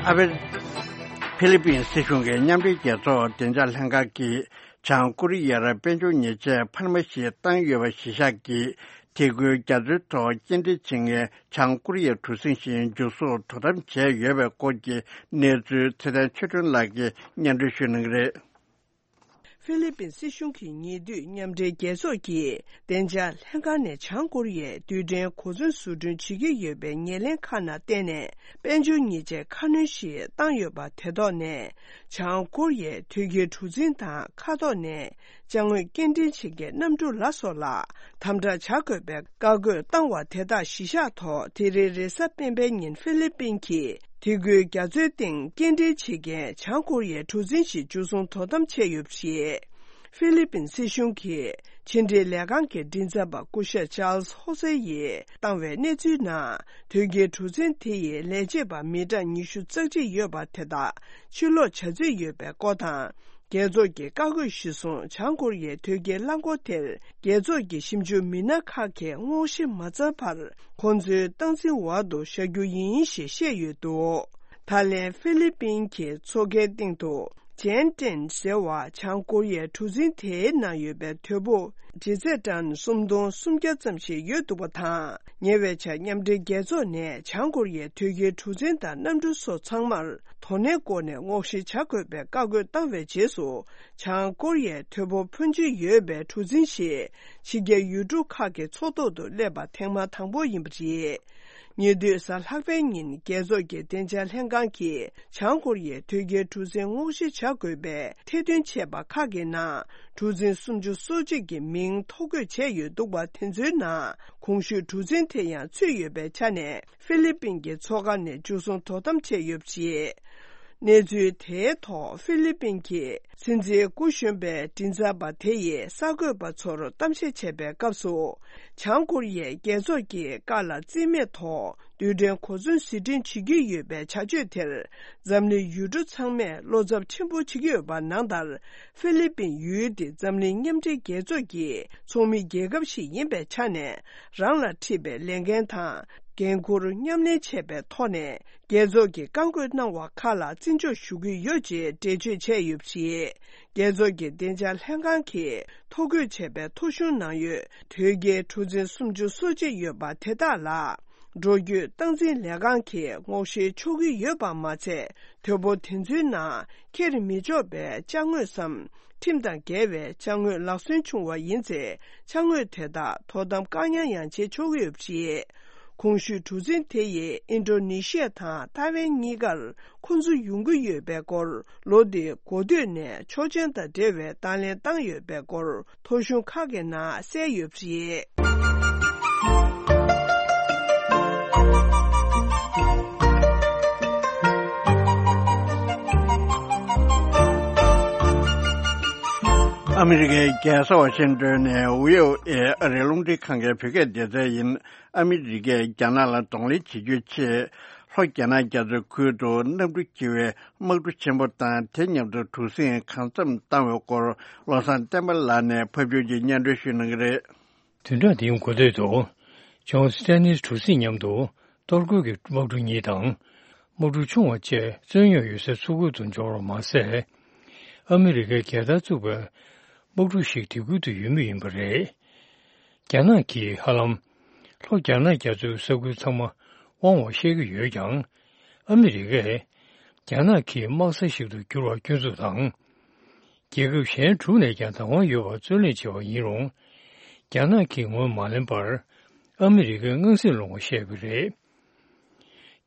ཨ་ཕི། ཕི་ལི་པིན་སྲིད་གཞུང་གི་མཉམ་འབྲེལ་རྒྱལ་ཚོགས་བདེ་འཇགས་ལྷན་ཁང་གིས་བྱང་ཀོ་རི་ཡར་དཔལ་འབྱོར་ཉེས་ཆད་འཕར་མ་ཞིག་བཏང་ཡོད་པ་གཞི་བཞག་གིས། དེ་ཁུལ་རྒྱ་མཚོའི་ཐོག་སྐྱེལ་འདྲེན་བྱེད་མཁན་བྱང་ཀོ་རི་ཡའི་གྲུ་གཟིངས་ཤིག་མཇུག་སོར་དོ་དམ་བྱས་ཡོད་པའི་སྐོར་གྱི་གནས་ཚུལ་ཚེ་བརྟན་ཆོས་སྒྲོན་ལགས་ཀྱིས་སྙན་སྒྲོན་ཞུ་གནང་གི་རེད། ཧྥི་ལི་པིན་སྲིད་གཞུང་གི་ཉེ་དུས་མཉམ་འབྲེལ་རྒྱལ་ཚོགས་ཀྱི་བདེ་འཇགས་ལྷན་ཁང་ནས་བྱང་ཀོ་རི་ཡའི་རྡུལ་ཕྲན་གོ་མཚོན་བཟོ་སྐྲུན་བྱེད་ཀྱི་ཡོད་པའི་ཉེར་ལེན་ཁག་ནང་བརྟེན་ནས་དཔལ་འབྱོར་ཉེས་ཆད་ཁ་སྣོན་ཞིག་བཏང་ཡོད་པ་དེ་ཐོག་ནས། བྱང་ཀོ་རི་ཡའི་དོས་སྐྱེལ་གྲུ་གཟིངས་དང་མཁའ་ཐོག་ནས་ཅ་དངོས་སྐྱེལ་འདྲེན་བྱེད་མཁན་གནམ་གྲུ་ལ་སོགས་ལ་དམ་དྲག་བྱ་དགོས་པའི་བཀའ་བཀོད་བཏང་བ་དེ་དག་གཞི་བཞག་ཐོག་དེ་རིང་རེས་གཟའ་སྤེན་པའི་ཉིན་ཧྥི་ལི་པིན་གྱིས་དེ་ཁུལ་རྒྱ་མཚོའི་སྟེང་སྐྱེལ་འདྲེན་བྱེད་མཁན་བྱང་ཀོ་རི་ཡའི་གྲུ་གཟིངས་ཤིག་མཇུག་སོང་དོ་དམ་བྱས་ཡོད་པ་རེད། ཧྥི་ལི་པིན་སྲིད་གཞུང་གི་ཕྱི་འབྲེལ་ལས་ཁང་གི་མགྲིན་ཚབ་པ་སྐུ་ཞབས་ཅཱལ་ཧོ་སེ་ཡིས་བཏང་བའི་གནས་ཚུལ་ནང་། དོས་སྐྱེལ་གྲུ་གཟིངས་དེ་ཡི་ལས་བྱེད་པ་མི་གྲངས་ཉི་ཤུ་རྩ་གཅིག་ཡོད་པ་དེ་དག་ཕྱིར་ལོག་བྱ་རྩིས་ཡོད་པའི་སྐོར་དང་། རྒྱལ་ཚོགས་ཀྱི་བཀའ་བཀོད་གཞིར་བཟུང་བྱང་ཀོ་རི་ཡའི་དོས་སྐྱེལ་རླངས་འཁོར་དེར་རྒྱལ་ཚོགས་ཀྱི་ཞིབ་འཇུག་མི་སྣ་ཁག་གིས་སྔོག་བཤེར་མ་ཚར་བར་ཁོང་ཚོའི་སྟངས་འཛིན་འོག་ཏུ་བཞག་རྒྱུ་ཡིན་ཞེས་བཤད་ཡོད་འདུག་ད་ལན་ཧྥི་ལི་པིན་གྱི་མཚོ་ཁའི་སྟེང་དུ། ཇན་ཀྲེན་ཟེར་བ་བྱང་ཀོ་རི་ཡའི་གྲུ་གཟིངས་དེའི་ནང་ཡོད་པའི་དོས་པོ་ཇི་ཚད་ཊན་སུམ་སྟོང་སུམ་བརྒྱ་ཙམ་ཞིག་ཡོད་འདུག་པ་དང་། ཉེ་བའི་ཆར་མཉམ་འབྲེལ་རྒྱལ་ཚོགས་ནས་བྱང་ཀོ་རི་ཡའི་དོས་སྐྱེལ་གྲུ་གཟིངས་དང་གནམ་གྲུ་སོགས་ཚང་མར་དོ་ནན་སྒོ་ནས་སྔོག་བཤེར་བྱ་དགོས་པའི་བཀའ་བཀོད་བཏང་བའི་རྗེས་སུ། བྱང་ཀོ་རི་ཡའི་དོས་པོ་ཕོན་ཆེ་ཡོད་པའི་གྲུ་གཟིངས་ཤིག་ཕྱི་རྒྱལ་ཡུལ་གྲུ་ཁག་གི་མཚོ་ཐོག་ཏུ་སླེབས་པ་ཐེངས་མ་དང་པོ་ཡིན་པ་རེད། ཉེ་དུས་གཟའ་ལྷག་པའི་ཉིན་རྒྱལ་ཚོགས་ཀྱི་བདེ་འཇགས་ལྷན་ཁང་གིས་བྱང་ཀོ་རི་ཡའི་དོས་སྐྱེལ་གྲུ་གཟིངས་སྔོག་བཤེར་བྱ་དགོས་པའི་ཐེར་འདོན་བྱས་པ་ཁག་གི་ནང་གྲུ་གཟིངས་སུམ་ཅུ་སོ་གཅིག་གི་མིང་ཐོ་འགོད་བྱས་ཡོད་འདུག་པ་དེ་ཚོའི་ནང་གོང་ཞུས་གྲུ་གཟིངས་དེ་ཡང་ཚུད་ཡོད་པའི་ཆ་ནས་ཧྥི་ལི་པིན་གྱི་མཚོ་ཁ་ནས་མཇུག་སོང་དོ་དམ་བྱས་ཡོད་པ་རེད། གནས་ཚུལ་དེའི་ཐོག་ཧྥི་ལི་པིན་གྱི་སྲིད་འཛིན་སྐུ་གཞོན་པའི་མགྲིན་ཚབ་པ་དེ་ཡིས་གསར་འགོད་པ་ཚོར་གཏམ་བཤད་བྱས་པའི་སྐབས་སུ། བྱང་ཀོ་རི་ཡས་རྒྱལ་ཚོགས་ཀྱི་བཀའ་ལ་རྩིས་མེད་ཐོག་རྡུལ་ཕྲན་གོ་མཚོན་གཟི་བྲིས་བྱེད་ཀྱི་ཡོད་པའི་བྱ་སྤྱོད་དེར་འཛམ་གླིང་ཡུལ་གྲུ་ཚང་མས་བློ་འཚབ་ཆེན་པོ་བྱེད་ཀྱི་ཡོད་པ་ནང་ལྟར། ཧྥི་ལི་པིན་ཡུལ་དེ་འཛམ་གླིང་མཉམ་འབྲེལ་རྒྱལ་ཚོགས་ཀྱི་ཚོགས་མི་རྒྱལ་ཁབ་ཞིག་ཡིན་པའི་ཆ་ནས། རང་ལ་འཁྲི་བའི་ལས་འགན་དང་འགན་འཁུར་མཉམ་ལེན་བྱས་པའི་ཐོག་ནས། རྒྱལ་ཚོགས་ཀྱིས་བཀའ་བཀོད་གནང་བ་ཁག་ལ་བརྩི་འཇོག་ཞུ་གི་ཡོད་ཅེས་འགྲེལ་བརྗོད་བྱས་ཡོད་པ་རེད། རྒྱལ་ཚོགས་ཀྱི་བདེ་འཇགས་ལྷན་ཁང་གིས་ཐོ་འགོད་བྱས་པའི་ཐོ་གཞུང་ནང་ཡོད་དོས་སྐྱེལ་གྲུ་གཟིངས་སུམ་ཅུ་སོ་གཅིག་ཡོད་པ་དེ་དག་ལ། འགྲོ་སྐྱོད་སྟངས་འཛིན་ལས་ཁང་གིས་སྔོག་བཤེར་ཆོག་གི་ཡོད་པ་མ་ཚད། དོས་པོ་དེ་ཚོའི་ནང་འཁྱེར་མི་ཆོག་པའི་ཅ་དངོས་སམ། ཁྲིམས་དང་འགལ་བའི་ཅ་དངོས་ལག་སོན་བྱུང་བ་ཡིན་ཚེ། ཅ་དངོས་དེ་དག་དོ་དམ་བཀག་ཉར་ཡང་བྱེད་ཆོག་གི་ཡོད་པ་རེད། གོང་ཞུས་གྲུ་གཟིངས་དེ་ཡིས་ཨིན་ཌོ་ནེ་ཤི་ཡ་དང་ཐའེ་ཝན་གཉིས་ཀར་ཁོ་ཚོ་ཡོང་གི་ཡོད་པའི་སྐོར། ལོ་འདིའི་འགོ་སྟོད་ནས་ཆོག་མཆན་དང་འབྲེལ་བའི་བརྡ་ལན་བཏང་ཡོད་པའི་སྐོར། ཐོ་གཞུང་ཁག་གི་ནང་གསལ་ཡོད་པ་རེད། ཨ་མི་རི་ཀའི་རྒྱལ་ས་ཝ་ཤིང་ཏོན་ནས་ཝི་ཨོ་ཨེ་ཨ་རིའི་རླུང་འཕྲིན་ཁང་གི་བོད་སྐད་སྡེ་ཚན་ཡིན། ཨ་མི་རི་ཀས་རྒྱ་ནག་ལ་གདོང་ལེན་བྱེད་རྒྱུའི་ཆེད། ལྷོ་རྒྱ་ནག་རྒྱ་མཚོའི་ཁུལ་དུ་གནམ་གྲུ་འཁྱེར་བའི་དམག་གྲུ་ཆེན་པོ་དང་དེ་མཉམ་དུ་གྲུ་གཟིངས་གང་འཚམ་བཏང་བའི་སྐོར། བློ་བཟང་བསྟན་པ་ལགས་ནས་ཕབ་སྒྱུར་གྱིས་སྙན་སྒྲོན་ཞུ་གནང་གི་རེད། བདུན་ཕྲག་འདིའི་འགོ་སྟོད་དུ། ཇོན་སི་ཊེ་ནིས་གྲུ་གཟིངས་མཉམ་དུ་གཏོར་རྒོལ་གྱི་དམག་གྲུ་གཉིས་དང་། དམག་གྲུ་ཆུང་བ་བཅས་རྩོད་རྙོག་ཡོད་སའི་མཚོ་ཁུལ་དུ་འབྱོར་བ་མ་ཟད། ཨ་མི་རི་ཀའི་རྒྱལ་དར་བཙུགས་པའི་དམག་གྲུ་ཞིག་དེ་ཁུལ་དུ་ཡོད་མུས་ཡིན་པ་རེད། རྒྱ་ནག་གིས་ཧ་ལམ་ལྷོ་རྒྱ་ནག་རྒྱ་མཚོའི་ས་ཁུལ་ཚང་མ་དབང་བ་བཤད་ཀྱི་ཡོད་ཀྱང་། ཨ་མི་རི་ཀས་རྒྱ་ནག་གི་དམག་ས་ཞིག་ཏུ་འགྱུར་བར་སྐྱོན་འཛུགས་དང་། རྒྱལ་ཁབ་གཞན་དྲུག་ནས་ཀྱང་བདག་དབང་ཡོད་པར་རྩོད་ལེན་བྱས་པ་ཡིན་རུང་། རྒྱ་ནག་གིས་ངོས་མ་ལེན་པར། ཨ་མི་རི་ཀའི་དངངས་སེམས་སློང་བ་བཤད་པ་རེད།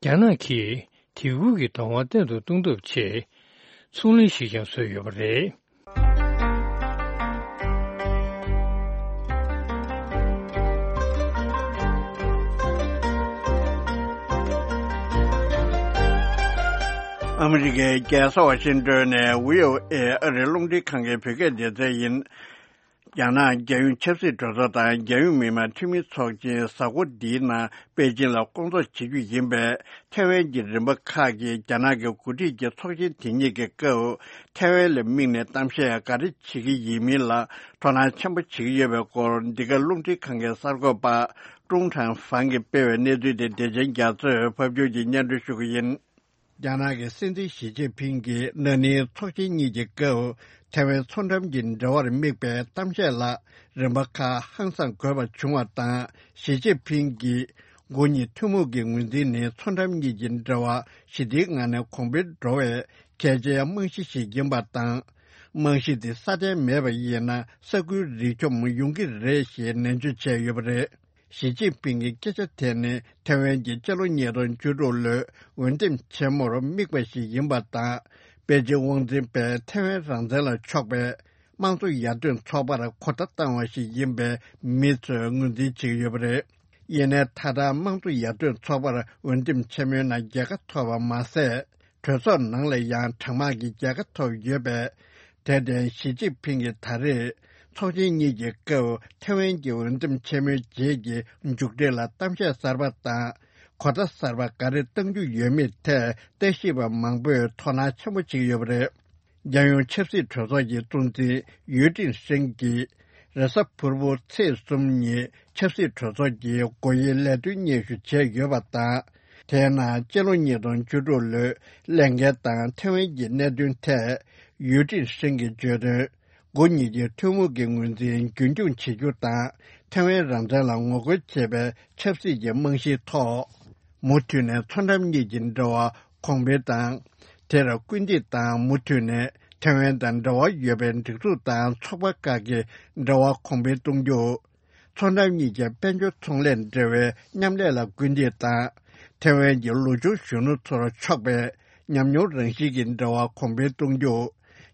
རྒྱ་ནག་གིས་དེ་ཁུལ་གྱི་བདག་དབང་བརྟན་དུ་གཏོང་ཐབས་ཆེད། ཚོང་ལས་ཤིག་ཀྱང་བཟོས་ཡོད་པ་རེད། ཨ་མི་རི་ཀའི་རྒྱལ་ས་ཝ་ཤིང་ཏོན་ནས་བྷི་ཨོ་ཨེ་ཨ་རིའི་རླུང་འཕྲིན་ཁང་གི་བོད་སྐད་སྡེ་ཚན་ཡིན། རྒྱ་ནག་རྒྱལ་ཡོངས་ཆབ་སྲིད་གྲོས་ཚོགས་དང་རྒྱལ་ཡོངས་མི་དམངས་འཐུས་མི་ཚོགས་ཆེན་གཟའ་འཁོར་འདིའི་ནང་པེ་ཅིང་ལ་སྐོང་ཚོགས་བྱེད་རྒྱུ་ཡིན་པས། ཐའེ་ཝན་གྱི་རིམ་པ་ཁག་གིས་རྒྱ་ནག་གི་འགོ་ཁྲིད་ཀྱི་ཚོགས་ཆེན་དེ་ཉིད་ཀྱི་སྐབས། ཐའེ་ཝན་ལ་དམིགས་ནས་གཏམ་བཤད་ག་རེ་བྱེད་ཀྱི་ཡིན་མིན་ལ་དོ་སྣང་ཆེན་པོ་བྱེད་ཀྱི་ཡོད་པའི་སྐོར། འདི་ག་རླུང་འཕྲིན་ཁང་གི་གསར་འགོད་པ་ཀྲུང་ཁྲང་ཧྥང་གིས་སྤེལ་བའི་གནས་ཚུལ་དེ། བདེ་ཆེན་རྒྱ་མཚོས་ཕབ་སྒྱུར་གྱིས་སྙན་སྒྲོན་ཞུ་གི་ཡིན། རྒྱ་ནག་གི་སྲིད་འཛིན་ཞི་ཅིན་ཕིང་གིས་ན་ནིང་ཚོགས་ཆེན་གཉིས་ཀྱི་སྐབས། ཐའེ་ཝན་མཚོ་འགྲམ་གྱི་འབྲེལ་བར་དམིགས་པའི་གཏམ་བཤད་ལ་རིམ་པ་ཁག་ཧང་སངས་དགོས་པ་བྱུང་བ་དང་། ཞི་ཅིན་ཕིང་གིས། མགོ་གཉིས་ཐུན་མོང་གི་ངོས་འཛིན་ནི་མཚོ་འགྲམ་གཉིས་ཀྱི་འབྲེལ་བ་ཞི་བདེའི་ངང་ནས་གོང་འཕེལ་འགྲོ་བའི་གལ་ཆེའི་རྨང་གཞི་ཞིག་ཡིན་པ་དང་། རྨང་གཞི་དེ་སྲ་བརྟན་མེད་པ་ཡིན་ན། ས་ཁུལ་རིག་གཅོམ་ཡོང་གི་རེད་ཞེས་ནན་བརྗོད་བྱས་ཡོད་པ་རེད། ཞི་ཅིན་ཕིང་གི་སྐད་ཆ་དེ་ནི་ཐའེ་ཝན་གྱི་སྤྱི་ལོ་ཉིས་སྟོང་བཅུ་དྲུག་ལོའི་འོས་འདེམས་ཆེན་མོར་དམིགས་པ་ཞིག་ཡིན་པ་དང་། པེ་ཅིང་དབང་འཛིན་པས་ཐའེ་ཝན་རང་བཙན་ལ་ཕྱོགས་པའི་དམངས་གཙོ་ཡར་ཐོན་ཚོགས་པར་གོ་བརྡ་བཏང་བ་ཞིག་ཡིན་པས། མི་ཚོས་ངོས་འཛིན་བྱེད་ཀྱི་ཡོད་པ་རེད། ཡིན་ནའི་ད་ལྟ་དམངས་གཙོ་ཡར་ཐོན་ཚོགས་པར་འོས་འདེམས་ཆེན་མོའི་ནང་རྒྱལ་ཁ་ཐོབ་པ་མ་ཟད། གྲོས་ཚོགས་ནང་ལ་ཡང་གྲངས་མང་གི་རྒྱལ་ཁ་ཐོབ་ཡོད་པས། དེར་བརྟེན་ཞི་ཅིན་ཕིང་གིས་ད་རེས་ཚོགས་ཆེན་གཉིས་ཀྱི་སྐབས་ཐའེ་ཝན་གྱི་འོས་འདེམས་ཆེན་མོའི་རྗེས་ཀྱི་མཇུག་འབྲས་ལ་གཏམ་བཤད་གསར་པ་དང་གོ་བརྡ་གསར་པ་ག་རེ་གཏང་རྒྱུ་ཡོད་མེད་ཐད་ལྟ་ཞིབ་པ་མང་པོས་དོ་སྣང་ཆེན་པོ་བྱེད་ཀྱི་ཡོད་པ་རེད། རྒྱལ་ཡོངས་ཆབ་སྲིད་གྲོས་ཚོགས་ཀྱི་གཙོ་འཛིན་ཡུས་ཀྲིན་ཧྲེང་གིས་རེས་གཟའ་ཕུར་བུ་ཚེས་གསུམ་ཉིན་ཆབ་སྲིད་གྲོས་ཚོགས་ཀྱི་སྒོ་དབྱེའི་ལས་དོན་སྙན་ཞུ་བྱས་ཡོད་པ་དང་། དེའི་ནང་སྤྱི་ལོ་ཉིས་སྟོང་བཅུ་དྲུག་ལོའི་ལས་འགན་དང་ཐའེ་ཝན་གྱི་གནད་དོན་ཐད་ཡུས་ཀྲིན་ཧྲེང་གིས་བརྗོད་དོན། མགོ་གཉིས་ཀྱི་ཐུན་མོང་གི་ངོས་འཛིན་རྒྱུན་འཁྱོངས་བྱེད་རྒྱུ་དང་། ཐའེ་ཝན་རང་བཙན་ལ་ངོ་རྒོལ་བྱེད་པའི་ཆབ་སྲིད་ཀྱི་རྨང་གཞིའི་ཐོག་མུ་མཐུད་ནས་མཚོ་འགྲམ་གཉིས་ཀྱི་འབྲེལ་བ་གོང་འཕེལ་དང་། དེར་སྐུལ་འདེད་དང་། མུ་མཐུད་ནས་ཐའེ་ཝན་དང་འབྲེལ་བ་ཡོད་པའི་སྒྲིག་འཛུགས་དང་ཚོགས་པ་ཁག་གི་འབྲེལ་བ་གོང་འཕེལ་གཏོང་རྒྱུ། མཚོ་འགྲམ་གཉིས་ཀྱི་དཔལ་འབྱོར་ཚོང་ལས་འབྲེལ་བའི་མཉམ་ལས་ལ་སྐུལ་འདེད་དང་། ཐའེ་ཝན་གྱི་ལོ་ཆུང་གཞོན་ནུ་ཚོར་ཕྱོགས་པའི་ཉམས་མྱོང་རང་བཞིན་གྱི་འབྲེལ་བ་གོང་འཕེལ་གཏོང་རྒྱུ།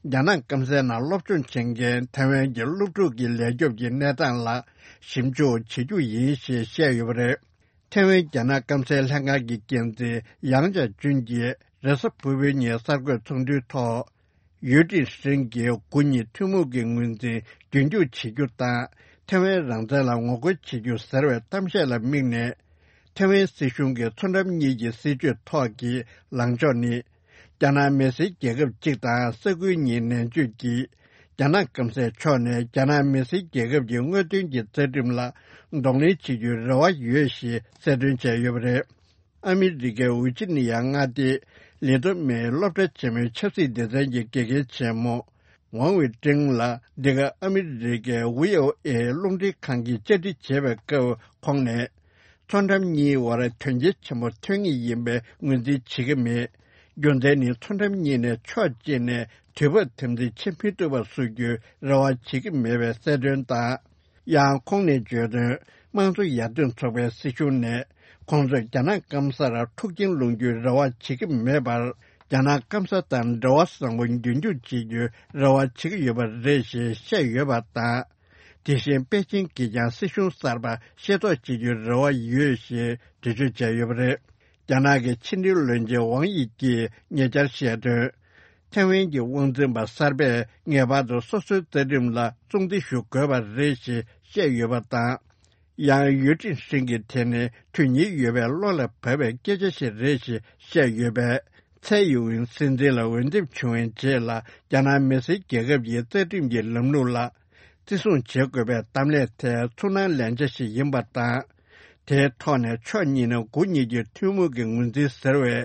རྒྱ་ནག་སྐམ་སའི་ནང་སློབ་སྦྱོང་བྱེད་མཁན་ཐའེ་ཝན་གྱི་སློབ་ཕྲུག་གི་ལས་སྐྱོབ་ཀྱི་གནས་སྟངས་ལ་ཞིབ་འཇུག་བྱེད་རྒྱུ་ཡིན་ཞེས་བཤད་ཡོད་པ་རེད། ཐའེ་ཝན་རྒྱ་ནག་སྐམ་སའི་ལྷན་ཁང་གི་འགན་འཛིན་ཡང་ཅཱ་ཅུན་གྱིས་རེས་གཟའ་ཕུར་བུའི་ཉིན་གསར་འགོད་ཚོགས་འདུའི་ཐོག་ཡུས་ཀྲིན་ཧྲེང་གིས་མགོ་གཉིས་ཐུན་མོང་གི་ངོས་འཛིན་རྒྱུན་འཁྱོངས་བྱེད་རྒྱུ་དང་། ཐའེ་ཝན་རང་བཙན་ལ་ངོ་རྒོལ་བྱེད་རྒྱུ་ཟེར་བའི་གཏམ་བཤད་ལ་དམིགས་ནས། ཐའེ་ཝན་སྲིད་གཞུང་གི་མཚོ་འགྲམ་གཉིས་ཀྱི་སྲིད་བྱུས་ཐོག་གི་ལངས་ཕྱོགས་ནི། རྒྱ་ནག་མི་སེར་རྒྱལ་ཁབ་གཅིག་དང་ས་ཁུལ་གཉིས་ནན་བརྗོད་ཀྱིས། རྒྱ་ནག་སྐམ་སའི་ཕྱོགས་ནས་རྒྱ་ནག་མི་སེར་རྒྱལ་ཁབ་ཀྱི་དངོས་དོན་གྱི་རྩ་ཁྲིམས་ལ་གདོང་ལེན་བྱེད་རྒྱུའི་རེ་བ་ཡོད་ཞེས་གསལ་སྟོན་བྱས་ཡོད་པ་རེད། ཨ་མི་རི་ཀའི་ཝི་ཇི་ནི་ཡ་མངའ་སྡེའི་ལི་ཏོ་མེའི་སློབ་གྲྭ་ཆེན་མོའི་ཆབ་སྲིད་སྡེ་ཚན་གྱི་དགེ་རྒན་ཆེན་མོ་ཝང་ཝེ་ཀྲེང་ལ། འདི་ག་ཨ་མི་རི་ཀའི་ཝི་ཨོ་ཨེ་རླུང་འཕྲིན་ཁང་གིས་བཅར་འདྲི་བྱས་པའི་སྐབས་ཁོང་ནས། མཚོ་འགྲམ་གཉིས་བར་དོན་རྐྱེན་ཆེན་པོ་ཐོན་ངེས་ཡིན་པའི་ངོས་འཛིན་བྱེད་ཀྱི་མེད། རྒྱུ་མཚན་ནི་མཚོ་འགྲམ་གཉིས་ནས་ཕྱོགས་གཅིག་ནས་དུས་བབ་དམ་འཛིན་བྱེད་མི་ཐུབ་པ་བཟོ་རྒྱུའི་རེ་བ་བྱེད་ཀྱི་མེད་པའི་གསལ་སྟོན་དང་། ཡང་ཁོང་ནས་བརྗོད་དོན། དམངས་གཙོ་ཡར་ཐོན་ཚོགས་པའི་སྲིད་གཞུང་ནས་ཁོང་ཚོས་རྒྱ་ནག་སྐམ་སར་འཁྲུག་རྐྱེན་སློང་རྒྱུའི་རེ་བ་བྱེད་ཀྱི་མེད་པར། རྒྱ་ནག་སྐམ་ས་དང་འབྲེལ་བ་བཟང་པོ་རྒྱུན་འཁྱོངས་བྱེད་རྒྱུའི་རེ་བ་བྱེད་ཀྱི་ཡོད་པ་རེད་ཞེས་བཤད་ཡོད་པ་དང་། དེ་བཞིན་པེ་ཅིང་གིས་ཀྱང་སྲིད་གཞུང་གསར་པ་ཤེས་རྟོགས་བྱེད་རྒྱུའི་རེ་བ་ཡོད་ཞེས་འགྲེལ་བརྗོད་བྱས་ཡོད་པ་རེད། རྒྱ་ནག་གི་ཕྱི་འབྲེལ་བློན་ཆེན་ཝང་དབྱི་ཀྱིས་ཉེ་ཆར་བཤད་དོན། ཐའེ་ཝན་གྱི་དབང་འཛིན་པ་གསར་པས་ངེས་པར་དུ་སོ་སོའི་རྩ་ཁྲིམས་ལ་སྲུང་བརྩི་ཞུ་དགོས་པ་རེད་ཞེས་བཤད་ཡོད་པ་དང་། ཡང་ཡུས་ཀྲིན་ཧྲིན་གྱིས་དེ་ནི་དོན་སྙིང་ཡོད་པའི་བློ་ལ་བབས་པའི་སྐད་ཆ་ཞིག་རེད་ཞེས་བཤད་ཡོད་པས། ཚའེ་ཡིན་ཝེན་སྲིད་འཛིན་ལ་འོས་འདེམས་བྱུང་བའི་རྗེས་ལ། རྒྱ་ནག་མི་སེར་རྒྱལ་ཁབ་ཀྱི་རྩ་ཁྲིམས་ཀྱི་ལམ་ལུགས་ལ་བརྩི་སྲུང་བྱེད་དགོས་པའི་གཏམ་ལན་དེ་ཚུར་སྣང་ལན་ཆ་ཞིག་ཡིན་པ་དང་། དེའི་ཐོག་ནས་ཕྱོགས་གཉིས་ནས་དགུ་གཉིས་ཀྱི་ཐུན་མོང་གི་ངོས་འཛིན་ཟེར་བའི་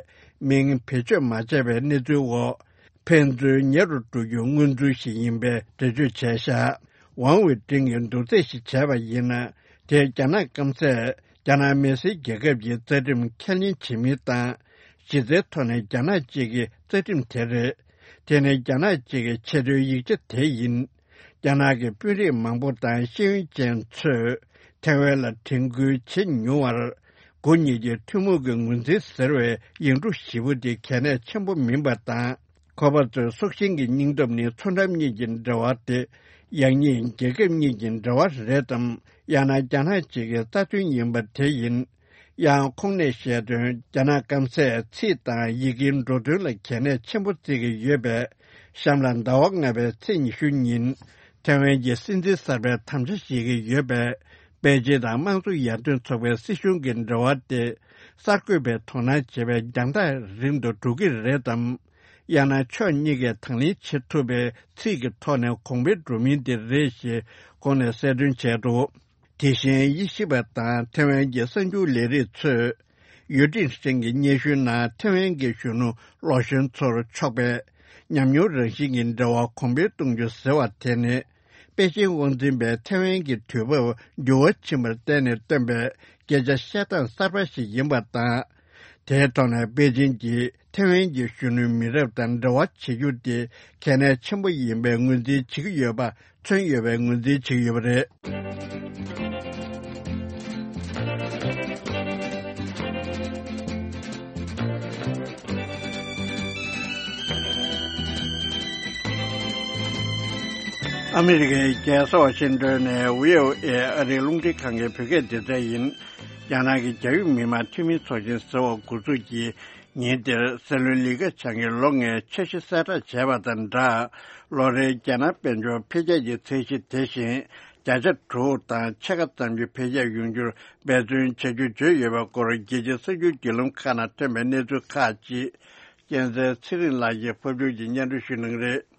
མིང་བེད་སྤྱོད་མ་བྱས་པའི་གནས་ཚུལ་འོག་ཕན་ཚུན་ཉེ་རུ་འགྲོ་རྒྱུའི་མངོན་ཚུལ་ཞིག་ཡིན་པའི་འགྲེལ་བརྗོད་བྱས་བཞག་ཝང་ཝེ་ཀྲིན་གྱིས་མདོ་རྩིས་ཤིག་བྱས་པ་ཡིན་ན། དེས་རྒྱ་ནག་སྐམ་སས་རྒྱ་ནག་མི་སེར་རྒྱལ་ཁབ་ཀྱི་རྩ་ཁྲིམས་ཁས་ལེན་བྱེད་མིན་དང་། གཞི་རྩའི་ཐོག་ནས་རྒྱ་ནག་གཅིག་གི་རྩ་ཁྲིམས་དེ་རེད། དེ་ནི་རྒྱ་ནག་གཅིག་གི་ཆེས་མཐོའི་ཡིག་ཆ་དེ་ཡིན། རྒྱ་ནག་གི་དཔོན་རིགས་མང་པོ་དང་ཤེས་ཡོན་ཅན་ཚོས་ཐེ་ཝན་ལ་དྲན་སྐུལ་བྱེད་མྱོང་བར། དགུ་གཉིས་ཀྱི་ཐུན་མོང་གི་ངོས་འཛིན་ཟེར་བའི་ཡིག་འབྲུ་བཞི་པོ་དེ་གལ་གནད་ཆེན་པོ་མིན་པ་དང་། ཁོ་པ་ཚོའི་སྲོག་ཤིང་གི་སྙིང་སྟོབས་ནི་མཚོ་འགྲམ་གཉིས་ཀྱི་འབྲེལ་བ་སྟེ། ཡང་སྙིང་རྒྱལ་ཁབ་གཉིས་ཀྱི་འབྲེལ་བ་རེད་དམ། ཡང་ན་རྒྱ་ནག་གཅིག་གི་རྩ་དོན་ཡིན་པ་དེ་ཡིན། ཡང་ཁོང་ནས་བཤད་དོན། རྒྱ་ནག་སྐམ་སས་ཚིག་དང་ཡི་གེའི་འགྲོ་དོན་ལ་གལ་གནད་ཆེན་པོ་བརྩི་གི་ཡོད་པས། གཤམ་ལ་ཟླ་བ་ལྔ་པའི་ཚེས་ཉི་ཤུ་ཉིན། ཐེ་ཝན་གྱི་སྲིད་འཛིན་གསར་པའི་དམ་བཅའ་བཞེས་ཀྱི་ཡོད་པས། པེ་ཅིན་དང་དམངས་གཙོ་ཡར་ཐོན་ཚོགས་པའི་སྲིད་གཞུང་གི་འབྲེལ་བ་དེ་གསར་འགོད་པས་དོ་སྣང་བྱེད་པའི་རྒྱང་ཐག་རིང་དུ་འགྲོ་གི་རེད་དམ། ཡང་ན་ཕྱོགས་གཉིས་ཀས་དང་ལེན་བྱེད་ཐུབ་པའི་ཚིག་གི་ཐོག་ནས་གོང་འཕེལ་འགྲོ་མིན་དེ་རེད་ཞེས་ཁོང་ནས་གསལ་སྟོན་བྱས་འདུག་དེ་བཞིན་དབྱེ་ཞིབ་པ་དང་ཐེ་ཝན་གྱི་གསར་འགྱུར་ལས་རིགས་ཚོས། ཡུས་ཀྲིན་ཧྲེང་གི་སྙན་ཞུའི་ནང་ཐེ་ཝན་གྱི་གཞོན་ནུ་ལོ་གཞོན་ཚོར་ཕྱོགས་པའི་ཉམས་མྱོང་རང་བཞིན་གྱི་འབྲེལ་བ་གོང་འཕེལ་གཏོང་རྒྱུ་ཟེར་བ་དེ་ནི། པེ་ཅིན་དབང་འཛིན་པས་ཐེ་ཝན་གྱི་དུས་བབ་འགྱུར་བ་ཕྱིན་པར་བརྟེན་ནས་བཏོན་པའི་སྐད་ཆ་བཤད་སྟངས་གསར་པ་ཞིག་ཡིན་པ་དང་། དེའི་ཐོག་ནས་པེ་ཅིན་གྱིས་ཐེ་ཝན་གྱི་གཞོན་ནུའི་མི་རབས་དང་འབྲེལ་བ་བྱེད་རྒྱུ་དེ་གལ་གནད་ཆེན་པོ་ཡིན་པའི་ངོས་འཛིན་བྱེད་ཀྱི་ཡོད་པ། མཚོན་ཡོད་པའི་ངོས་འཛིན་བྱེད་ཀྱི་ཡོད་པ་རེད། ཨ་མི་རི་ཀའི་རྒྱལ་ས་ཝ་ཤིང་ཏོན་ནས་བྷི་ཨོ་ཨེ་ཨ་རིའི་རླུང་འཕྲིན་ཁང་གི་བོད་སྐད་སྡེ་ཚན་ཡིན། རྒྱ་ནག་གི་རྒྱ་ཡོད་མི་མང་འཐུས་མི་ཚོགས་ཆེན་ཟེར་བ་འགོ་འཛུགས་ཀྱིས། ཉིན་དེར་སྲིད་བློན་ལི་ཁེ་ཆང་གིས་ལོ་ལྔའི་འཆར་གཞི་གསལ་བསྒྲགས་བྱས་པ་དང་སྦྲགས། ལོ་རེའི་རྒྱ་ནག་དཔལ་འབྱོར་འཕེལ་རྒྱས་ཀྱི་ཚད་གཞི་དེ་བཞིན་བརྒྱ་ཆ་དྲུག་དང་ཕྱེད་ཀ་ཙམ་གྱི་འཕེལ་རྒྱས་ཡོང་རྒྱུར་འབད་བརྩོན་བྱ་རྒྱུ་བརྗོད་ཡོད་པའི་སྐོར་རྒྱལ་སྤྱིའི་གསར་འགྱུར་བརྒྱུད་ལམ་ཁག་ནང་ཐོན་པའི་གནས་ཚུལ་ཁག་ཅིག་རྒྱལ་མཚན་ཚེ་རིང་ལགས་ཀྱིས་ཕབ་སྒྱུར་གྱིས་སྙན་སྒྲོན་ཞུ་གནང་གི་རེད།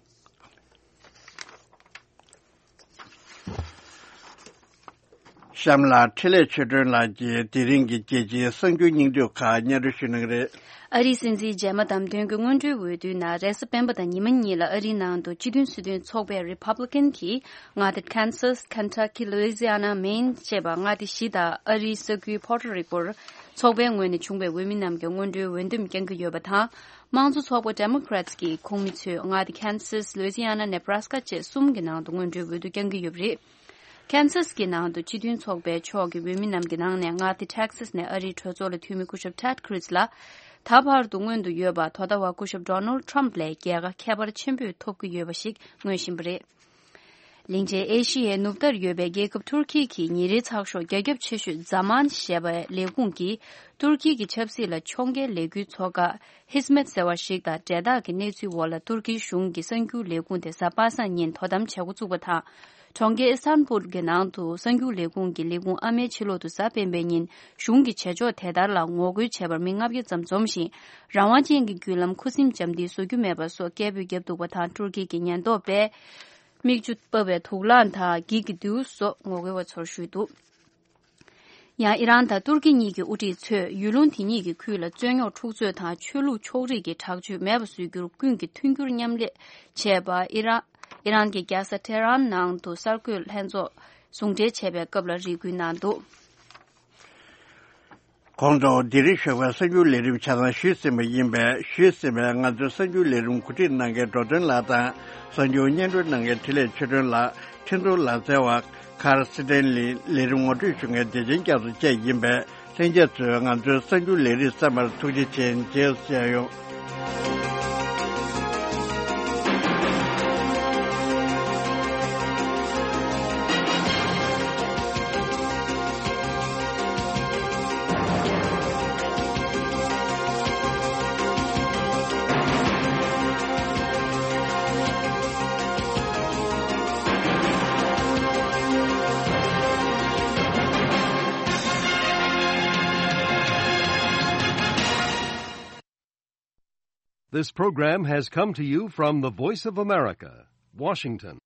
གཤམ་ལ་འཕྲིན་ལས་ཆོས་སྒྲོན་ལགས་ཀྱིས་དེ་རིང་གི་རྒྱལ་སྤྱིའི་གསར་འགྱུར་སྙིང་བསྡུས་ཁག་སྙན་སྒྲོན་ཞུ་གནང་གི་རེད། ཨ་རིའི་སྲིད་འཛིན་རྗེས་མ་བདམས་ཐོན་གྱི་སྔོན་འགྲོའི་འོས་བསྡུའི་ནང་རེས་གཟའ་སྤེན་པ་དང་ཉི་མ་གཉིས་ལ་ཨ་རིའི་ནང་དུ་སྤྱི་མཐུན་སྲིད་དོན་ཚོགས་པའི་Republican་གྱི་མངའ་སྡེ་Kansas, Kentucky, Louisiana, Maine་ཅེས་པ་མངའ་སྡེ་བཞི་དང་ཨ་རིའི་ས་ཁུལ་Puerto Rico་ཚོགས་པའི་ངོས་ནས་བྱུང་བའི་འོས་མི་རྣམས་ཀྱི་སྔོན་འགྲོའི་འོས་འདེམས་བསྐྱང་གི་ཡོད་པ་དང་། དམངས་གཙོ་ཚོགས་པ་Democrats་གྱི་ཁོངས་མི་ཚོས་མངའ་སྡེ་Kansas, Louisiana, Nebraska་བཅས་གསུམ་གྱི་ནང་དུ་སྔོན་འགྲོའི་འོས་བསྡུ་བསྐྱང་གི་ཡོད་པ་རེད། Kansas་གྱི་ནང་དུ་སྤྱི་མཐུན་ཚོགས་པའི་ཕྱོགས་ཀྱི་འོས་མི་རྣམས་ཀྱི་ནང་ནས་མངའ་སྡེ་Texas་ནས་ཨ་རིའི་གྲོས་ཚོགས་ལ་འཐུས་མི་སྐུ་ཞབས་Ted Cruz་ལ། ད་བར་དུ་སྔོན་དུ་ཡོད་པ་དོ་ཟླ་བ་སྐུ་ཞབས་Donald Trump་ལས་རྒྱལ་ཁ་ཁྱད་པར་ཆེན་པོས་ཐོབ་ཀྱི་ཡོད་པ་ཞིག་མངོན་བཞིན་པ་རེད། གླིང་ཆེན་ཨེ་ཤི་ཡའི་ནུབ་མཐར་ཡོད་པའི་རྒྱལ་ཁབ་ཐུར་ཁི་གིས་ཉིན་རེའི་ཚགས་ཤོག་རྒྱ་ཁྱབ་ཆེ་ཤོས་Zaman་ཞེས་པའི་ལས་ཁུངས་ཀྱིས་ཐུར་ཁི་གི་ཆབ་སྲིད་ལ་ཕྱོགས་འགལ་ལས་འགུལ་ཚོགས་ཁག་Hizmet་ཟེར་བ་ཞིག་དང་འབྲེལ་ཐག་གི་གནས་ཚུལ་འོག་ལ་ཐུར་ཁིའི་གཞུང་གི་གསར་འགྱུར་ལས་ཁུངས་དེ་གཟའ་པ་སངས་ཉིན་དོ་དམ་བྱེད་འགོ་བཙུགས་པ་དང་། གྲོང་ཁྱེར་ཨི་སྟན་བུལ་གྱི་ནང་དུ་གསར་འགྱུར་ལས་ཁུངས་ཀྱི་ལས་ཁུངས་ཨ་མའི་ཕྱི་ལོགས་དུ་གཟའ་སྤེན་པའི་ཉིན་གཞུང་གི་བྱེད་ཕྱོགས་དེ་ལྟར་ལ་ངོ་རྒོལ་བྱས་པར་མི་ལྔ་བརྒྱ་ཙམ་འཛོམས་ཤིང་། རང་དབང་ཅན་གྱི་བརྒྱུད་ལམ་ཁུ་སིམ་འཇམ་ཐིང་བཟོ་རྒྱུ་མེད་པ་སོགས་སྐད་འབོད་བརྒྱབ་འདུག་པ་དང་། ཏུར་ཀི་གི་ཉེན་རྟོག་པས། མིག་ཆུ་ཕབ་པའི་དུག་རླངས་དང་འགྱིག་གི་རྡེའུ་སོགས་ངོ་རྒོལ་བ་ཚོར་གཞུས་འདུག་ཡང་ཨི་རན་དང་ཏུར་ཀི་གཉིས་ཀྱི་དབུ་ཁྲིད་ཚོས་ཡུལ་ལུང་དེ་གཉིས་ཀྱི་ཁུལ་ལ་རྩོད་རྙོག་འཁྲུག་རྩོད་དང་ཆོས་ལུགས་ཕྱོགས་རིས་ཀྱི་དྲག་སྤྱོད་མེད་པ་བཟོ་རྒྱུར་ཀུན་གྱིས་མཐུན་འགྱུར་མཉམ་ལས་བྱས་པ། ཨི་རན། ཨི་རན་གྱི་རྒྱལ་ས་ཏེ་ཧ་རན་ནང་དུ་གསར་འགོད་ལྷན་ཚོགས་ཟུང་འབྲེལ་བྱས་པའི་སྐབས་ལ་རེ་སྐུལ་གནང་འདུག་གོང་དུ་འདི་རིང་ཞོགས་པའི་གསར་འགྱུར་ལས་རིམ་ཆ་ཚང་ཞུས་ཟིན་པ་ཡིན་པས། ཞུས་ཟིན་པའི་ང་ཚོའི་གསར་འགྱུར་ལས་རིམ་གོ་སྒྲིག་གནང་མཁན་འགྲོ་དོན་ལགས་དང་། གསར་འགྱུར་སྙན་སྒྲོན་གནང་མཁན་འཕྲིན་ལས་ཆོས་སྒྲོན་ལགས། འཕྲིན་གཏོང་ལག་རྩལ་བ་Carl Stanley། ལས་རིམ་ངོ་སྤྲོད་ཞུ་མཁན་བདེ་ཆེན་རྒྱ་མཚོ་བཅས་ཡིན་པས། ལྷན་རྒྱས་ཚོས་ང་ཚོའི་གསར་འགྱུར་ལས་རིམ་གསན་པར་ཐུགས་རྗེ་ཆེ། མཇལ་བཤད་ཡོང་། This program has come to you from the Voice of America, Washington.